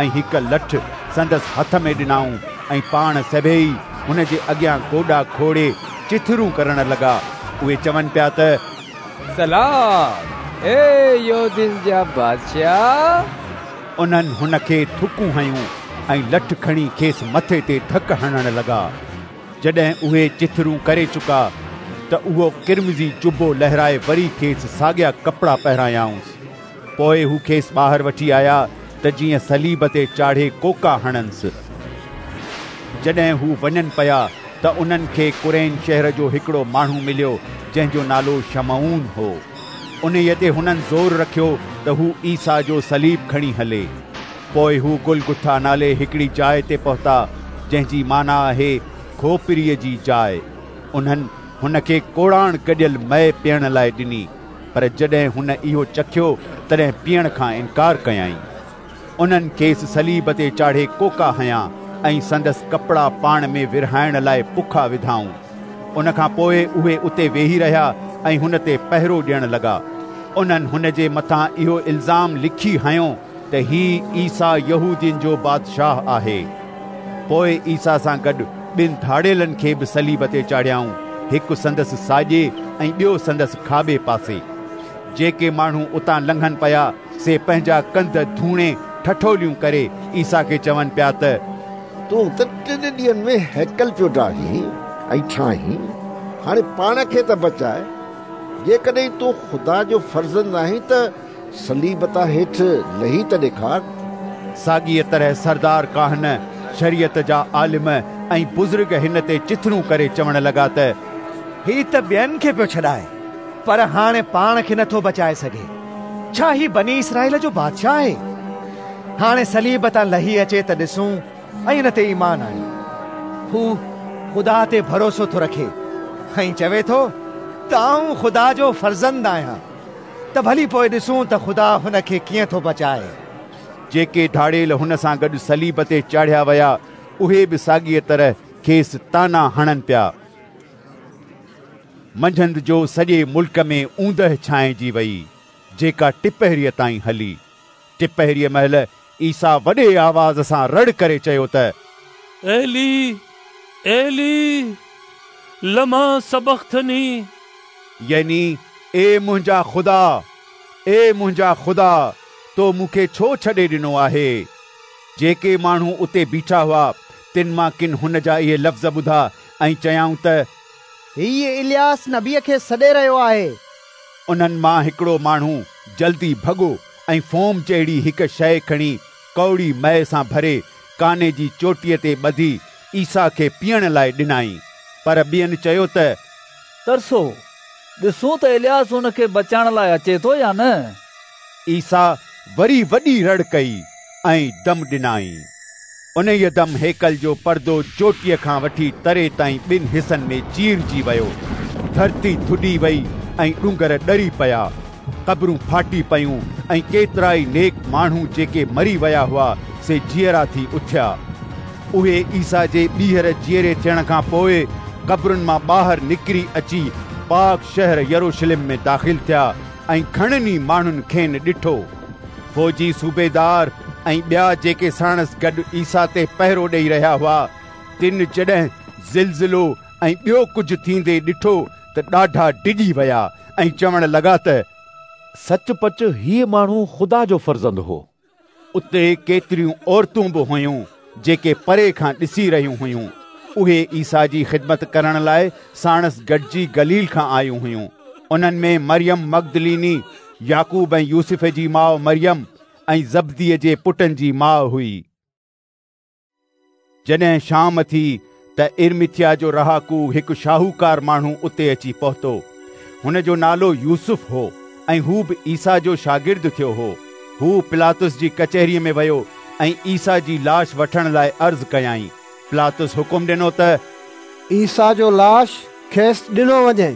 ۽ هڪ لٺ سندس هٿ ۾ ڏنائون ۽ پاڻ سڀيئي هن جي اڳيان گوڏا کوڙي چٿرون ڪرڻ لڳا. اهي چون پيا ته، سلام، اي يهودين جا بادشاهه! انهن هن کي ٿڪون هنيون ۽ لٺ کڻي کيس مٿي تي ڌڪ هڻڻ لڳا. جڏهن اهي چٿرون ڪري چڪا ته اهو قرمزي جبو لهرائي وري کيس ساڳيا ڪپڙا پهرايائونس. پوء هو کيس ٻاهر وٺي آيا ته جيئن صليب تي چاڙهي ڪوڪا هڻنس. جڏهن هو وڃن پيا ته انهن کي ڪرين شهر جو هڪڙو ماڻهو مليو جنهن جو نالو شمعون هو. انهيء تي هنن زور رکيو ته هو عيسيٰ جو صليب کڻي هلي. پوء هو گلگٿا نالي هڪڙي جاء تي پهتا، جنهن جي معنيٰ آهي کوپريء جي جاء. انهن هن کي ڪوڙاڻ گڏيل مئي پيئڻ لاء ڏني، پر جڏهن هن اهو چکيو تڏهن پيئڻ کان انڪار ڪيائين. انهن کيس صليب تي چاڙهي ڪوڪا هنيا ۽ سندس ڪپڙا پاڻ ۾ ورهائڻ لاء پکا وڌائون. ان کان پوء اهي اتي ويهي رهيا ۽ هن تي پهرو ڏيڻ لڳا. انهن هن جي مٿان اهو الزام لکي هنيو ته هي عيسيٰ يهودين جو بادشاهه آهي. پوء عيسيٰ سان گڏ ٻن ڌاڙيلن کي به صليب تي چاڙهيائون، هڪ سندس ساڄي ۽ ٻيو سندس کاٻي پاسي. جيڪي ماڻهو اتان لنگهن پيا، سي پنهنجا ڪنڌ ڌوڻي ٺٺوليون ڪري عيسيٰ کي چون پيا ته، تون ته ٽن ڏينهن ۾ هيڪل پيو ڊاهين ۽ ٺاهين، هاڻي پاڻ کي ته بچاء. جيڪڏهن تون خدا جو فرزند آهين ته صليب تان هيٺ لهي ته ڏيکار. ساڳيء طرح سردار ڪاهن، شريعت جا عالم ۽ بزرگ هن تي چٿرون ڪري چوڻ لڳا ته، هي ته ٻين کي پيو ڇڏائي، پر هاڻي پاڻ کي نٿو بچائي سگهي. ڇا هي بني اسرائيل جو بادشاهه آهي؟ هاڻي صليب تان لهي اچي ته ڏسون ۽ ان تي ايمان آڻيون. هو خدا تي ڀروسو ٿو رکي ۽ چوي ٿو ته آئون خدا جو فرزند آهيان. ته ڀلي پوء ڏسون ته خدا هن کي ڪيئن ٿو بچائي. جيڪي ڌاڙيل هن سان گڏ صليب تي چاڙهيا ويا، اهي به ساڳيء طرح کيس طعنا هڻن پيا. منجهند جو سڄي ملڪ ۾ اوندهه ڇانئجي ويئي، جيڪا ٽپهريء تائين هلي. ٽپهريء مهل عيسيٰ وڏي آواز سان رڙ ڪري چيو ته، ايلي، ايلي، لما سبختني؟ يعني اي منهنجا خدا، اي منهنجا خدا، تو مون کي ڇو ڇڏي ڏنو آهي؟ جيڪي ماڻهو اتي بيٺا هئا، تن مان ڪن هن جا اهي لفظ ٻڌا ۽ چيائون ته، هيء الياس نبيء کي سڏي رهيو آهي. انهن مان هڪڙو ماڻهو جلدي ڀڳو ۽ فوم جهڙي هڪ شيء کڻي ڪؤڙي مئي سان ڀري ڪاني جي چوٽيء تي ٻڌي عيسيٰ کي پيئڻ لاء ڏنائين. پر ٻين چيو ته، ترسو، ڏسون ته الياس هن کي بچائڻ لاء اچي ٿو يا نه. عيسيٰ وري وڏي رڙ ڪئي ۽ دم ڏنائين. انهيء دم هيڪل جو پردو چوٽيء کان وٺي تري تائين ٻن حصن ۾ چيرجي ويو. ڌرتي ٿڏي وئي ۽ ڏونگر ڏري پيا. قبرون ڦاٽي پيون ۽ ڪيترائي نيڪ ماڻهو جيڪي مري ويا هئا سي جيئرا ٿي اٿيا. اهي عيسيٰ جي ٻيهر جيئري ٿيڻ کان پوء قبرن مان ٻاهر نڪري اچي پاڪ شهر يروشلم ۾ داخل ٿيا ۽ گهڻن ئي ماڻهن کين ڏٺو. فوجي صوبيدار ۽ ٻيا جيڪي ساڻس گڏ عيسيٰ تي پهرو ڏيئي رهيا هئا، تن جڏهن زلزلو ۽ ٻيو ڪجهه ٿيندي ڏٺو ته ڏاڍا ڊڄي ويا ۽ چوڻ لڳا ته، سچ پچ هيء ماڻهو خدا جو فرزند هو. اتي ڪيتريون عورتون به هيون، جيڪي پري کان ڏسي رهيون هيون. اهي عيسيٰ جي خدمت ڪرڻ لاء ساڻس گڏجي گليل کان آيون هيون. انهن ۾ مريم مگدليني، يعقوب ۽ يوسف جي ماء مريم ۽ زبديء جي پٽن جي ماء هئي. جڏهن شام ٿي ته ارمٿيا جو رهاڪو هڪ شاهوڪار ماڻهو اتي اچي پهتو. هن جو نالو يوسف هو ۽ هو به عيسيٰ جو شاگرد ٿيو هو. هو پلاطس جي ڪچهريء ۾ ويو ۽ عيسيٰ جي لاش وٺڻ لاء عرض ڪيائين. پلاطس حڪم ڏنو ته عيسيٰ جو لاش کيس ڏنو وڃي.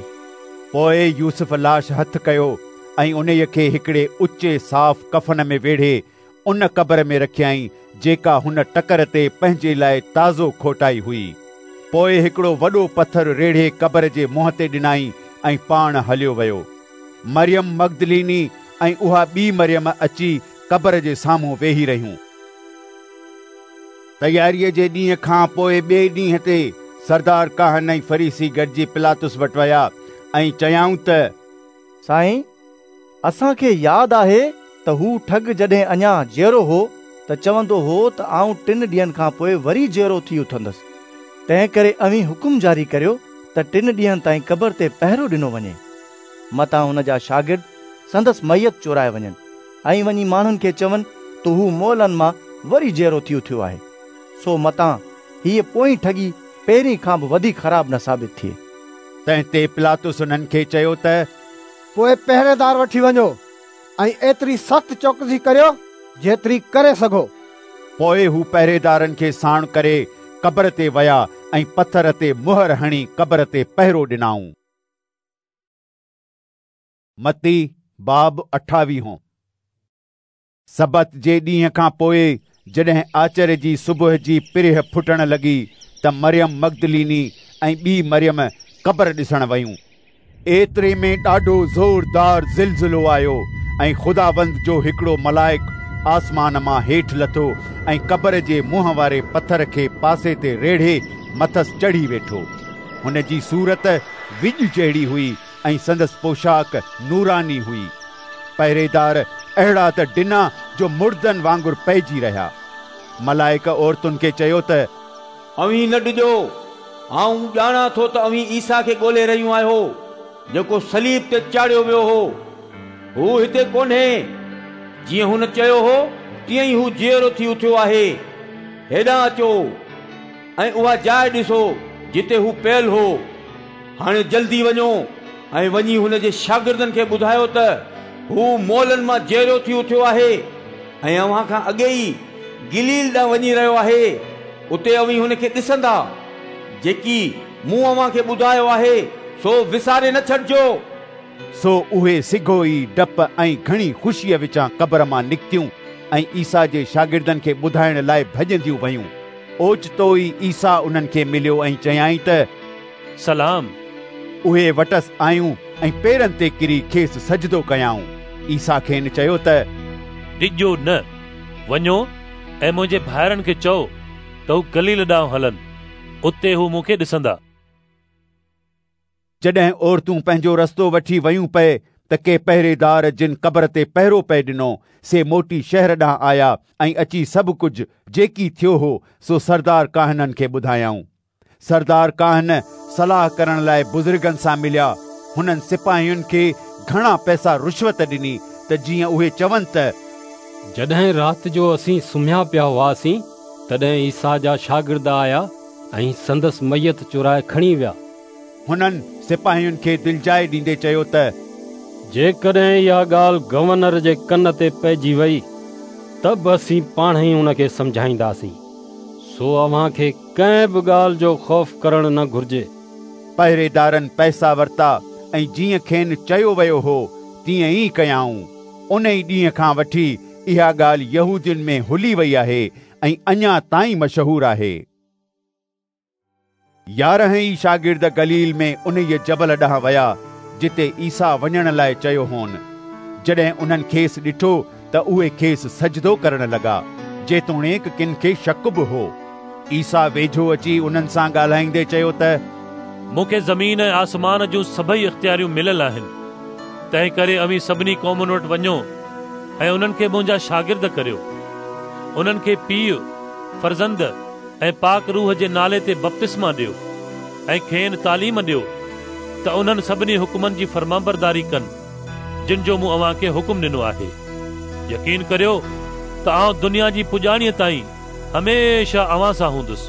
پوء يوسف لاش هٿ ڪيو ۽ انهيء کي هڪڙي اچي صاف ڪفن ۾ ويڙهي ان قبر ۾ رکيائين جيڪا هن ٽڪر تي پنهنجي لاء تازو کوٽائي هئي. پوء هڪڙو وڏو پٿر ريڙهي قبر جي منهن تي ڏنائين ۽ پاڻ هليو ويو. مريم مگدليني ۽ اها ٻي مريم اچي قبر جي سامهون ويهي رهيون. تياريء جي ڏينهن کان پوء ٻئي ڏينهن تي سردار ڪاهن ۽ فريسي گڏجي پلاطس وٽ ويا ۽ چيائون ته، سائين، اسان کي ياد آهي ته هو ٺڳ جڏهن اڃا جيئرو هو ته چوندو هو ته آئون ٽن ڏينهن کان پوء وري جيئرو ٿي اٿندس. تنهنڪري اوهين حڪم جاري ڪريو ته ٽن ڏينهن تائين قبر تي پهرو ڏنو وڃي. متان هن جا شاگرد سندس ميت چورائي وڃن ۽ وڃي ماڻهن کي چون ته هو مئلن مان وري جيئرو ٿي اٿيو آهي. سو متان هيء پوئين ٺڳي پهرين کان به وڌيڪ خراب نه ثابت ٿئي. تنهن تي پلاطس انهن کي چيو ته، پوء پهريدار وٺي وڃو ۽ ايتري سخت چوڪسي ڪريو جيتري ڪري سگهو. پوء هو پهريدارن کي ساڻ ڪري قبر تي ويا ۽ پٿر تي مهر هڻي قبر تي پهرو ڏنائون. متي باب اٺاويهون. سبت جي ڏينهن کان پوء جڏهن آچر جي صبح جي پرهه ڦٽڻ لڳي ته مريم مگدليني ۽ ٻي مريم قبر ڏسڻ ويون. ايتري ۾ ڏاڍو زوردار زلزلو آيو ۽ خداوند جو هڪڙو ملائڪ آسمان مان هيٺ لٿو ۽ قبر جي منهن واري پٿر کي پاسي تي ريڙهي مٿس چڙهي ويٺو. هن جي صورت وڄ جهڙي هئي ۽ سندس پوشاڪ نوراني هئي. پهريدار اهڙا ته ڊنا جو مڙدن وانگر پئجي رهيا. ملائڪ عورتن کي چيو ته، اوهين نه ڊڄو، آئون ڄاڻان ٿو ته اوهين عيسيٰ کي ڳولي رهيون آهيو، جيڪو صليب تي چاڙهيو ويو هو. هو هتي ڪونهي، جيئن هن چيو هو، تيئن ئي هو جيئرو ٿي اٿيو آهي. هيڏانهن اچو ۽ اها جاء ڏسو، جتي هو پيل هو. هاڻي جلدي وڃو ۽ وڃي هن جي شاگردن کي ٻڌايو ته هو مئلن مان جيئرو ٿي اٿيو آهي ۽ اوهان کان اڳي ئي گليل ڏانهن وڃي رهيو آهي. اتي اوهين هن کي ڏسندا. جيڪي مون اوهان کي ٻڌايو آهي، سو وساري نه ڇڏجو. سو اهي سگهو ئي ڊپ ۽ گهڻي خوشيء وچان قبر مان نڪتيون ۽ عيسيٰ جي شاگردن کي ٻڌائڻ لاء ڀڄنديون ويون. اوچتو ئي عيسيٰ انهن کي مليو ۽ چيائين ته، سلام! اهي وٽس آيون ۽ پيرن تي ڪري کيس سجدو ڪيائون. عيسيٰ کين چيو ته، ڊڄو نه، وڃو ۽ منهنجي ڀائرن کي چئو ته هو گليل ڏانهن هلن، اتي هو مون کي ڏسندا. جڏهن عورتون پنهنجو رستو وٺي ويون پئي ته ڪي پهريدار جن قبر تي پهرو پئي ڏنو، سي موٽي شهر ڏانهن آيا ۽ اچي سڀ ڪجهه جيڪي ٿيو هو سو سردار ڪاهنن کي ٻڌايائون. سردار ڪاهن صلاح ڪرڻ لاء بزرگن سان مليا. هنن سپاهين کي گهڻا پئسا رشوت ڏني ته جيئن اهي چون ته جڏهن رات جو اسين سمهيا پيا هئاسين، تڏهن عيسيٰ جا شاگرد آيا ۽ سندس ميت چورائي کڻي ويا. هنن سپاهين کي دلجاء ڏيندي چيو ته جيڪڏهن اها ڳالهه گورنر جي ڪن تي پئجي وئي ته به اسين پاڻهي ان کي سمجهائينداسين، سو اوهان کي ڪنهن به ڳالهه جو خوف ڪرڻ نه گهرجي. پهريدارن پئسا ورتا ۽ جيئن کين چيو ويو هو تيئن ئي ڪيائون. ان ئي ڏينهن کان وٺي اها ڳالهه يهودين ۾ هلي وئي آهي ۽ اڃا تائين مشهور آهي. 11 ئي شاگرد گليل ۾ انهيء جبل ڏانهن ويا، جتي عيسيٰ وڃڻ لاء چيو هون. جڏهن انهن کيس ڏٺو ته اهي کيس سجدو ڪرڻ لڳا، جيتوڻيڪ ڪن کي شڪ به هو. عيسيٰ ويجهو اچي انهن سان ڳالهائيندي چيو ته مون کي زمين ۽ آسمان جون سڀئي اختياريون مليل آهن، تنهنڪري اوهين سڀني قومن وٽ وڃو ۽ انهن کي منهنجا شاگرد ڪريو. انهن کي پيء، فرزند ۽ پاڪ روح جي نالي تي بپتسما ڏيو ۽ کين تعليم ڏيو ته انهن سڀني حڪمن جي فرمانبرداري ڪن جن جو مون اوهان کي حڪم ڏنو آهي. يقين ڪريو ته آئون دنيا جي پڄاڻيء تائين هميشه اوهان سان هوندس.